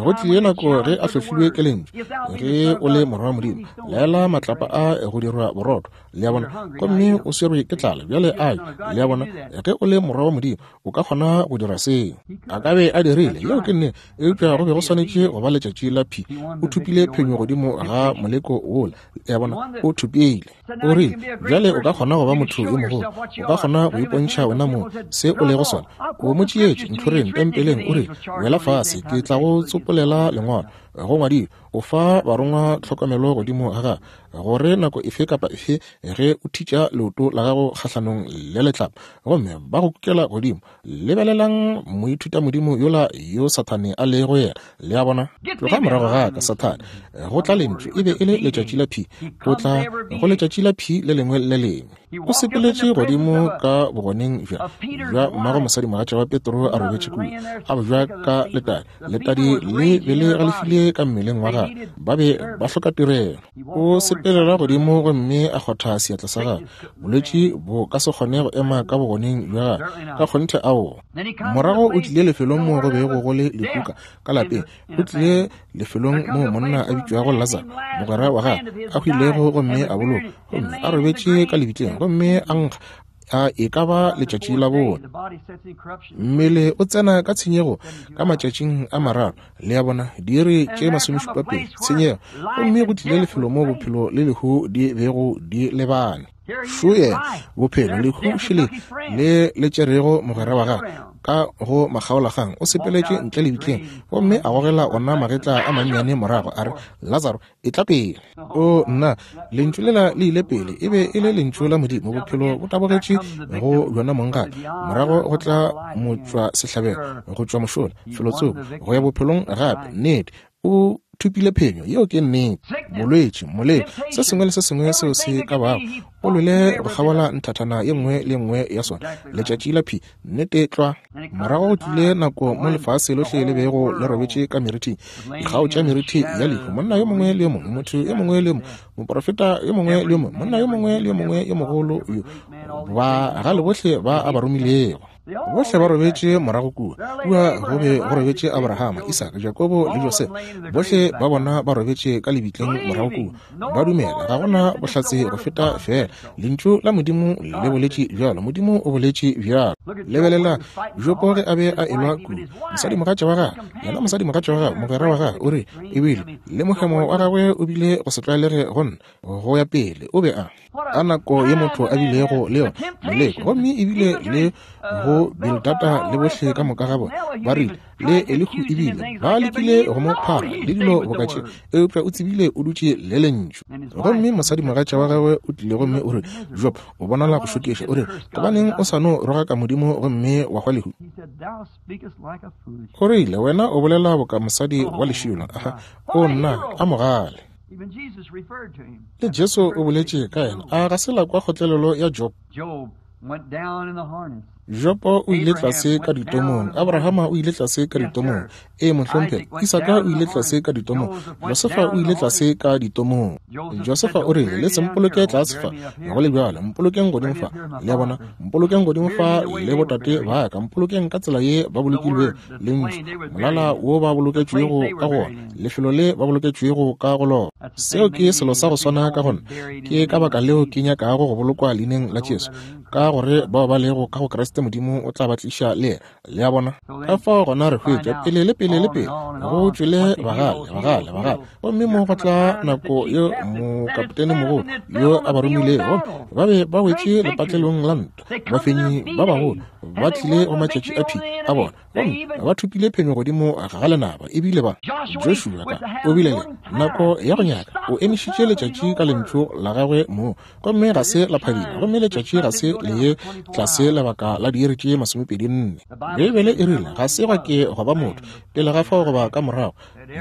Go tlile nako ge a hlohlilwe ke lentšu, ge o le morwa wa Modimo, laela matlapa a go dirwa borotho. Le a bona, gomme o swerwe ke tlala bjale a le a bona, ge o le morwa wa Modimo o ka kgona go dira seo. A ka be a dirile, yeo ke nnete, eupša go be go swanetše go ba letšatši la phi. O thupile phenyo godimo ga moleko wola. Le a bona, o thupile. O rile, bjale o ka kgona go ba motho yo mogolo, o ka kgona go ipontšha wena mong se o lego sona. O mo tšeetše ntlhoreng tempeleng, o rile, wela fase, ke tla go tsopolela lengwalo. Go ngwadilwe, o fa barongwa tlhokomelo godimo ga gago, gore nako efe kapa efe ge o thitša leoto la gago kgahlanong le letlapa, gomme ba go kukela godimo. Lebelelang moithutamodimo yola yo Sathane a lego yena. Le a bona, tloga morago ga ka, Sathane. Go tla lentšu, e be e le letšatši la phi. Go tla go letšatši la phi le lengwe le lengwe. O sepeletše godimo ka bogoneng bja bja mmago mosadimogatša wa Petro a robetše kua, a bojwa ka letadi. Letadi le be le galefile ka mmeleng wa gagwe, ba be ba hloka tirelo. O sepelela godimo gomme a kgotha seatla sa gagwe. Bolwetši bo ka se kgone go ema ka bogoneng bja gagwe, ka kgonthe ao. Morago o tlile lefelong moo go bego go le lekuka ka lapeng. O tlile lefelong moo monna a bitšwago Lazaro, mogwera wa gagwe, a hwilego gomme a bolokwa, gomme a robetše ka lebitleng, gomme a nkga a e ka ba letšatši la bone. Mmele o tsena ka tshenyego ka matšatšing a mararo. Le a bona, diiri tše masomešupa pedi tshenyego, gomme go tlile lefelo moo bophelo le lehu di bego di lebane. Šo yena, bophelo, lehu šele le le tšerego mogwera wa gagwe ka go makgaolakgang. O sepeletše ntle lebitleng gomme a gogela ona magetla a mannyane morago, a re, Lazaro, e tla pele. O nna, lentšu lela le ile pele, e be e le lentšu la Modimo. Bophelo bo tabogetše go bjona mong gape. Morago go tla motšwa sehlabelo go tšwa mošola felotsoko go ya bophelong gape. Nnete, o thupile phenyo, yeo ke nnete. Bolwetši, moleko, se sengwe le se sengwe seo se ka bago, o lwele go kgabola nthathana ye nngwe le nngwe ya sona. Letšatši la phi, nnete tlwa. Morago go tlile nako mo lefase lohle le bego le robetše ka merithing, dikgao tša merithi ya lehu. Monna yo mongwe le yo mongwe, motho yo mongwe le yo mongwe, moprofeta yo mongwe le yo mongwe, monna yo mongwe le yo mongwe yo mogolo yo, bagale bohle ba a ba romilego, bohle ba robetše morago kua. Kua go be go robetše Abrahama, Isaka, Jakobo le Josefa. Bohle ba bona ba robetše ka lebitleng morago kua. Ba dumela, ga gona bohlatse go feta fela lentšu la Modimo le boletše bjalo. Modimo o boletše bjalo. Lebelela Jopo ge a be a elwa kua, mosadimogatša wa gagwe, yena mosadimogatša wa gagwe, mogwera wa gagwe, o re ebile le mohemo wa gagwe o bile go se tlwaelege go nna go ya pele. O be a ka nako ye motho a bilego le yona moleko, gomme ebile le go Bildada le bohle ka moka ga bona ba rile le Elihu ebile ba lekile go mo phara le dilo boka tše, eupša o tsebile o dutše le lentšu. Gomme mosadimogatša wa gagwe o tlile gomme o re, Job, o bonala go šokiša. O re, gobaneng o sa no rogaka Modimo gomme wa hwa lehu? O rile, wena o bolela boka mosadi wa lešilo. Aha, o nna a mogale. Le Jesu o boletše ka yena. A ga se la kwa kgotlelelo ya Job? Jopo o ile tlase ka ditomong, Abrahama o ile tlase ka ditomong, e mohlomphegi, Isaka o ile tlase ka ditomong, Josefa o ile tlase ka ditomong. Josefa o rile, le se mpoloke tlase fa, go le bjalo, mpolokeng godimo fa. Le a bona, mpolokeng godimo fa le botate ba ka, mpolokeng ka tsela ye ba bolokilwego, lentšu, molala wo ba boloketšwego ka go ona, lefelo le ba boloketšwego ka go lona. Seo ke selo sa go swana ka gona. Ke ka baka leo ke nyakago go bolokwa leineng la Jesu, ka gore bao ba lego ka go Kriste Kriste Modimo o tla ba tliša le yena. Le a bona? Ka fao gona re hwetša pele le pele le pele go tšwele bagale, bagale, bagale. Gomme mo go tla nako yo mokapotene mogolo yo a ba romilego, ba be ba wetše lepatlelong la ntwa. Bafenyi ba bagolo ba tlile go matšatši a phi a bona, gomme ba thopile phenyo godimo ga lenaba. Ebile ba Joshua ka o bile le nako ya go nyaka, o emišitše letšatši ka lentšu la gagwe mo, gomme ga se la phadima, gomme letšatši ga se le ye tlase lebaka la diiri tše masomepedi nne. Beibele e rile ga se gwa ke gwa ba motho pele ga fao goba ka morago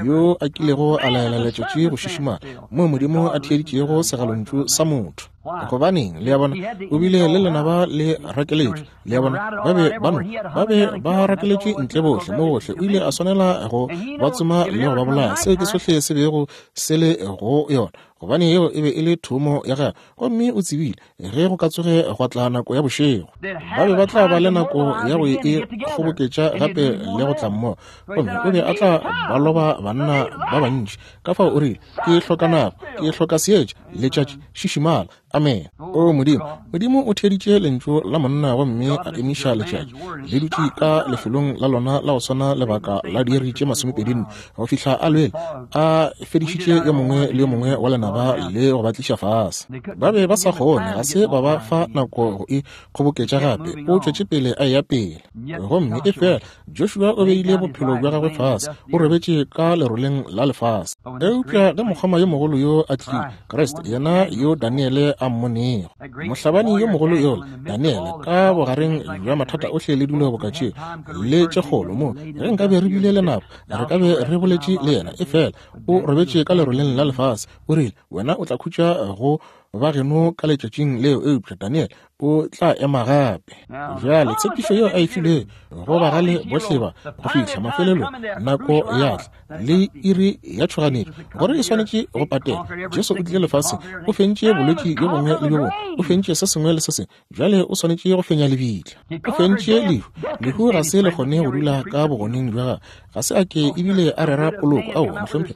yo a kilego a laela letšatši go šišimala moo Modimo a theeditšego segalontšu sa motho. Gobaneng, le a bona, o bile le lenaba le rakeletšwe. Le a bona, ba be ba no ba be ba rakeletšwe ntle bohle mo gohle. O ile a swanela go ba tsoma le go ba bolaya. Seo ke sohle se bego se le go yona, gobane yeo e be e le thomo ya gagwe. Gomme o tsebile ge go ka tsoge gwa tla nako ya bošego, ba be ba tla ba le nako ya go e kgoboketša gape le go tla mmogo, gomme o be a tla ba loba banna ba bantši. Ka fao o rile, ke hloka nako, ke hloka seetša, letšatši šišimala. Amen. O Modimo, Modimo o theeditše lentšu la monna gomme a emiša letšatši le dutše ka lefelong la lona la go swana lebaka la diiri tše masomepedi nne go fihla a lwele a fedišitše yo mongwe le yo mongwe wa lenaba le go ba tliša fase. Ba be ba sa kgone, ga se ba ba fa nako go e kgoboketša gape. O tšwetše pele a eya pele, gomme e fela Joshua o beile bophelo bja gagwe fase, o robetše ka leroleng la lefase. Eupša ge mokgoma yo mogolo yo a tlile, Kriste, yena yo Daniele a mmonego, mohlabani yo mogolo yola Daniele, ka bogareng bja mathata ohle le dilo boka tše le tše kgolo mo, ge nkabe re bile le nako re ka be re boletše le yena. E fela o robetše ka leroleng la lefase. O rile, wena o tla khutša go ba geno ka letšatšing leo, eupša Daniel o tla ema gape. Bjale tshepišo yeo a e filego go bagale bohle ba go fihla mafelelong, nako ya tla le iri ya tšhoganetšo gore e swanetše go patela. Jesu o tlile lefaseng, o fentše bolwetši bjo bongwe le bjo bongwe, o fentše se sengwe le se sengwe. Bjale o swanetše go fenya lebitla, o fentše lehu. Lehu ga se le kgone go dula ka bogoneng bja gagwe, ga se a ke ebile a rera poloko. Ao, mohlomphegi,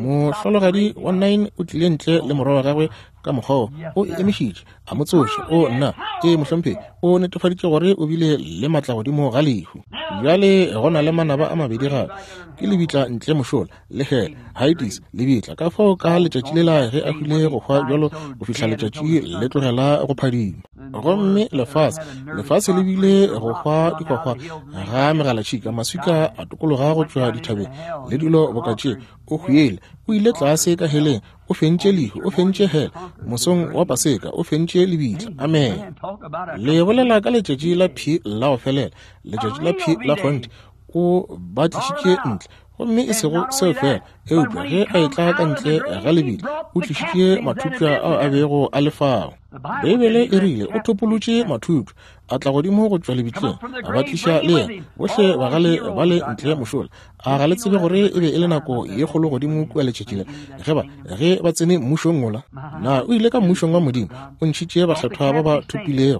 mohlologadi wa nine o tlile ntle le morwa wa gagwe ka mokgwa o emišitše, a mo tsoša. O nna, ee mohlomphegi, o netefaditše gore o bile le matla godimo ga lehu. Bjale go na le manaba a mabedi gape, ke lebitla ntle mošola le hele, Hades, lebitla. Ka fao ka letšatši lela ge a hwile go hwa bjalo go fihla letšatši le tlogela go phadima, gomme lefase lefase le bile go hwa dihwahwa ga megalatšhika, maswika a tokologa go tšwa dithabeng le dilo boka tše. O hwile, o ile tlase ka heleng, o fentše lehu, o fentše hele mosong wa Paseka, o fentše lebitla. Amen. Le bolela ka letšatši la phi la go felela, letšatši la phi la kgonthe, o ba tlišitše ntle. Gomme e sego seo fela, eupša ge a etla ka ntle ga lebitla, o tlišitše mathupša ao a bego a le fao. Beibele e rile o thopolotše mathupša, a tla godimo go tšwa lebitleng, a ba tliša le yena, bohle bagale ba le ntle mošola. A ga le tsebe gore e be e le nako ye kgolo godimo kua letšatši le ge ba ge ba tsene mmušong wola? Na o ile ka mmušong wa Modimo, o ntšhitše bakgethwa ba ba thopilego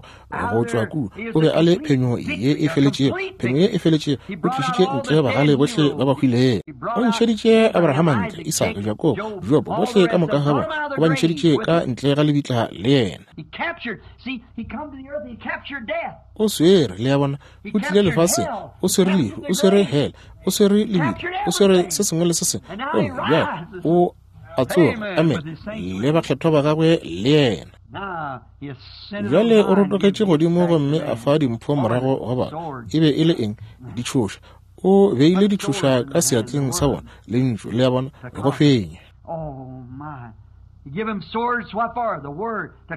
go tšwa kua. O be a le phenyo ye e feletšego, phenyo ye e feletšego. O tlišitše ntle bagale bohle ba ba hwilego. O ntšheditše Abrahama ntle, Isaka, Jakobo, Jobo, bohle ka moka ga bona o ba ntšheditše ka ntle ga lebitla le yena. O swere, le a bona, o tlile lefaseng, o swere lehu, o swere hele, o swere lebitla, o swere se sengwe le se sengwe. Gomme bjale o a tsoga, amen, le bakgethwa ba gagwe le yena. Bjale o rotogetše godimo gomme a fa dimpho morago go batho. E be e le eng? Ditšhoša. O beile ditšhoša ka seatleng sa bona, lentšu, le a bona, go fenya.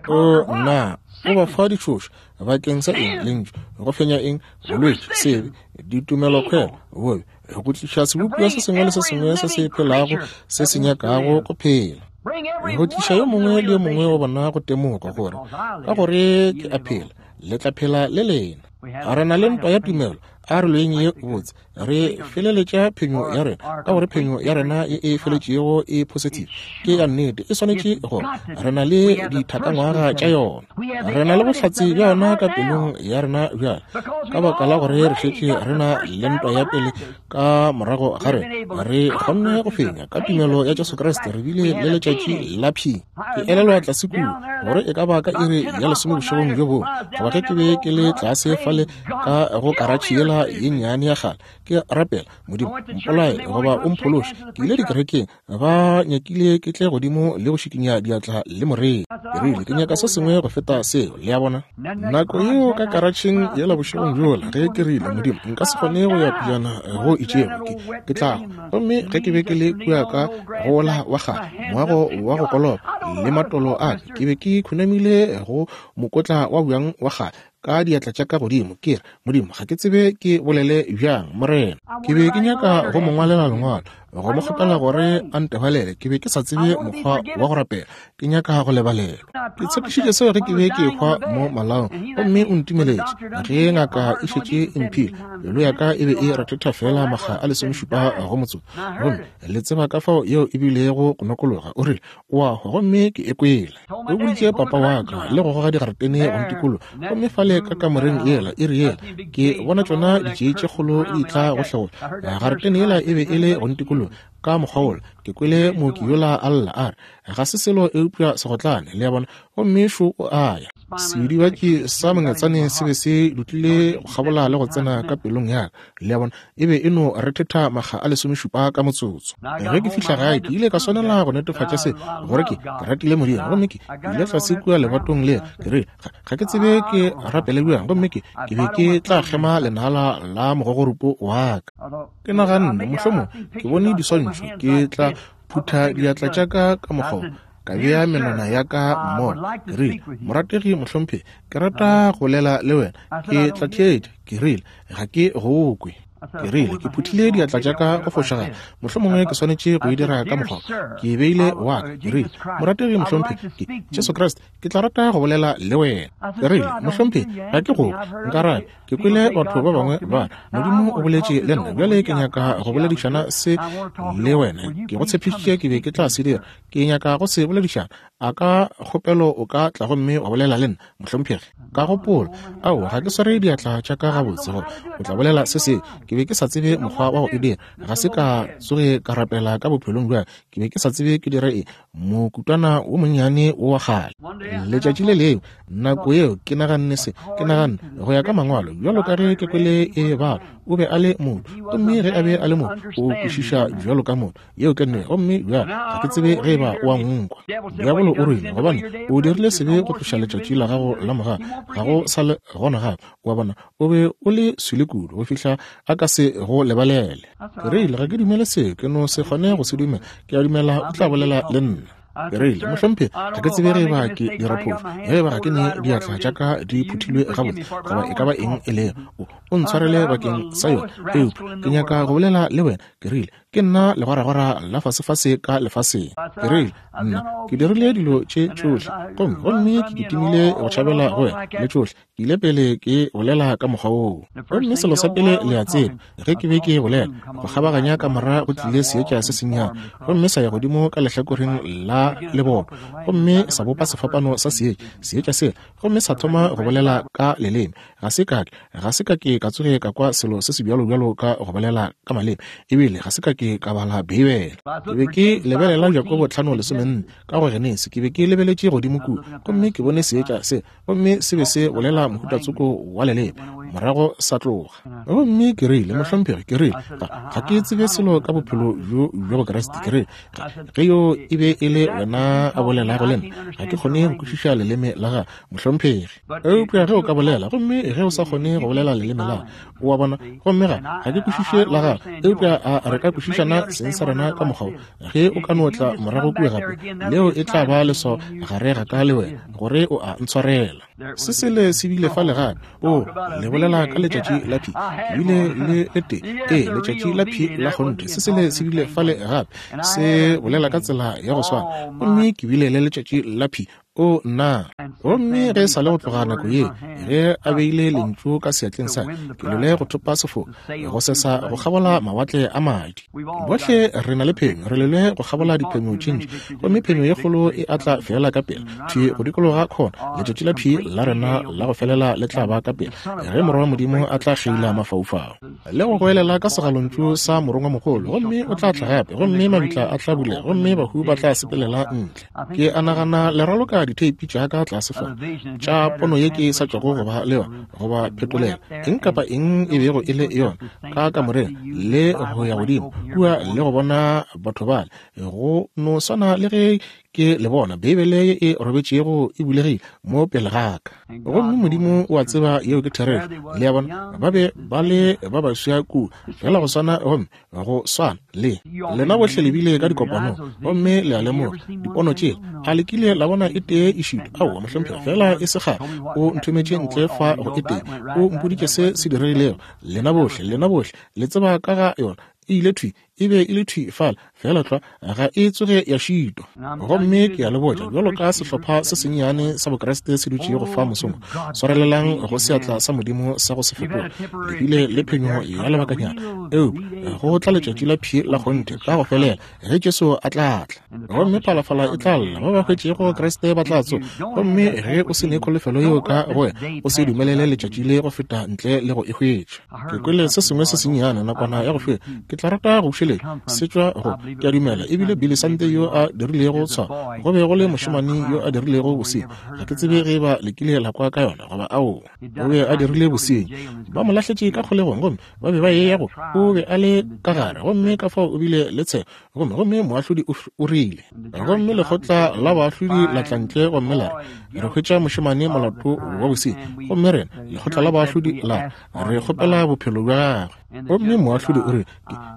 O nna, o ba fa ditšhoša bakeng sa eng? Lentšu, go fenya eng? Bolwetši, sebe, ditumelokgwelo, bobe, go tliša sebopiwa se sengwe le se sengwe se se phelago se se nyakago go phela, go tliša yo mongwe le yo mongwe wa bona go temoga gore ka gore ke a phela, le tla phela le lena. A re na le ntwa ya tumelo, A re lweng ye botse, re feleletša phenyo ya rena, ka gore phenyo ya rena ye e feletšego e positive, ke ya nnete, e swanetše gore re na le dithakangwaga tša yona, re na le bohlatse bja yona ka pelong ya rena bjale, ka baka la gore re šetše re na le ntwa ya pele ka morago ga rena, re kgonne go fenya ka tumelo ya Jesu Kriste, re bile le letšatši la phi. Ke elelwa tlase kua gore e ka ba ka iri ya lesome bošegong bjo bongwe, goba ge ke be ke le tlase fale ka go karatšhe yela ye nnyane ya kgale, ke rapela, Modimo mpolaye goba o mphološe. Ke ile dikerekeng, ba nyakile ke tle godimo le go šikinya diatla le morei. Ke rile ke nyaka se sengwe go feta seo, le a bona. Nako yeo ka karatšheng yela bošegong bjola, ge ke rile, Modimo nka se kgone go ya pejana go itšego, ke, ke tla hwa. Gomme ge ke be ke le kua ka gola wa kgale, moago wa go koloba le matolo a ka, ke be ke khunamile go mokotla wa bjang wa kgale ka diatla tša ka godimo, ke re, Modimo ga ke tsebe ke bolele bjang, Morena. Ke be ke nyaka go mo ngwalela lengwalo, go mo kgopela gore a ntebalele. Ke be ke sa tsebe mokgwa wa go rapela, ke nyaka go lebalelwa. Ke tshepišitše seo ge ke be ke ehwa mo malaong, gomme o ntumeletše. Ge ngaka e šetše e mphile, pelo ya ka e be e rethetha fela makga a lesomešupa go motsotso, gomme le tseba ka fao yeo e bilego go nokologa. O rile, o a hwa, gomme ke e kwele. O boditše papa wa ka le go goga digaretene go ntikologa, gomme fale ka kamoreng yela e re yela ke bona tšona ditšei tše kgolo di tla go hlegola. Garetene yela e be e le go ntikologa ka mokgwa wola. Ke kwele mooki yola a lla a re, ga se selo eupša segotlane, le a bona, gomme šo o a ya. Sedibatši sa mongetsane se be se dutlile go kgabola le go tsena ka pelong ya ka, le a bona, e be e no rethetha makga a lesomešupa ka motsotso. Ge ke fihla gae, ke ile ka swanela go netefatša se gore ke ke ratile Modimo, gomme ke ile tlase kua lebatong le, ke rile, ga ke tsebe ke rapele bjang, gomme ke ke be ke tla kgema lenala la mogogorupo wa ka. Ke naganne, mohlomong ke bone diswantšho, ke tla phutha diatla tša ka ka mokgwa, ka bea menwana ya ka mmogo. Ke rile, morategi mohlomphegi, ke rata go bolela le wena, ke tla theetša. Ke rile, ga ke go kwe. Ke rile, ke phuthile diatla tša ka go fošagala, mohlomongwe ke swanetše go e dira ka mokgwa. Ke beile wa ka. Ke rile, morategi mohlomphegi, ke Jesu Kriste, ke tla rata go bolela le wena. Ke rile, mohlomphegi, ga ke go kwe, nkarabe. Ke kwele batho ba bangwe ba re, Modimo o boletše le nna, bjale ke nyaka go boledišana se le wena. Ke go tshepišitše ke be ke tla se dira, ke nyaka go se boledišana. A ka kgopelo o ka tla gomme wa bolela le nna, mohlomphegi? Ka gopola, aowa, ga ke sware diatla tša ka gabotse gore o tla bolela se se. Ke be ke sa tsebe mokgwa wa go e dira, ga se ka tsoge ka rapela ka bophelong bja, ke be ke sa tsebe ke dire eng. Mokutwana wo monnyane wo wa kgale. Letšatši le lengwe, nako yeo ke naganne se, ke naganne go ya ka mangwalo, bjalo ka ge ke kwele e bala, o be a le motho, gomme ge a be a le motho, o kwešiša bjalo ka motho. Yeo ke nnete, gomme bjale ga ke tsebe ge eba o a nkwa. Diabolo o rile, gobane o dirile sebe go tloša letšatši la gago la mogala, ga go sa le gona gape. Wa bona, o be o le swele kudu go fihla a ka se go lebalele. Ke rile, ga ke dumele se, ke no se kgone go se dumela. Ke a dumela o tla bolela le nna. Ke rile, mohlomphegi, ga ke tsebe ge eba ke dira phošo, ge eba ga ke ne diatla tša ka di phuthilwe gabotse, goba e ka ba eng e lego, o ntshwarele bakeng sa yona, eupša ke nyaka go bolela le wena. Ke rile, ke nna legwaragwara la fasefase ka lefaseng. Ke rile, nna ke dirile dilo tše tšohle, gomme gomme ke kitimile go tšhabela go wena le tšohle. Ke ile pele ke bolela ka mokgwa woo. Gomme selo sa pele le a tseba, ge ke be ke bolela, go kgabaganya kamora go tlile seetša se sennyane, gomme sa ya godimo ka lehlakoreng la leboto, gomme sa bopa sefapano sa seetša, seetša sela, gomme sa thoma go bolela ka leleme. Ga se ka ke, ga se ka ke ka tsoge ka kwa selo se se bjalo-bjalo ka go bolela ka maleme, ebile ga se ka ke ka bala Beibele. Ke be ke lebelela Jakobo tlhano lesomenne ka go Genesi, ke be ke lebeletše godimo kua, gomme ke bone seetša se, gomme se be se bolela mohuta tsoko wa leleme, morago sa tloga. Gomme ke rile, mohlomphegi, ke rile, ga ke tsebe selo ka bophelo bjo bja Bokriste. Ke rile, ge yo e be e le wena a bolelago le nna, ga ke kgone go kwešiša leleme la gago, mohlomphegi. Eupša ge o ka bolela, gomme ge o sa kgone go bolela leleme la, o a bona, gomme ga ga ke kwešiše la gago, eupša a re ka kwešišana seng sa rena ka mokgwa wo. Ge o ka no tla morago kua gape, leo e tla ba leswao gare ga ka le wena gore o a ntshwarela. Se sele se bile fale gape. O le bolela ka letšatši la phi, ke bile le le tee, ee, letšatši la phi la kgonthe. Se sele se bile fale gape, se bolela ka tsela ya go swana, gomme ke bile le letšatši la phi. O nna. Gomme ge e sa le go tloga nako ye, ge a beile lentšu ka seatleng sa, ke lwele go thopa sefo, go sesa go kgabola mawatle a madi. Bohle re na le phenyo, re lwele go kgabola diphenyo tše ntši, gomme phenyo ye kgolo e atla fela ka pela, thwi go dikologa khona. Letšatši la phi la rena la go felela le tla ba ka pela, ge Morwa wa Modimo a tla kgeila mafaufau le go goelela ka segalontšu sa morongwamogolo, gomme o tla tla gape, gomme mabitla a tla bulega, gomme bahu ba tla sepelela ntle. Ke a nagana le raloka ditheipi tša ka tlase fa tša pono ye ke sa tšwago go ba le yona, goba phetolelo, eng kapa eng e bego e le yona, ka kamoreng le go ya godimo kua le go bona batho bale, go no swana le ge ke le bona Beibele ye e robetšego e bulegile mo pele ga ka. Gomme Modimo o a tseba yeo ke therešo. Le a bona, ba be ba le ba baswa kua, fela go swana, gomme go swana le lena bohle le bile ka dikopanong, gomme le a lemoga dipono tšela. A le kile la bona e tee e šitwa? Aowa, mohlomphegi, fela e se kgale o nthometše ntle fa go e tee, o mpoditše se se diregilego. Lena bohle, lena bohle le tseba ka ga yona. E ile thwi, e be e le thwi fala, fela tlwa ga e tsoge ya šitwa. Gomme ke a le botša, bjalo ka sehlopha se sennyane sa Bokreste se dutšego fa mosong, swarelelang go seatla sa Modimo sa go se fetoga. Le bile le phenyo ya lebakanyana, eupša go tla letšatši la phi la kgonthe ka go felela, ge Jesu a tla tla. Gomme phalafala e tla lla, ba ba hwetšego Kriste ba tla tsoga. Gomme ge o se ne kholofelo yeo ka go wena, o se dumelele letšatši le go feta ntle le go e hwetša. Ke kwele se sengwe se sennyane nakwana ya go feta, ke tla rata go bušeletša se tšwa go, ke a dumela ebile Billy Sante yo a dirilego tshwao. Go be go le mošemane yo a dirilego bosenyi, ga ke tsebe ge ba le kile la kwa ka yona goba aowa. O be a dirile bosenyi, ba mo lahletše ka kgolegong, gomme ba be ba ye go, o be a le ka gare, gomme ka fao o bile le tsheko, gomme gomme moahlodi o rile, gomme lekgotla la baahlodi la tla ntle gomme la re, re hwetša mošemane molato wa bosenyi, gomme rena lekgotla la baahlodi la re kgopela bophelo bja gagwe. Gomme moahlodi o re,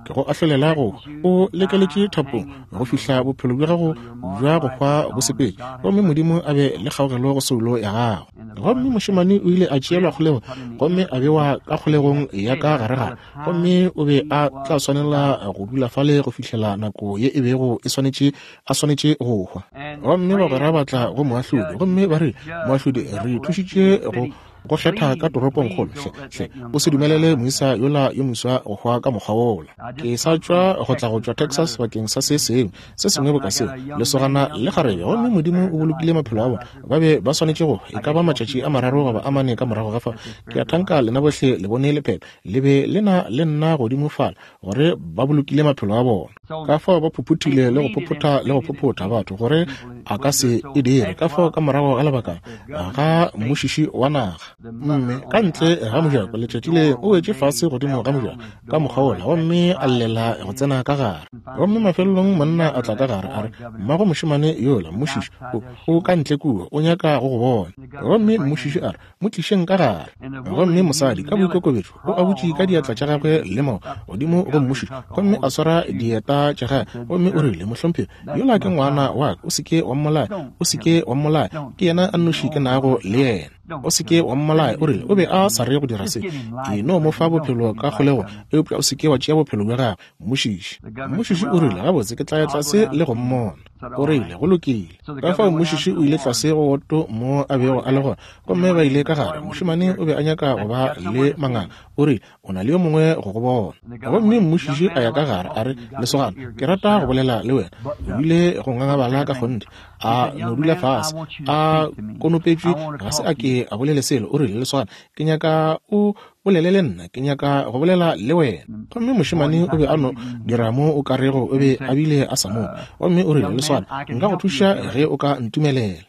ke go ahlolela go o lekeletše thapong go fihla bophelo bja gago bja go hwa bo sepele, gomme Modimo a be le kgaogelo go soulo ya gago. Gomme mošemane o ile a tšeelwa kgolego, gomme a bewa ka kgolegong ya ka garegare, gomme o be a tla swanela go dula fale go fihlela nako ye e bego e swanetše a swanetše go hwa. Gomme bagwera ba tla go moahlodi, gomme ba re, moahlodi, re thušitše go go kgetha ka toropongkgolo, hle hle o se dumelele moisa yola yo moswa go hwa ka mokgwa wola. Ke sa tšwa go tla go tšwa Texas bakeng sa se sengwe se sengwe boka seo, lesogana le kgarebe, gomme Modimo o bolokile maphelo a bona. Ba be ba swanetše go e ka ba matšatši a mararo goba a mane ka morago ga fa. Ke a thanka lena bohle le bone lephephe le be le na le nna godimo fala, gore ba bolokile maphelo a bona. Ka fao ba phuphuthile le go phophotha le go phophotha batho gore a ka se e dire. Ka fao ka morago ga lebaka ga mmušiši wa naga, mme ka ntle ga mojako letšatši le o wetše fase godimo ga mojako ka mokgwa wola, gomme a llela go tsena ka gare. Gomme mafelelong monna a tla ka gare a re, mmago mošemane yola mmušiši o, o ka ntle kua, o nyaka go go bona. Gomme mmušiši a re, mo tlišeng ka gare. Gomme mosadi ka boikokobetšo o a butše ka diatla tša gagwe le mao godimo go mmušiši, gomme a swara dieta tša gagwe, gomme o rile, mohlomphegi, yola ke ngwana wa ka, o se ke wa mmolaya, o se ke wa mmolaya, ke yena a nnoši ke nago le yena, o se ke wa mmolaya. O rile o be a sa re go dira se, ke no mo fa bophelo ka kgolego, eupša o se ke wa tšea bophelo bja gagwe, mmušiši. Mmušiši o rile, gabotse, ke tla ya tlase le go mmona. O rile, go lokile. Ka fao mmušiši o ile tlase go woto mo a bego a le gona, gomme ba ile ka gare. Mošemane o be a nyaka go ba le manganga. O rile, o na le yo mongwe go go bona. Gomme mmušiši a ya ka gare a re, lesogana, ke rata go bolela le wena. O ile go ngangabala ka kgonthe, a no dula fase, a konopetšwe, ga se a ke a bolele selo. O rile, lesogana, ke nyaka o bolele le nna, ke nyaka go bolela le wena. Gomme mošemane o be a no dira mo o karego o be a bile a sa mo. Gomme o rile, lesogana, nka go thuša ge o ka ntumelela.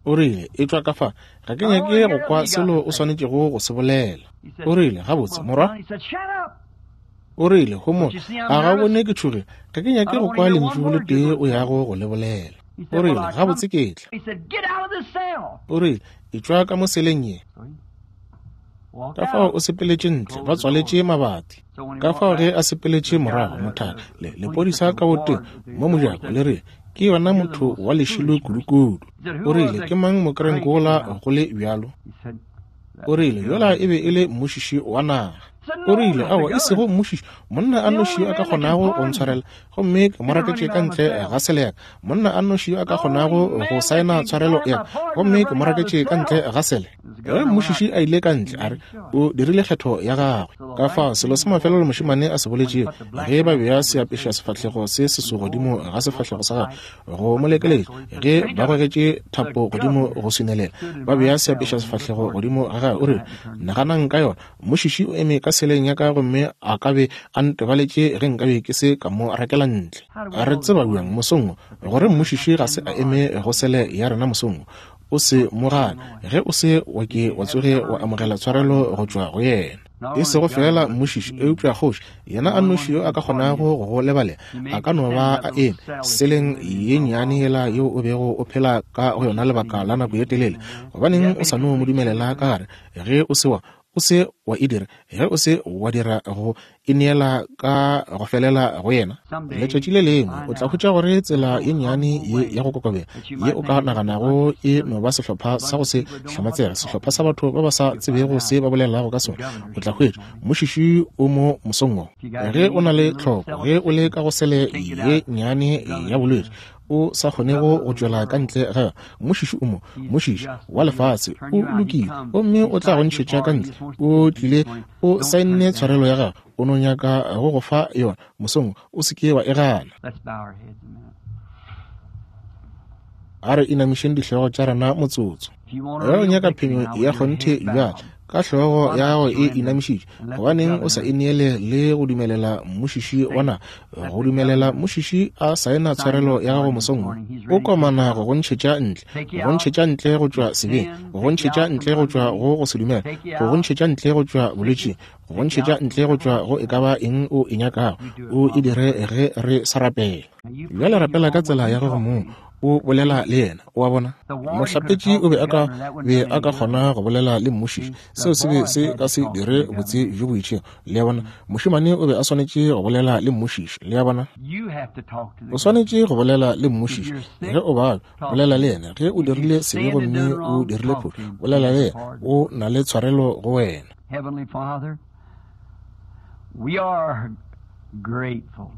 O rile, e tšwa ka fa, ga ke nyake go kwa selo o swanetšego go se bolela. O rile, gabotse, morwa. O rile, homola, a ga o bone ke tšhogile, ga ke nyake go kwa lentšu le tee o yago go le bolela. O rile, gabotse ke tla. O rile, e tšwa ka mo seleng ye. Ka fao o sepeletše ntle, ba tswaletše mabati. Ka fao ge a sepeletše morago, mothaka le lepodisa ka boteng mo mojako le re, ke yona motho wa lešilo kudukudu. O rile, ke mang mokrenkola go le bjalo? O rile, yola e be e le mmušiši wa naga. O rile, aowa, e sego mmušiši, monna a nnoši yo a ka kgonago go ntshwarela, gomme ke mo raketše ka ntle ga sele ya ka. Monna a nnoši yo a ka kgonago go saena tshwarelo ya ka, gomme ke mo raketše ka ntle ga sele. Ge mmušiši a ile ka ntle, a re, o dirile kgetho ya gagwe. Ka fao selo sa mafelelo mošemane a se boletšego, ge ba bea seapeša sefahlego se seso godimo ga sefahlego sa gagwe go mo lekeletša, ge ba gogetše thapo godimo go swinelela, ba bea seapeša sefahlego godimo ga gagwe, o rile, naganang ka yona, mmušiši o eme ka seleng ya ka gomme a ka be a ntebaletše ge nkabe ke se ka mo rakela ntle. Re tseba bjang mosong gore mmušiši ga se a eme go sele ya rena mosong? O se mo gane ge o se wa ke wa tsoge wa amogela tshwarelo go tšwa go yena. E sego fela mmušiši, eupša kgoši, yena a nnoši yo a ka kgonago go go lebalela, a ka no ba a eme seleng ye nnyane yela yeo o bego o phela ka go yona lebaka la nako ye telele. Gobaneng o sa no mo dumelela ka gare? Ge o se wa o se wa e dira, ge o se wa dira go ineela ka go felela go yena, letšatši le lengwe o tla hwetša gore tsela ye nnyane ye ya go kokobela ye o ka naganago e no ba sehlopha sa go se hlamatsega, sehlopha sa batho ba ba sa tsebego se ba bolelago ka sona. O tla hwetša mmušiši o mo mosong wo. Ge o na le tlhoko, ge o le ka go sele ye nnyane ya bolwetši o sa kgonego go tšwela ka ntle ga yona, mmušiši o mo, mmušiši wa lefase o lokile, gomme o tla go ntšhetša ka ntle. O tlile, o saenne tshwarelo ya gagwe, o no nyaka go go fa yona mosong, o se ke wa e gana. A re inamišeng dihlogo tša rena motsotso. Ge o nyaka phenyo ya kgonthe bjale, ka hlogo ya gago e inamišitše, gobaneng o sa ineele le go dumelela mmušiši wa naga, go dumelela mmušiši a saena tshwarelo ya gago mosong wo? O komana go go ntšhetša ntle, go ntšhetša ntle go tšwa sebeng, go ntšhetša ntle go tšwa go go se dumela, go go ntšhetša ntle go tšwa bolwetšing, go ntšhetša ntle go tšwa go e ka ba eng o e nyakago. O e dire ge re sa rapela. Bjale rapela ka tsela ya gago mong, o bolela le yena. O a bona, mohlapetši o be a ka be a ka kgona go bolela le mmušiši, seo se be se ka se dire botse bjo bo itšego. Le a bona, mošemane o be a swanetše go bolela le mmušiši. Le a bona, o swanetše go bolela le mmušiši. Ge o babja, bolela le yena. Ge o dirile sebe gomme o dirile phošo, bolela le yena. O na le tshwarelo go wena. Heavenly Father, we are grateful.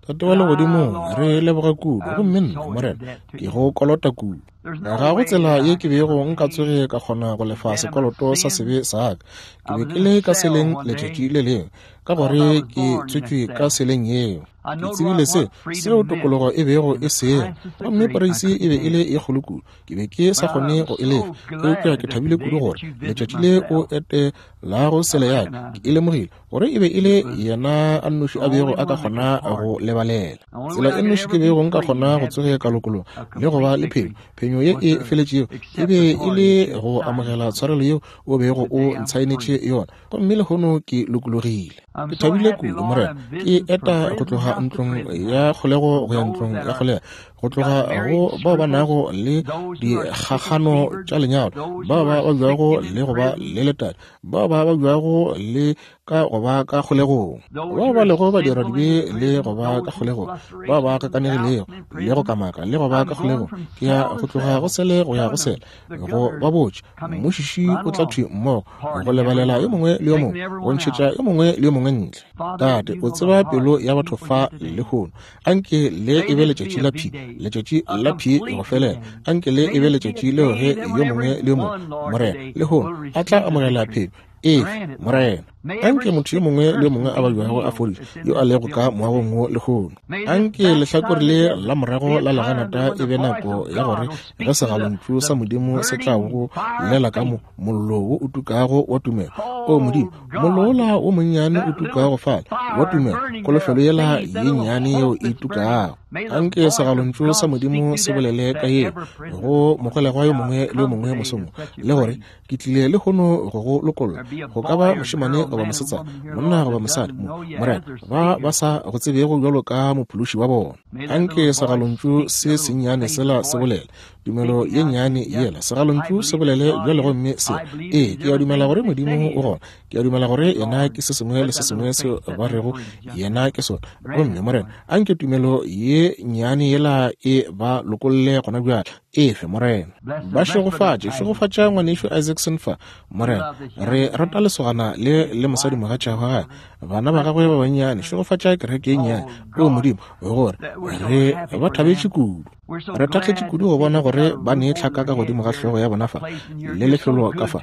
Tate wa legodimong, re leboga kudu, gomme nna, Morena, ke go kolota kudu. Ga go tsela ye ke bego nka tsoge ka kgona go lefa sekoloto sa sebe sa ka. Ke be ke le ka seleng letšatši le lengwe, ka gore ke tswetšwe ka seleng yeo. Ke tsebile se seo tokologo e bego e sego, gomme poreisi e be e le e kgolo kudu, ke be ke sa kgone go e lefa. Eupša ke thabile kudu gore letšatši le o etelago sele ya ka, ke e lemogile gore e be e le yena a nnoši a bego a ka kgona go lebalela. Tsela e nnoši ke bego nka kgona go tsoge ka lokologa le go ba le phenyo, phenyo ye e feletšego, e be e le go amogela tshwarelo yeo o bego o ntshaenetše yona, gomme lehono ke lokologile. Ke thabile kudu, Morena, ke eta go tloga ntlong ya kgolego go ya ntlong ya kgolego, go tloga go bao ba nago le dikgakgano tša lenyalo, bao ba babjago le go ba le letadi, bao ba babjago le ka go ba ka kgolegong, bao ba lego badiradibe le go ba ka kgolegong, bao ba kakanegilego le go kamaka le go ba ka kgolegong. Ke ya go tloga go sele go ya go sele, go ba botše mmušiši o tla thwi mmogo go lebalela yo mongwe le yo mongwe, go ntšhetša yo mongwe le yo mongwe ntle. Tate, o tseba pelo ya batho fa lehono. Anke le e be letšatši la phi, letšatši la phi go felela. Anke le e be letšatši leo ge yo mongwe le yo mongwe, Morena, lehono a tla amogela phenyo efe, Morena. Anke motho yo mongwe le yo mongwe a babjago a fodišwe yo a lego ka moagong wo lehono. Anke lehlakore le la morago la leganata e be nako ya gore ge segalontšu sa Modimo se tla go llela ka mo mollo wo o tukago wa tumelo. O Modimo, mollo wola wo monnyane o tukago fale wa tumelo, kholofelo yela ye nnyane yeo e tukago. Anke segalontšu sa Modimo se bolele ka yeo go mogolegwa yo mongwe le yo mongwe mosong, le gore ke tlile lehono go go lokolla. Go ka ba mošemane goba mosetsana, monna goba mosadi, Morena, ba ba sa go tsebego bjalo ka mophološi wa bona. Anke segalontšu se sennyane sela se bolele Tumelo ye nnyane yela, segalontšu se bolele bjale gomme se, ee, ke a dumela gore Modimo o gona. Ke a dumela gore yena ke se sengwe le se sengwe seo ba rego yena ke sona. Gomme Morena, anke tumelo ye nnyane yela e ba lokolle gona bjale. Efe, Morena. Ba šegofatše, šegofatša ngwanešu Isaacson fa, Morena. Re rata lesogana le le mosadimogatša wa gagwe, bana ba gagwe ba bannyane. Šegofatša kereke ye nnyane, o Modimo, gore re ba thabetše kudu. Re thakgetše kudu go bona gore ba ne tlhaka ka godimo ga hlogo ya bona fa le lefelo ka fa.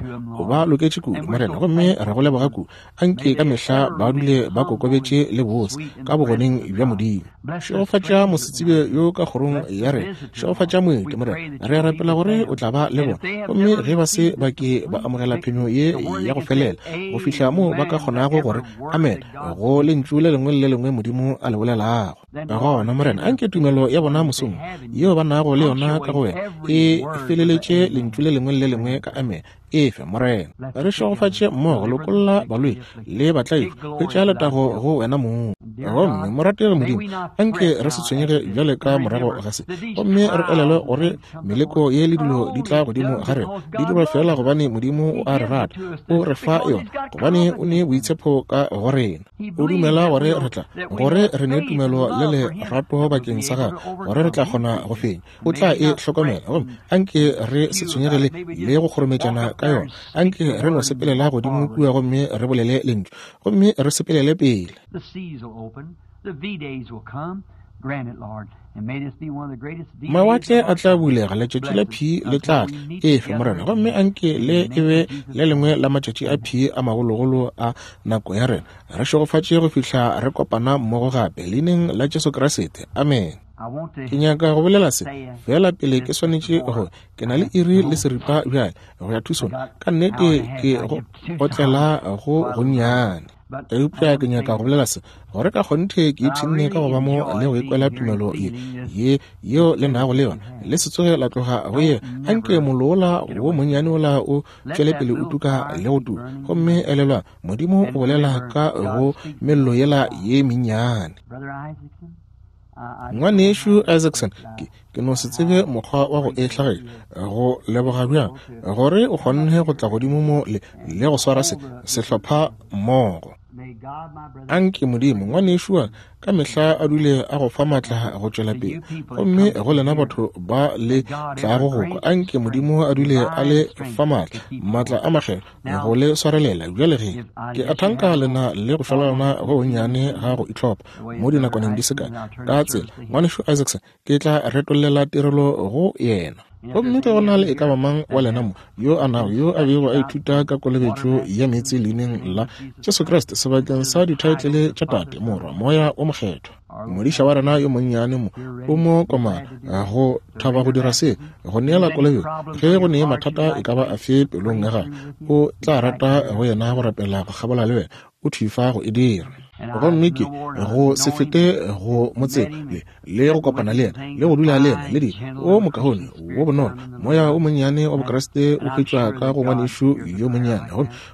Ba loketše kudu, Morena, gomme re go leboga kudu. Anke ka mehla ba dule ba kokobetše le bose ka bogoneng bja Modimo. Šegofatša mosetsebje yo ka kgorong ya rena. Šegofatša moeti, Morena. Re a rapela gore o tla ba le bona, gomme ge ba se ba ke ba amogela phenyo ye ya go felela go fihla moo ba ka kgonago gore amen go lentšu le lengwe le le lengwe Modimo a le bolelago. Gona, Morena, anke tumelo ya bona mosong yeo ba nago le yona ka go wena e feleletše lentšu le lengwe le le lengwe ka amen. Efe, Morena. Re šegofatše mmogo, lokolla baloi le batlaišwa, hwetša letago go wena mong. Gomme morategi Modimo, anke re se tshwenyege bjale ka morago ga se, gomme re elelwe gore meleko ye le dilo di tla godimo ga rena di dirwa fela gobane Modimo o a re rata, o re fa yona gobane o ne boitshepo ka go rena. O dumela gore re tla, gore re ne tumelo le lerato bakeng sa gagwe, gore re tla kgona go fenya. O tla e hlokomela, gomme anke re se tshwenyegele le go kgorometšana ka yona. Anke re no sepelela godimo kua gomme re bolele lentšu, gomme re sepelele pele. Mawatle a tla bulega, letšatši la P le tla tla. Efe, Morena, gomme anke le e be le lengwe la matšatši a P a magologolo a nako ya rena. Re šegofatše go fihla re kopana mmogo gape, leineng la Jesu Kriste. Amen. Ke nyaka go bolela se fela pele ke swanetše go, ke na le iri le seripa bjale go ya Tucson. Ka nnete ke go otlela go gonnyane, eupša ke nyaka go bolela se gore ka kgonthe ke ipshinne ka go ba mo le go ikwela tumelo ye ye yeo le nago le yona. Le se tsoge la tloga go ye. Anke mollo wo monnyane ola o tšwele pele o tuka le go tuka. Gomme elelwa, Modimo o bolela ka go mello yela ye mennyane. Ngwanešu Isaacson, ke, ke no se tsebe mokgwa wa go e hlagiša, go leboga bjang gore o kgonne go tla godimo mo le, le go swara se sehlopha mmogo. Anke Modimo, ngwanešu wa ka mehla a dule a go fa maatla go tšwela pele. Gomme go lena batho ba le tlago go kwa, anke Modimo a dule a le fa maatla, maatla a makgethwa go le swarelela. Bjale ge ke a thanka lena le go šwalana go bonnyane ga go itlhopha mo dinakwaneng di se kae ka tsela, ngwanešu Isaacson ke tla retollela tirelo go yena. Gomme ke go na le e ka ba mang wa lena mo yo a nago yo a bego a ithuta ka kolobetšo ya meetse leineng la Jesu Kriste sebakeng sa dithaetlele tša Tate, Morwa, Moya o Mokgethwa. Modiša wa rena yo monnyane mo o mo komana go thaba go dira se, go neela kolobetšo. Ge go ne mathata e ka ba afe pelong ya gagwe, o tla rata go yena go rapela go kgabola le wena, o thifa go e dira. Gomme ke go se fete go mo tseba le le go kopana le yena le go dula le yena le di o mokaone wo bonolo. Moya o monnyane wa Bokriste o hwetšwa ka go ngwanešu yo monnyane,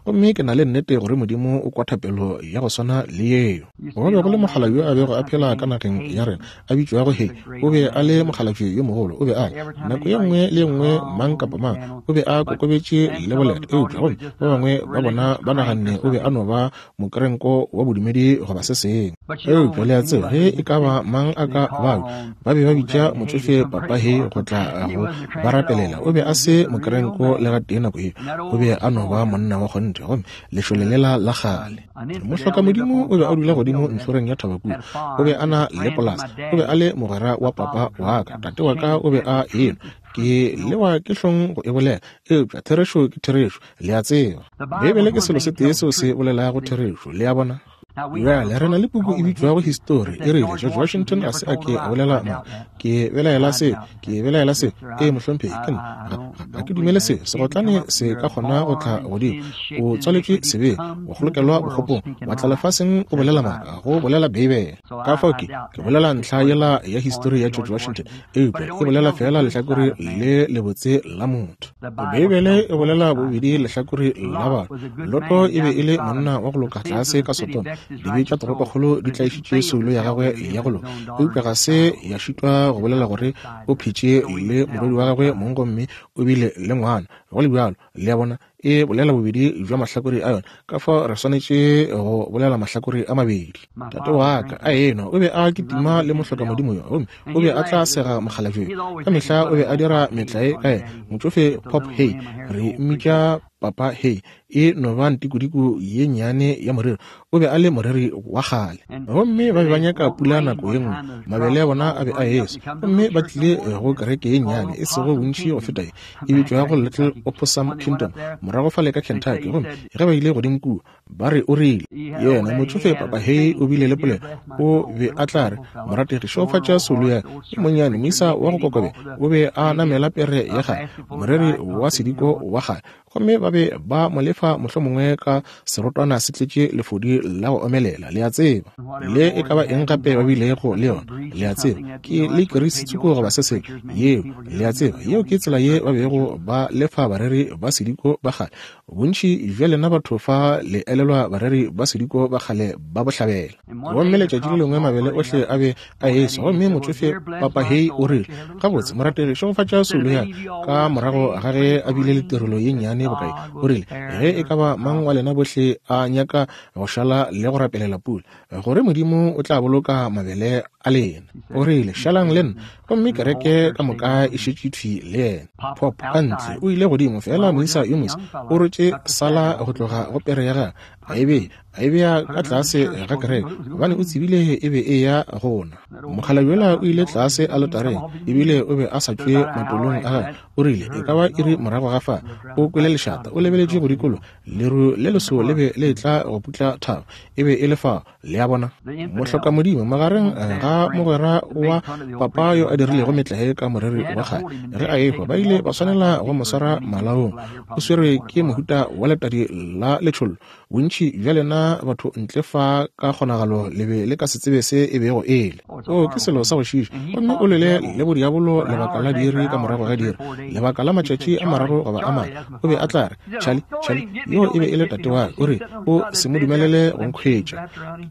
gomme ke na le nnete gore Modimo o kwa thapelo ya go swana le yeo. Go be go le mokgalabje yo a bego a phela ka nageng ya rena a bitšwago Hei. O be a le mokgalabje yo mogolo. O be a le nako ye nngwe le ye nngwe mang kapa mang o be a kokobetše le boleta, eupša gomme ba bangwe ba bona ba naganne o be a no ba mokerenko wa bodumedi goba se sengwe. Eupša le a tseba, ge e ka ba mang a ka babe, ba be ba bitša motsofe Papa Hei go tla go ba rapelela. O be a se mokerenko le gatee nako yeo, o be a no ba monna wa kgonthe, gomme lešole lela la kgale. Mohlokamodimo o be a dula godimo ntlhoreng ya thaba kua. O be a na le polasa. O be a le mogwera wa papa wa ka. Tate wa ka o be a enwa. Ke lewa ke hlong go e bolela, eupša therešo ke therešo, le a tseba. Beibele ke selo se tee seo se bolelago therešo, le a bona. Bjale re na le puku e bitšwago Histori, e rile George Washington ga se a ke a bolela maaka. Ke belaela seo, ke belaela seo. Ee, mohlomphegi, ke nna. Ga, ga ke dumele seo. Segotlane se ka kgona go tla godimo. O tswaletšwe sebeng, o kgolokelwa bokgopong, wa tla lefaseng o bolela maaka, go bolela Beibele. Ka fao ke, ke bolela ntlha yela ya histori ya George Washington, eupša e bolela fela lehlakore le lebotse la motho. Beibele e bolela bobedi lehlakore la batho. Loto e be e le monna wa go loka tlase ka Sodoma. Dibe tša toropokgolo di tlaišitše soulo ya gagwe ya go loka, eupša ga se ya šitwa go bolela gore o phetše le morwedi wa gagwe mong gomme o bile le ngwana. Go le bjalo, le a bona, e bolela bobedi bja mahlakore a yona, ka fao re swanetše go bolela mahlakore a mabedi. Tate wa ka a enwa, o be a kitima le mohlokamodimo yo, gomme o be a tla sega mokgalabje yo. Ka mehla o be a dira metlae ka yena. Motšofe Pop Hey, re mmitša Papa Hey, e no ba ntikodiko ye nnyane ya moreri. O be a le moreri wa kgale, gomme ba be ba nyaka pula nako ye nngwe. Mabele a bona a be a eswa, gomme ba tlile go kereke ye nnyane, e sego bontši go feta ye, e bitšwago Little Opossum Kingdom, morago fale ka Kentucky. Gomme ge ba ile godimo kua, ba re o rile, yena motšofe Papa Hey o bile le polelo. O be a tla re, morategi, šegofatša soulo ya e monnyane, moisa wa go kokobe. O be a namela pere ya kgale, moreri wa sediko wa kgale, gomme ba be ba mo lefa mohlomongwe ka serotwana se tletše lefodi la go omelela, le a tseba. Le e ka ba eng gape ba bilego le yona, le a tseba, ke le kerisi tsoko goba se sengwe yeo, le a tseba. Yeo ke tsela ye ba bego ba lefa bareri ba sediko ba kgale. Bontši bja lena batho fa le elelwa bareri ba sediko ba kgale ba bohlabela. Gomme letšatši le lengwe mabele ohle a be a eswa, gomme motšofe Papa Hey o rile, gabotse morategi, šegofatša soulo ya ka. Morago ga ge a bile le tirelo ye nnyane bokae, o rile, ge e ka ba mang wa lena bohle a nyaka go šala le go rapelela pula, gore Modimo o tla boloka mabele a lena. O rile, šalang le nna. Gomme kereke ka moka e šetše thwi le yena. Pop ka ntle o ile godimo, fela moisa yo moswa o rotše sala go tloga go pere ya gagwe, a e bea a e bea ka tlase ga kereke, gobane o tsebile e be e ya gona. Mokgalabje yola o ile tlase aletareng, ebile o be a sa tšwe matolong a gagwe. O rile, e ka ba iri morago ga fa, o kwele lešata, o lebeletše go dikolo, leru le leso le be le tla go putla thaba, e be e le fao, le a bona. Mohlokamodimo magareng ga mogwera wa papa yo a dirilego metlae ka moreri wa kgale, ge a ehwa ba ile ba swanela go mo swara malaong. O swerwe ke mohuta wa letadi la letšhollo. Bontši bja lena batho ntle fa ka kgonagalo le be le ka se tsebe se e bego e le. O ke selo sa go šiiša. Gomme o lwele le bodiabolo lebaka la diiri ka morago ga diiri, lebaka la matšatši a mararo goba a mane. O be a tla re, Charlie, Charlie, yo e be e le tate wa ka. O re, o se mo dumelele go nkhwetša,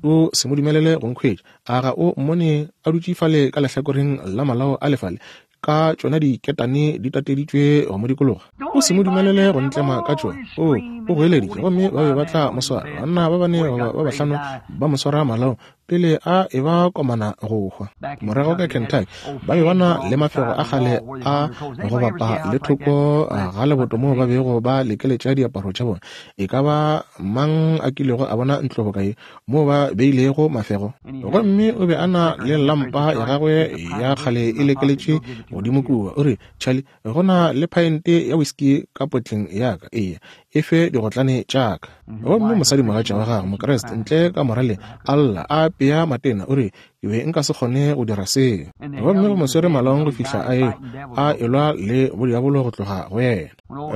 o se mo dumelele go nkhwetša. A ga o mmone a dutše fale ka lehlakoreng la malao a lefale, ka tšona diketane di tateditšwe go mo dikologa? O se mo dumelele go ntlema ka tšona. O o goeleditše, gomme ba be ba tla mo swara. Banna ba bane goba ba bahlano ba mo swara malaong pele a e ba komana go hwa. Morago ka Kentucky ba be ba na le mafego a kgale a go bapa le thoko ga leboto moo ba bego ba lekeletša diaparo tša bona. E ka ba mang a kilego a bona ntlo boka ye moo ba beilego mafego? Gomme o be a na le lampa ya gagwe ya kgale e lekeletše godimo kua. O re, Charlie, go na le phaente ya whisky ka potleng ya ka, eya, e fe digotlane tša ka. Gomme mosadimogatša wa gagwe Mokreste ntle ka moraleng a lla a apea matena. O re, ke be nka se kgone go dira seo. Gomme go mo swere malaong go fihla a ehwa, a elwa le bodiabolo go tloga go yena.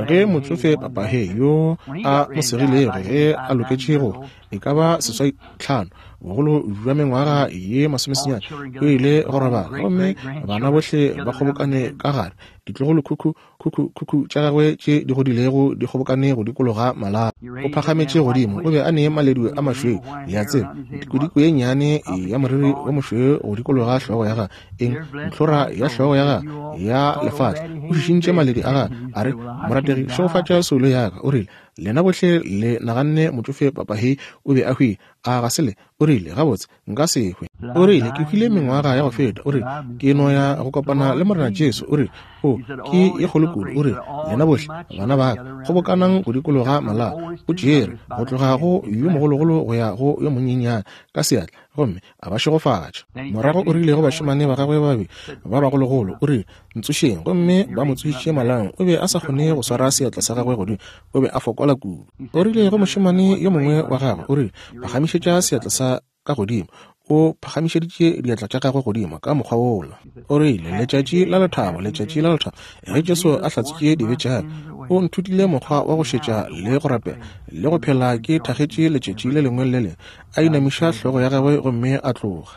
Ge motšofe Papa Hey yo a mo segilego ge a loketše go e ka ba seswai tlhano, bogolo bja mengwaga ye masomesenyane, o ile go robala, gomme bana bohle ba kgobokane ka gare, ditlogolo khukhu khukhu khukhu tša gagwe tše di godilego di kgobokane go dikologa malapa. O phagametše godimo, o be a ne maledu a mašweu, le a tseba, ntikodiko ye nnyane ya moriri o mošweu go dikologa hlogo ya gagwe, eng ntlhora ya hlogo ya gagwe ya lefatla. O šišintše maledi a gagwe, a re, morategi, šegofatša soulo ya ka. O rile, lena bohle le naganne motšofe Papa Hey o be a hwile, a ga se le? O rile, gabotse nka se hwe. O rile, ke hwile mengwaga ya go feta. O rile, ke no ya go kopana le Morena Jesu. O rile, o ke ye kgolo kudu. O rile, lena bohle bana ba ka kgobokanang go dikologa malao. O tšere go tloga go yo mogologolo go ya go yo monyenyane ka seatla, gomme a ba šegofatša. Morago o rile go bašemane ba gagwe ba babedi ba bagologolo, o rile, ntsošeng. Gomme ba mo tsošitše malaong. O be a sa kgone go swara seatla sa gagwe godimo, o be a fokola kudu. O rile go mošemane yo mongwe wa gagwe, o rile, phagamišetša seatla sa ka godimo. O phagamišeditše diatla tša gagwe godimo ka mokgwa wola. O rile, letšatši la lethabo, letšatši la lethabo, ge Jesu a hlatswitše dibe tša ka, o nthutile mokgwa wa go šetša le go rapela le go phela ke thagetše letšatši le lengwe le le lengwe. A inamiša hlogo ya gagwe gomme a tloga.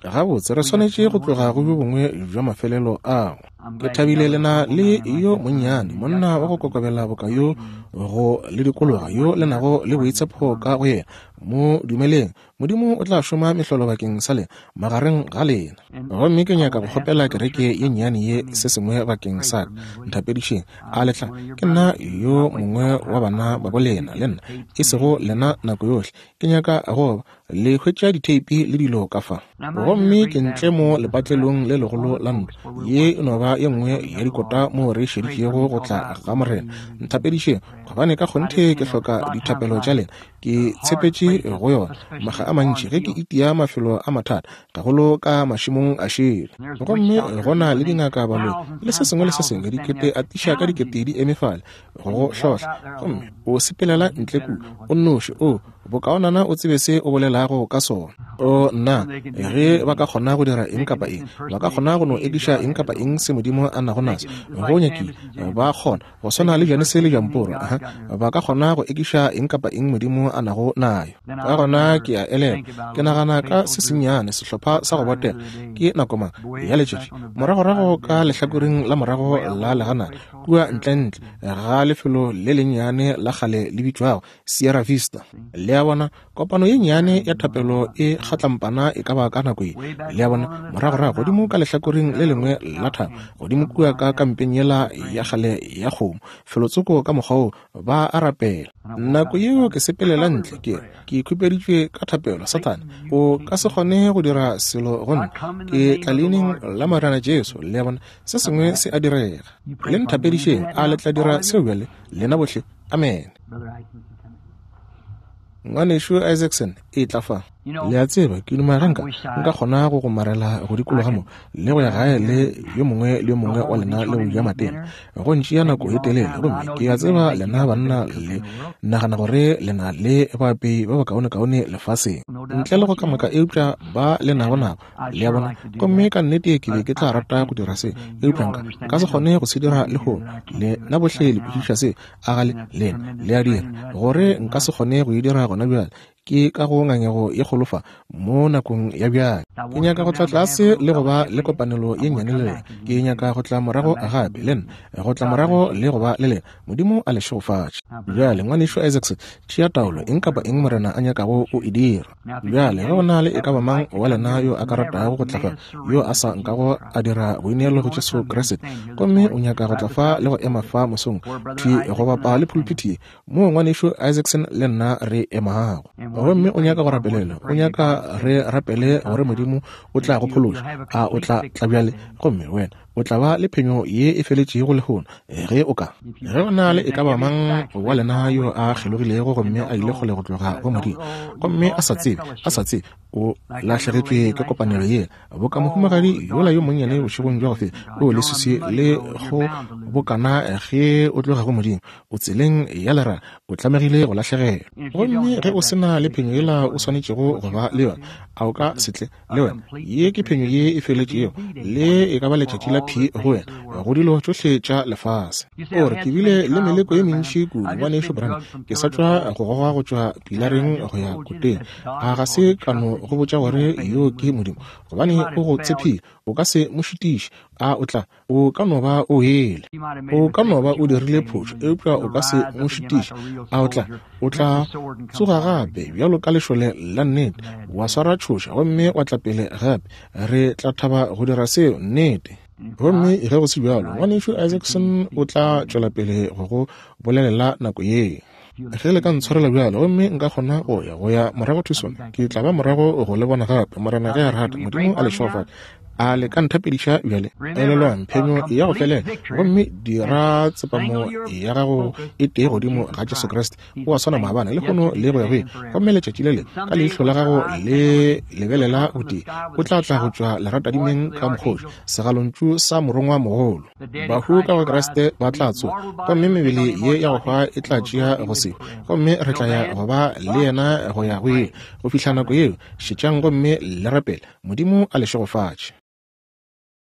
Gabotse, re swanetše go tloga go bjo bongwe bja mafelelo ao. Ke thabile lena le yo monnyane, monna wa go kokobela boka yo go le dikologa yo le nago le boitshepo ka go yena. Mo dumeleng, Modimo o tla šoma mehlolo bakeng sa lena magareng ga lena. Gomme ke nyaka go kgopela kereke ye nnyane ye se sengwe bakeng sa ka. Nthapedišeng, a le tla? Ke nna yo mongwe wa bana ba bo lena, le nna, e sego lena nako yohle. Ke nyaka go le hwetša ditheipi le dilo ka fa. Gomme ke ntle mo lepatlelong le legolo la ntlo. Ye e no ba ye nngwe ya dikota moo re šeditšego go tla ga Morena. Nthapedišeng, gobane ka kgonthe ke hloka dithapelo tša lena. Ke tshepetše go yona maga a mantši ge ke itia mafelo a mathata, gagolo ka mašemong a šele. Gomme go na le dingaka baloi le se sengwe le se sengwe, dikete atiša ka dikete di eme fale go go hlohla. Gomme o sepelela ntle kua o nnoši, o bokaonana o tsebe se o bolelago ka sona. O nna, ge ba ka kgona go dira eng kapa eng, ba ka kgona go no ekiša eng kapa eng se Modimo a nago naso. Go nyakile ba kgona go swana le Janese le Jamporo, aha, ba ka kgona go ekiša eng kapa eng Modimo a nago nayo. Ka gona ke a elelwa, ke nagana ka se sennyane sehlopha sa go botega ke nako mang ya letšatši, moragorago ka lehlakoreng la morago la leganana kua ntlentle ga lefelo le lennyane la kgale le bitšwago Sierra Vista. Le a bona, kopano ye nnyane ya thapelo e kgatlampana e ka ba ka nako ye. Le a bona, moragorago godimo ka lehlakoreng le lengwe la thaba, godimo kua ka kampeng yela ya kgale ya kgomo, felotsoko ka mokgwa wo ba a rapela. Nako yeo ke sepelela ntle, ke ke ikhupeditšwe ka thapelo. Sathane, o ka se kgone go dira selo go nna. Ke tla leineng la Morena Jesu. Le a bona, se sengwe se a direga. Le nthapedišeng, a le tla dira seo bjale, lena bohle? Amen. Ngwanešu Isaacson, e tla fa. Le a tseba, ke duma ge nka nka kgona go gomarela go dikologa mo le go ya gae le yo mongwe le yo mongwe wa lena le go ja matena. Go ntšea nako e telele, gomme ke a tseba lena banna le nagana gore le na le baapei ba bakaonekaone lefaseng, ntle le go kamaka, eupša ba le nago nabo. Le a bona? Gomme ka nnete ke be ke tla rata go dira se, eupša nka nka se kgone go se dira lehono. Lena bohle le kwešiša se, a ga le? Lena le a dira gore nka se kgone go e dira gona bjale. Ke ka go ngangego ye kgolo fa mo nakong ya bjale. Ke nyaka go tla tlase le go ba le kopanelo ye nnyane le lena. Ke nyaka go tla morago gape le nna, go tla morago le go ba le lena. Modimo a le šegofatše. Bjale, ngwanešu Isaacs, tšea taolo, eng kapa eng Morena a nyakago o e dira. Bjale, ge go na le e ka ba mang wa lena yo a ka ratago go tla fa, yo a sa nkago a dira boineelo go Jesu Kriste, gomme o nyaka go tla fa le go ema fa mosong thwi go bapa le pulpiti ye moo ngwanešu Isaacson le nna re emago, gomme o nyaka go rapelela, o nyaka re rapele gore Modimo o tla go phološa, a o tla tla bjale? Gomme wena o tla ba le phenyo ye e feletšego lehono ge o ka. Ge o na le e ka ba mang wa lena yo a kgelogilego gomme a ile kgole go tloga go Modimo, gomme a sa tsebe, a sa tsebe, o lahlegetšwe ke kopanelo yela, boka mohumagadi yola yo monnyane bošegong bja go feta, o leswiswi le go bokana ge o tloga go Modimo, o tseleng ya lera, o tlamegile go lahlegelwa. Gomme ge o se na le phenyo yela o swanetšego go ba le yona, a o ka se tle le wena? Ye ke phenyo ye e feletšego, le e ka ba letšatši la P go wena go dilo tšohle tša lefase. O re, ke bile le meleko ye mentši kudu, ngwanešu Branham, ke sa tšwa go goga go tšwa pilareng go ya koteng. A ga se ka no go botša gore yo ke Modimo? Gobane o go tshephile, o ka se mo šitiše. A o tla? O ka no ba o wele, o ka no ba o dirile phošo, eupša o ka se mo šitiše. A o tla? O tla tsoga gape bjalo ka lešole la nnete, wa swara tšhoša gomme wa tla pele gape. Re tla thaba go dira seo, nnete. Gomme ge go se bjalo, ngwanešu Isaacson o tla tšwela pele go go bolelela nako ye. Ge le ka ntshwarela bjalo, gomme nka kgona go ya go ya morago Tucson, ke tla ba morago go le bona gape, Morena ge a rata. Modimo a le šegofatše. A le ka nthapediša bjale? Elelwang, phenyo ya go felela, gomme dira tsepamo ya gago e tee godimo ga Jesu Kriste. O a swana maabane, lehono le go ya go ile. Gomme letšatši le le ka leihlo la gago le lebelela gotee, o tla tla go tšwa leratadimeng ka mokgoši, segalontšu sa morongwa mogolo. Bahu ka go Kriste ba tla tsoga, gomme mebele ye ya go hwa e tla tšea go se, gomme re tla ya go ba le yena go ya go ile. Go fihla nako yeo, šetšang gomme le rapele. Modimo a le šegofatše.